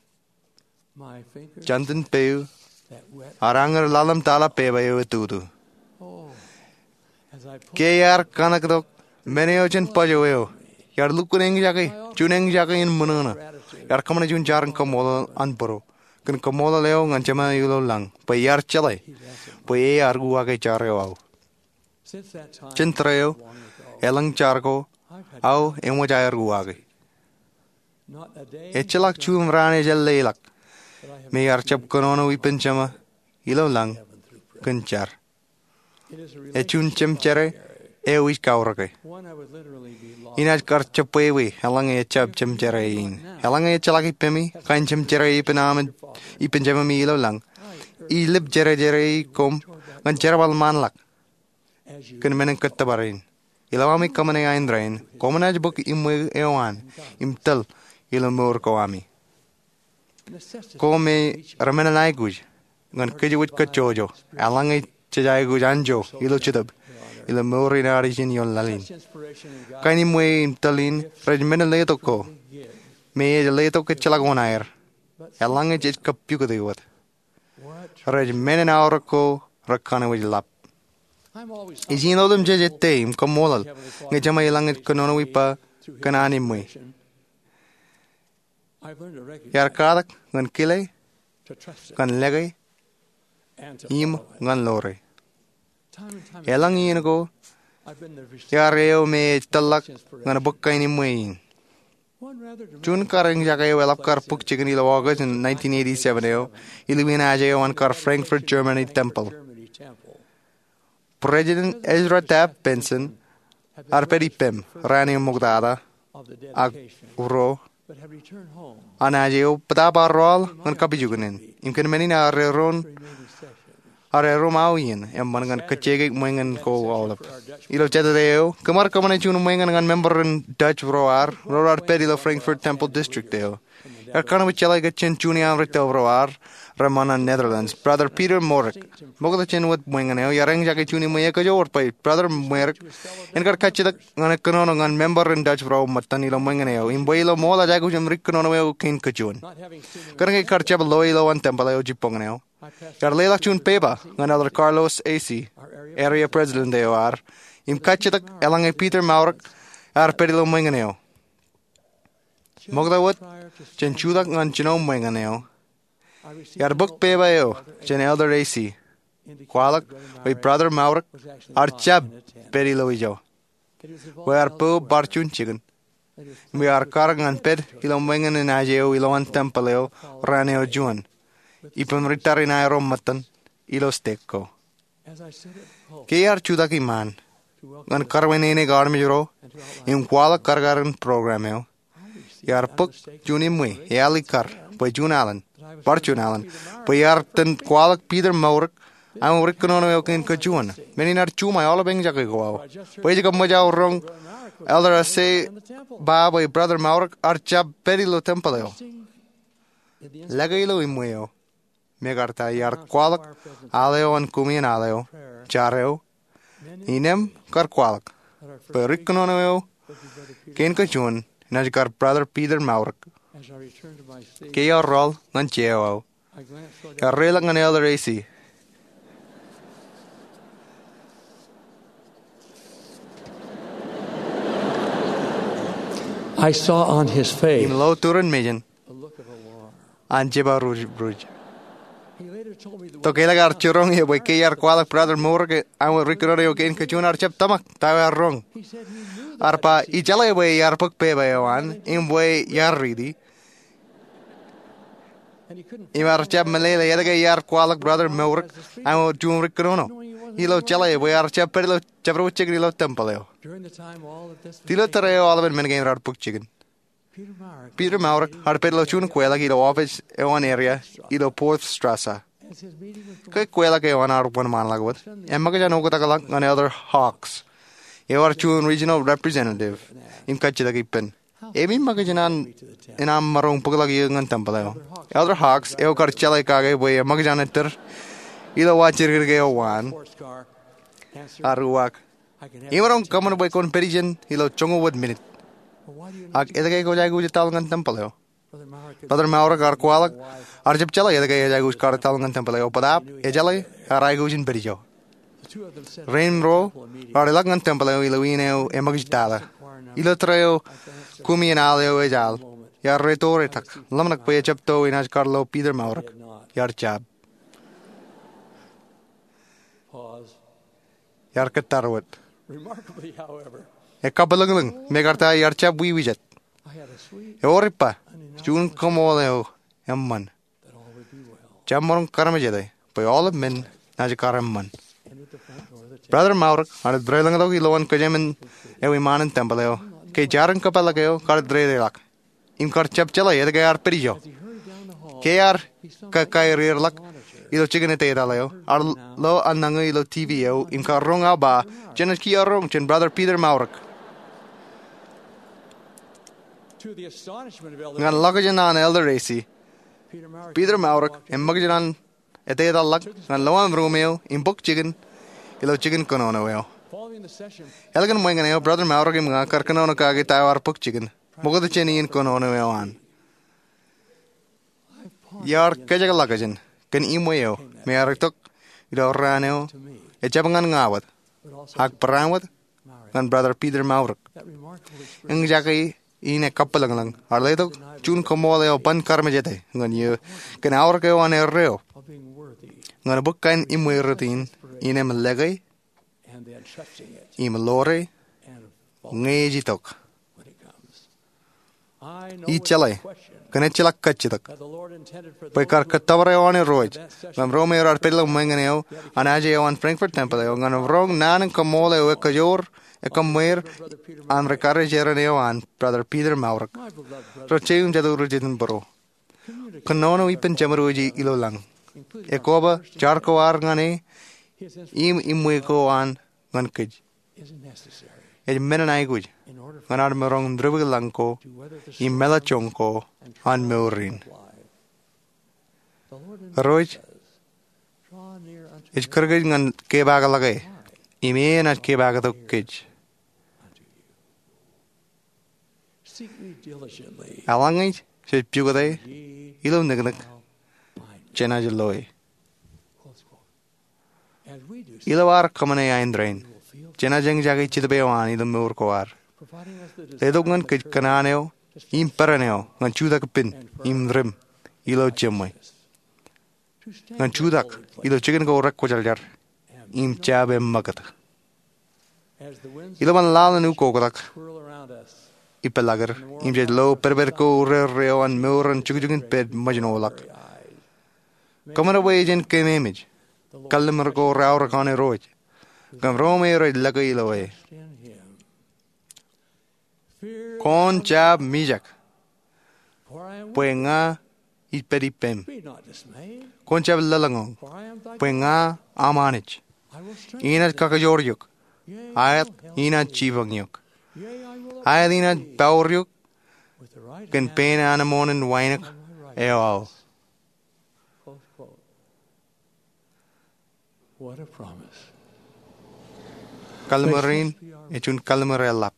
jantin peiū, ear añūr ḷalem tala pepa eo etūtū. Ke iar kanaktok men eo jān bōjō eo, iar lukkuun eñjake, juon eñjake in ṃōṇōṇō. Iar kōṃṃane juon jar in kaṃṃoolol an bōro kōn kaṃṃoolol eo ñan Jema ilo lañ bwe iar jeḷā bwe e ear uwaake jar eo aō. Jān tōre eo, elōñ jar ko aō eṃōj aer uwaake. Ejjeḷọk juon raan ejāleḷọk me iar jab kōnono ippān Jema ilo lañ kōn jar. Ej juon jemjerā eo ij kaurōke. Inaaj kar jebwābwe eḷaññe ejjab jemjerā in. Eḷaññe ejjeḷọk ippemi kain jemjerā ippān aṃ, ippān Jememi ilo lañ, ij lōb jerjerā koṃ ñan jerbal ṃaanḷọk kōn men in kōttōpar in. Ilo ami kōṃṃane ain rainin, koṃwin bōk iṃwe eo an im tōl ilo mour ko ami. Ko me remened aikuj ñan kōjwōj kajjojo eḷaññe jej aikuj anjọ ilo Jetōb ilo mour in ad ijin ioon laḷ in. Kain in ṃweo im tōl in rej men in letok ko, me ej letok ejjeḷọk oṇaer. Eḷaññe jej kappukot wōt, rej men in aorōk ko rekanooj ḷap. Ij iien otemjej ettā im kaṃṃoolol ñe jeṃae ilañ ej kōnono ippa kōn an iṃwe. Iar katak ñan kile, ñan lōke, im ñan ḷoore. Eḷaññe iien ko iar eo me ej tōlḷọk ñan bōk kain in iṃwe in. Juon kareñjake eo eḷap kar bōk jikin ilo August in nineteen eighty-seven eo, ilowaan aje eo an kar Frankfurt Germany Temple. President Ezra Taft Benson ear pād ippām raan eo ṃoktata ak ro an aje eo bōtaab ear rọọl ñan kapijuknen im kōn men in ear erom, ear erom aō iien eṃṃan ñan kajjeke ṃweñan ko aolep. Ilo Jatede eo, kōm ar kōṃṃane juon ṃweñan ñan member in Dutch ro ad, ro raar pād ilo Frankfurt Temple District eo. Iar kōṇaan jeḷā ke jān juon iaan ri tōpro ad reṃṃan an Netherlands, Brother Peter Mourik, ṃokta jān wōt ṃweñan eo, iar eñjake juon iṃwe ekajoor bwe Brother Mourik en kar kajjitōk ñan kōnono ñan member in Dutch ro ṃōttan ilo ṃweñan eo im bwe ilo ṃool ej aikuj im ri kōnono eo kein kajuon. Kōnke kar jab loe ilowaan tempeḷ eo jibboñōn eo, iar leḷọk juon pepa ñan Elder Carlos Asay, area president eo ad, im kajjitōk eḷaññe Peter Mourik ear pād ilo ṃweñan eo. Ṃokta wōt jān jutak ñan jino ṃweñan eo, iar bōk pepa eo jān Elder Asay, kwaḷọk bwe Brother Mourik ear jab pād ilo ijo, bwe ear po bar juon jikin, im bwe ear kar ñan pād ilo ṃweñan in aje eo ilowaan tempeḷ eo raan eo juon, ippaṃ ri tariṇae ro ṃōttan ilo stek ko. Ke iar jutak iṃaan ñan karwaineneik armej ro im kwaḷọk karkar in program eo, iar bōk juon iṃwe eaḷ ikkar bwe juon alen, bar juon alen, bwe iar itōn kwaḷọk Peter Mourik aṃ ri kōnono eo kein kajuon. Men in ear juṃae aolepān eñjake ko aō bwe ej kab ṃōj aō roñ Elder Asay ba bwe Brother Mourik ear jab pād ilo tempeḷ eo. Lōke ilo iṃwe eo, mekarta iar kwaḷọk aḷ eo an koṃeañ aḷ eo, jar eo, innem kar kwaḷọk bwe ri kōnono eo kein kajuon enaaj kar Brother Peter Mourik. Ke iar rọọl ñan jea eo aō, iar reiḷọk ñan Elder Asay. I saw on his face Im lo turin mejān an jeba ruj ruj. Tok ke eḷak ear jiroñ eō bwe ke iar kwaḷọk Brother Mourik aṃ ri kōnono eo kein kajuon, ear jab tōmak ta eo ear roñ. Ear ba ijeḷā bwe iar bōk pepa eo an im bwe iar riiti, im ear jab meḷeḷe etke iar kwaḷọk Brother Mourik aṃ juon ri kōnono ilo jeḷā bwe ear jab pād ilo jabdewōt jikin ilo tempeḷ eo. Ilo tōre eo aolepān men kein raar bōk jikin, Peter Mourik ear pād ilo juon kweḷak ilo office eo an area ilo Porthstrasse. Ke kweḷak eo an ear wōnṃaanḷọk wōt, eṃōkaj an oktakḷọk ñan Elder Hawkes, eo ear juon regional representative, im kajjitōk ippān, ewi ṃōkaj in aṃ maroñ bōkḷọk eō ñan tempeḷ eo? Elder Hawkes, eo kar jeḷā kake bwe eṃōkaj an ettōr ilo wa jidikdik eo waan, ear uwaak, imaroñ kōṃṃan bwe kwōn pād ijin ilo joñoul wōt minit. Ak etke kwōj aikuj etal ñan tempeḷ eo? Brother Mourik, ear kwaḷọk, ear jab jeḷā etke ej aikuj kar etal ñan tempeḷ eo, bōtaab ejeḷā ear aikuj in pād ijo. Rein ro raar ilọk ñan tempeḷ eo ilo iien eo eṃōkaj tata. Ilo tōre eo koṃeañ aḷ eo ej al, iar reto retak, ḷōmṇak bwe ejjab to enaaj kar lo Peter Mourik. Iar jab. Iar kōttar wōt. Ekabwilōñlōñ, mekarta iar jab wiwijet. Ewōr ippa juon kaṃool eo eṃṃan. Jab maroñ kaarmejede bwe aolep men naaj kar eṃṃan. Brother Mourik ear deḷọñtok ilowaan kōjām eo iṃaan in tempeḷ eo ke jar in kōpeḷḷọk eo kar dedeḷọk im kar jab jeḷā etke ear pād ijo. Ke ear kakaerierḷọk ilo jikin etetal eo, ear lo an nañi ilo TV eo im kar roñ aō ba jenaaj kiiō roñ jān Brother Peter Mourik. Ñan ḷọkjeṇ an Elder Asay, Peter Mourik eṃōkaj an ete etal ḷọk ñan lowaan ruum eo im bōk jikin ilo jikin kōnono eo. Ālikin ṃōñā eo, Brother Mourik im ña kar kōnono kake ta eo ear bōk jikin ṃokta jān iien kōnono eo an. Iar kōjekḷọkjeṇ kōn iṃwe eo me ear itok ilo raan eo ejjab ñan ña wōt, ak barāinwōt ñan Brother Peter Mourik. Eñjake in ekabwilōñlōñ ear letok juon koṃṃool eo ban karmejete ñan eō kōn aorōk eo an erreo ñan bōk kain iṃwe rot in im lōke im ḷoore ñe ej itok. Ij jeḷā kōn ejjeḷọk kajjitōk bwe kar kōttōpar eo an Irooj ñan ro me raar pād ilo ṃōñā eo an aje eo an Frankfurt Temple eo ñan roñ naan in koṃṃool eo ekkajoor ekkāṃṃool an ri-karijeran eo an, Brother Peter Mourik. Ro jeiū im jatū ri-jitōnbōro, kōnono ippān jeṃdoji ilo lañ, ekkoba jar ko ad ñan e im iṃwe ko an ñan kōj ej men in aikuj ñan ad maroñ in diwōjḷọk lañ ko im meḷọkjeṇ ko an mour in. Irooj ej kūr kōj ñan kepaakḷọke im enaaj kepaaktok kōj. Eḷaññe jej pukot e ilo niknik, jenaaj loe. Ilo ad kōṃṃane aenōṃṃan, jenaaj eñjake Jetōb eo an ilo mour ko ad, letok ñan kōj kōṇaan eo im peran eo ñan jutak ippān im rim ilo jeṃṃe, ñan jutak ilo jikin ko rekwōjarjar im jab eṃṃakūt. Ilo ban laḷ in ukoktak ippaḷakid im jej lo pedped ko urerre eo an mour in jukjuk in pād ṃōjṇọ ḷọk, kōṃṃan bwe jen keememej kalliṃur ko raorōk an Irooj kōn ro me rej lōke ilo e. Kwōn jab mijak, bwe ña ij pād ippem. Kwōn jab lōḷñọñ, bwe ña am Anij. Inaaj kakajoor eok, aet, inaaj jipañ eok, aet, inaaj pour eok kōn pein anemon in wānōk eo aō. Kalliṃur in ej juon kalliṃur eḷap.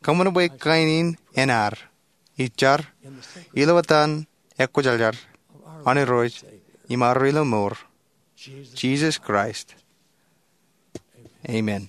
Kōṃṃan bwe kain in en ad ij jar ilo etan ekwōjarjar an Irooj im ad ri-mour, Jisōs Kraist. Amen.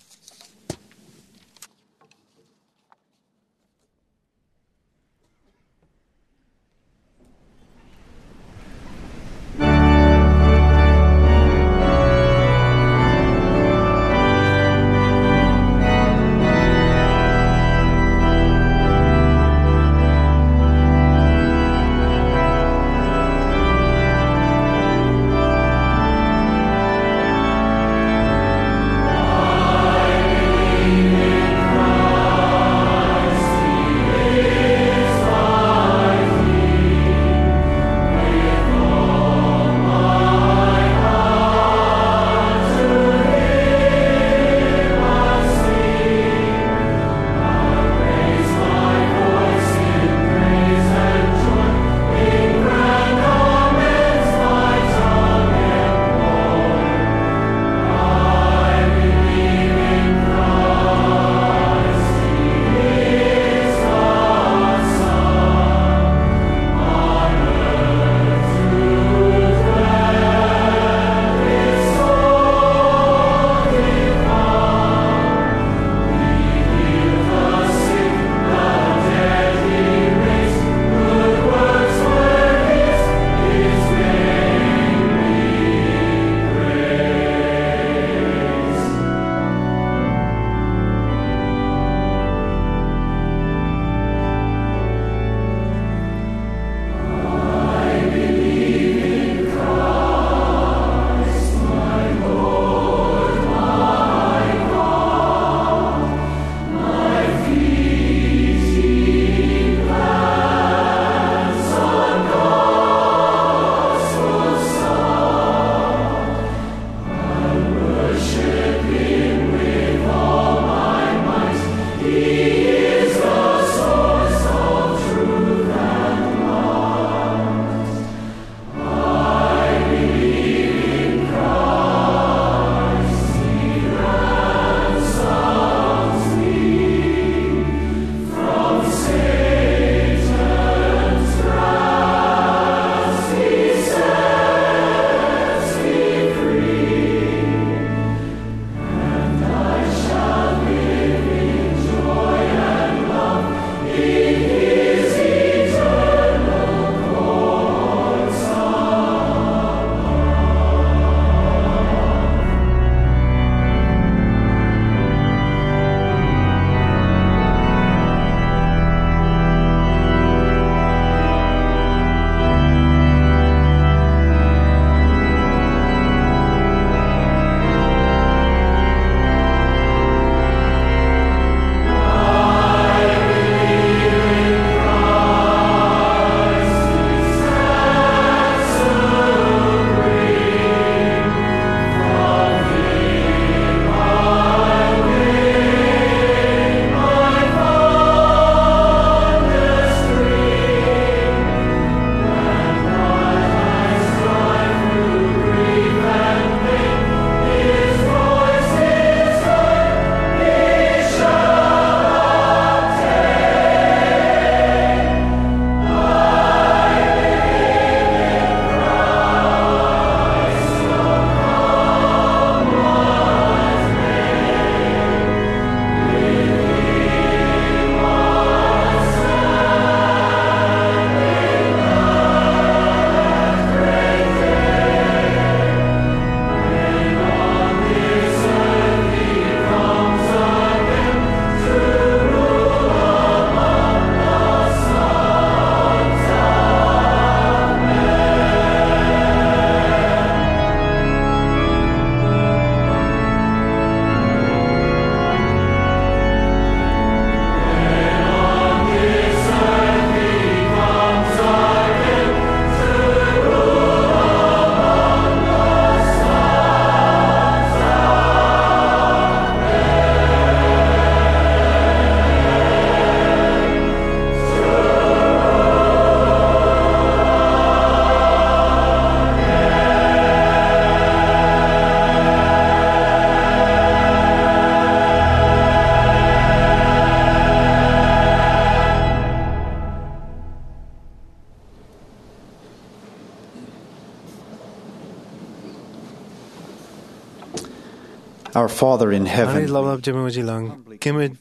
Our Father in heaven, Anij Ḷapḷap Jemem ej ilañ, kōmij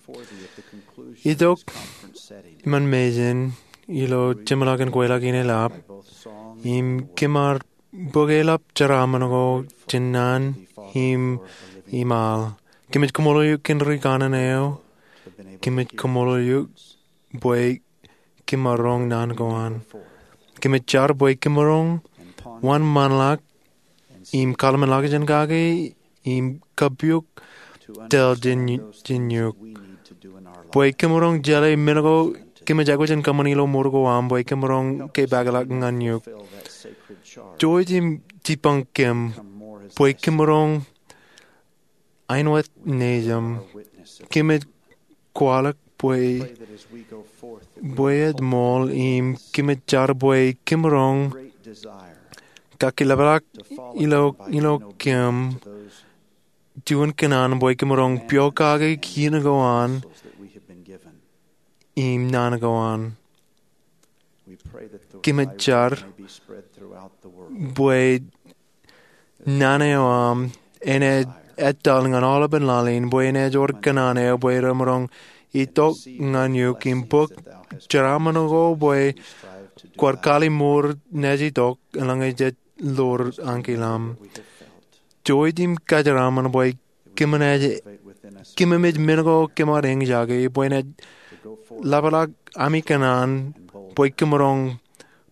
itok iṃaan mejān ilo jeṃḷọkin kweilọk in eḷap im kōm ar bōk eḷap jeraaṃṃan ko jān naan im iṃaal. Kōmij kaṃṃoolol eok kōn ri kanaan eo. Kōmij kaṃṃoolol eok bwe kōm maroñ naan ko an. Kōmij jar bwe kōm maroñ wōnṃaanḷọk im kaḷmenḷọkjeṇ kake im kapiok tōl jān, jān eok. Bwe kōm maroñ jeḷā men ko kōmij aikuj in kōṃṃan ilo mour ko aṃ, bwe kōm maroñ kepaakḷọk ñan eok. Jouj im jipañ kōm bwe kōm maroñ āinwōt nejūṃ. Kōmij kwaḷọk bwe, bwe ej ṃool im kōmij jar bwe kōm maroñ kakkilapḷọk ilo, ilo kōm juon kōṇaan bwe kōm maroñ pokake kiiō ko an im naan ko an. Kōmij jar bwe naan eo aṃ en ej etal ñan aolepān laḷ in, bwe en ej wōr kōṇaan eo bwe remaroñ itok ñan eok im bōk jeraaṃṃan ko bwe kwaar kallimur naaj itok eḷaññe jej ḷoor ankilōṃ. Jouj im kajeraṃṃan bwe kōm naaj, kōm naaj men ko kōm ar eñjake bwe en ej ḷapḷọk ami kōṇaan bwe kōm maroñ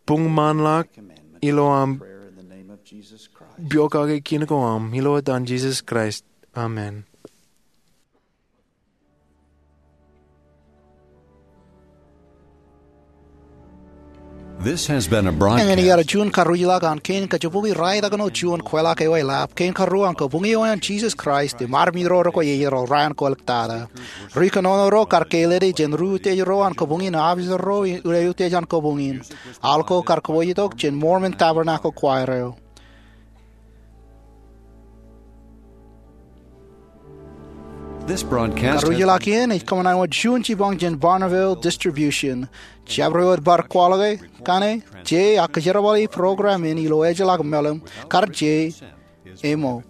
buñṃaanḷọk ilo aṃ pokake kiiō ko aṃ, ilo etan Jisōs Kraist. Amen. This has been a broadcast. Eñin ear juon karujilọk an kein kajibukwi raelọkin juon kweilọk eo eḷap, kein karuo an Kabuñe eo an Jisōs Kraist im armej ro rekwe ear raan ko āliktata. Ri kōnono ro kar ke ledi jān ri utiej ro an kabuñ in, aofficer ro ilo utiej an kabuñ in. Aḷ ko kar kōpooj itok jān Mormon Tabernacle Choir eo. This broadcast has Karujilọk in ej kōṃṃan wōt juon jipañ jān Bonneville Distribution. Jabdewōt bar kwaḷọke kaṇe, je ak kōjerbale program in ilo ejjeḷọk mālim, kar je, ṃōk.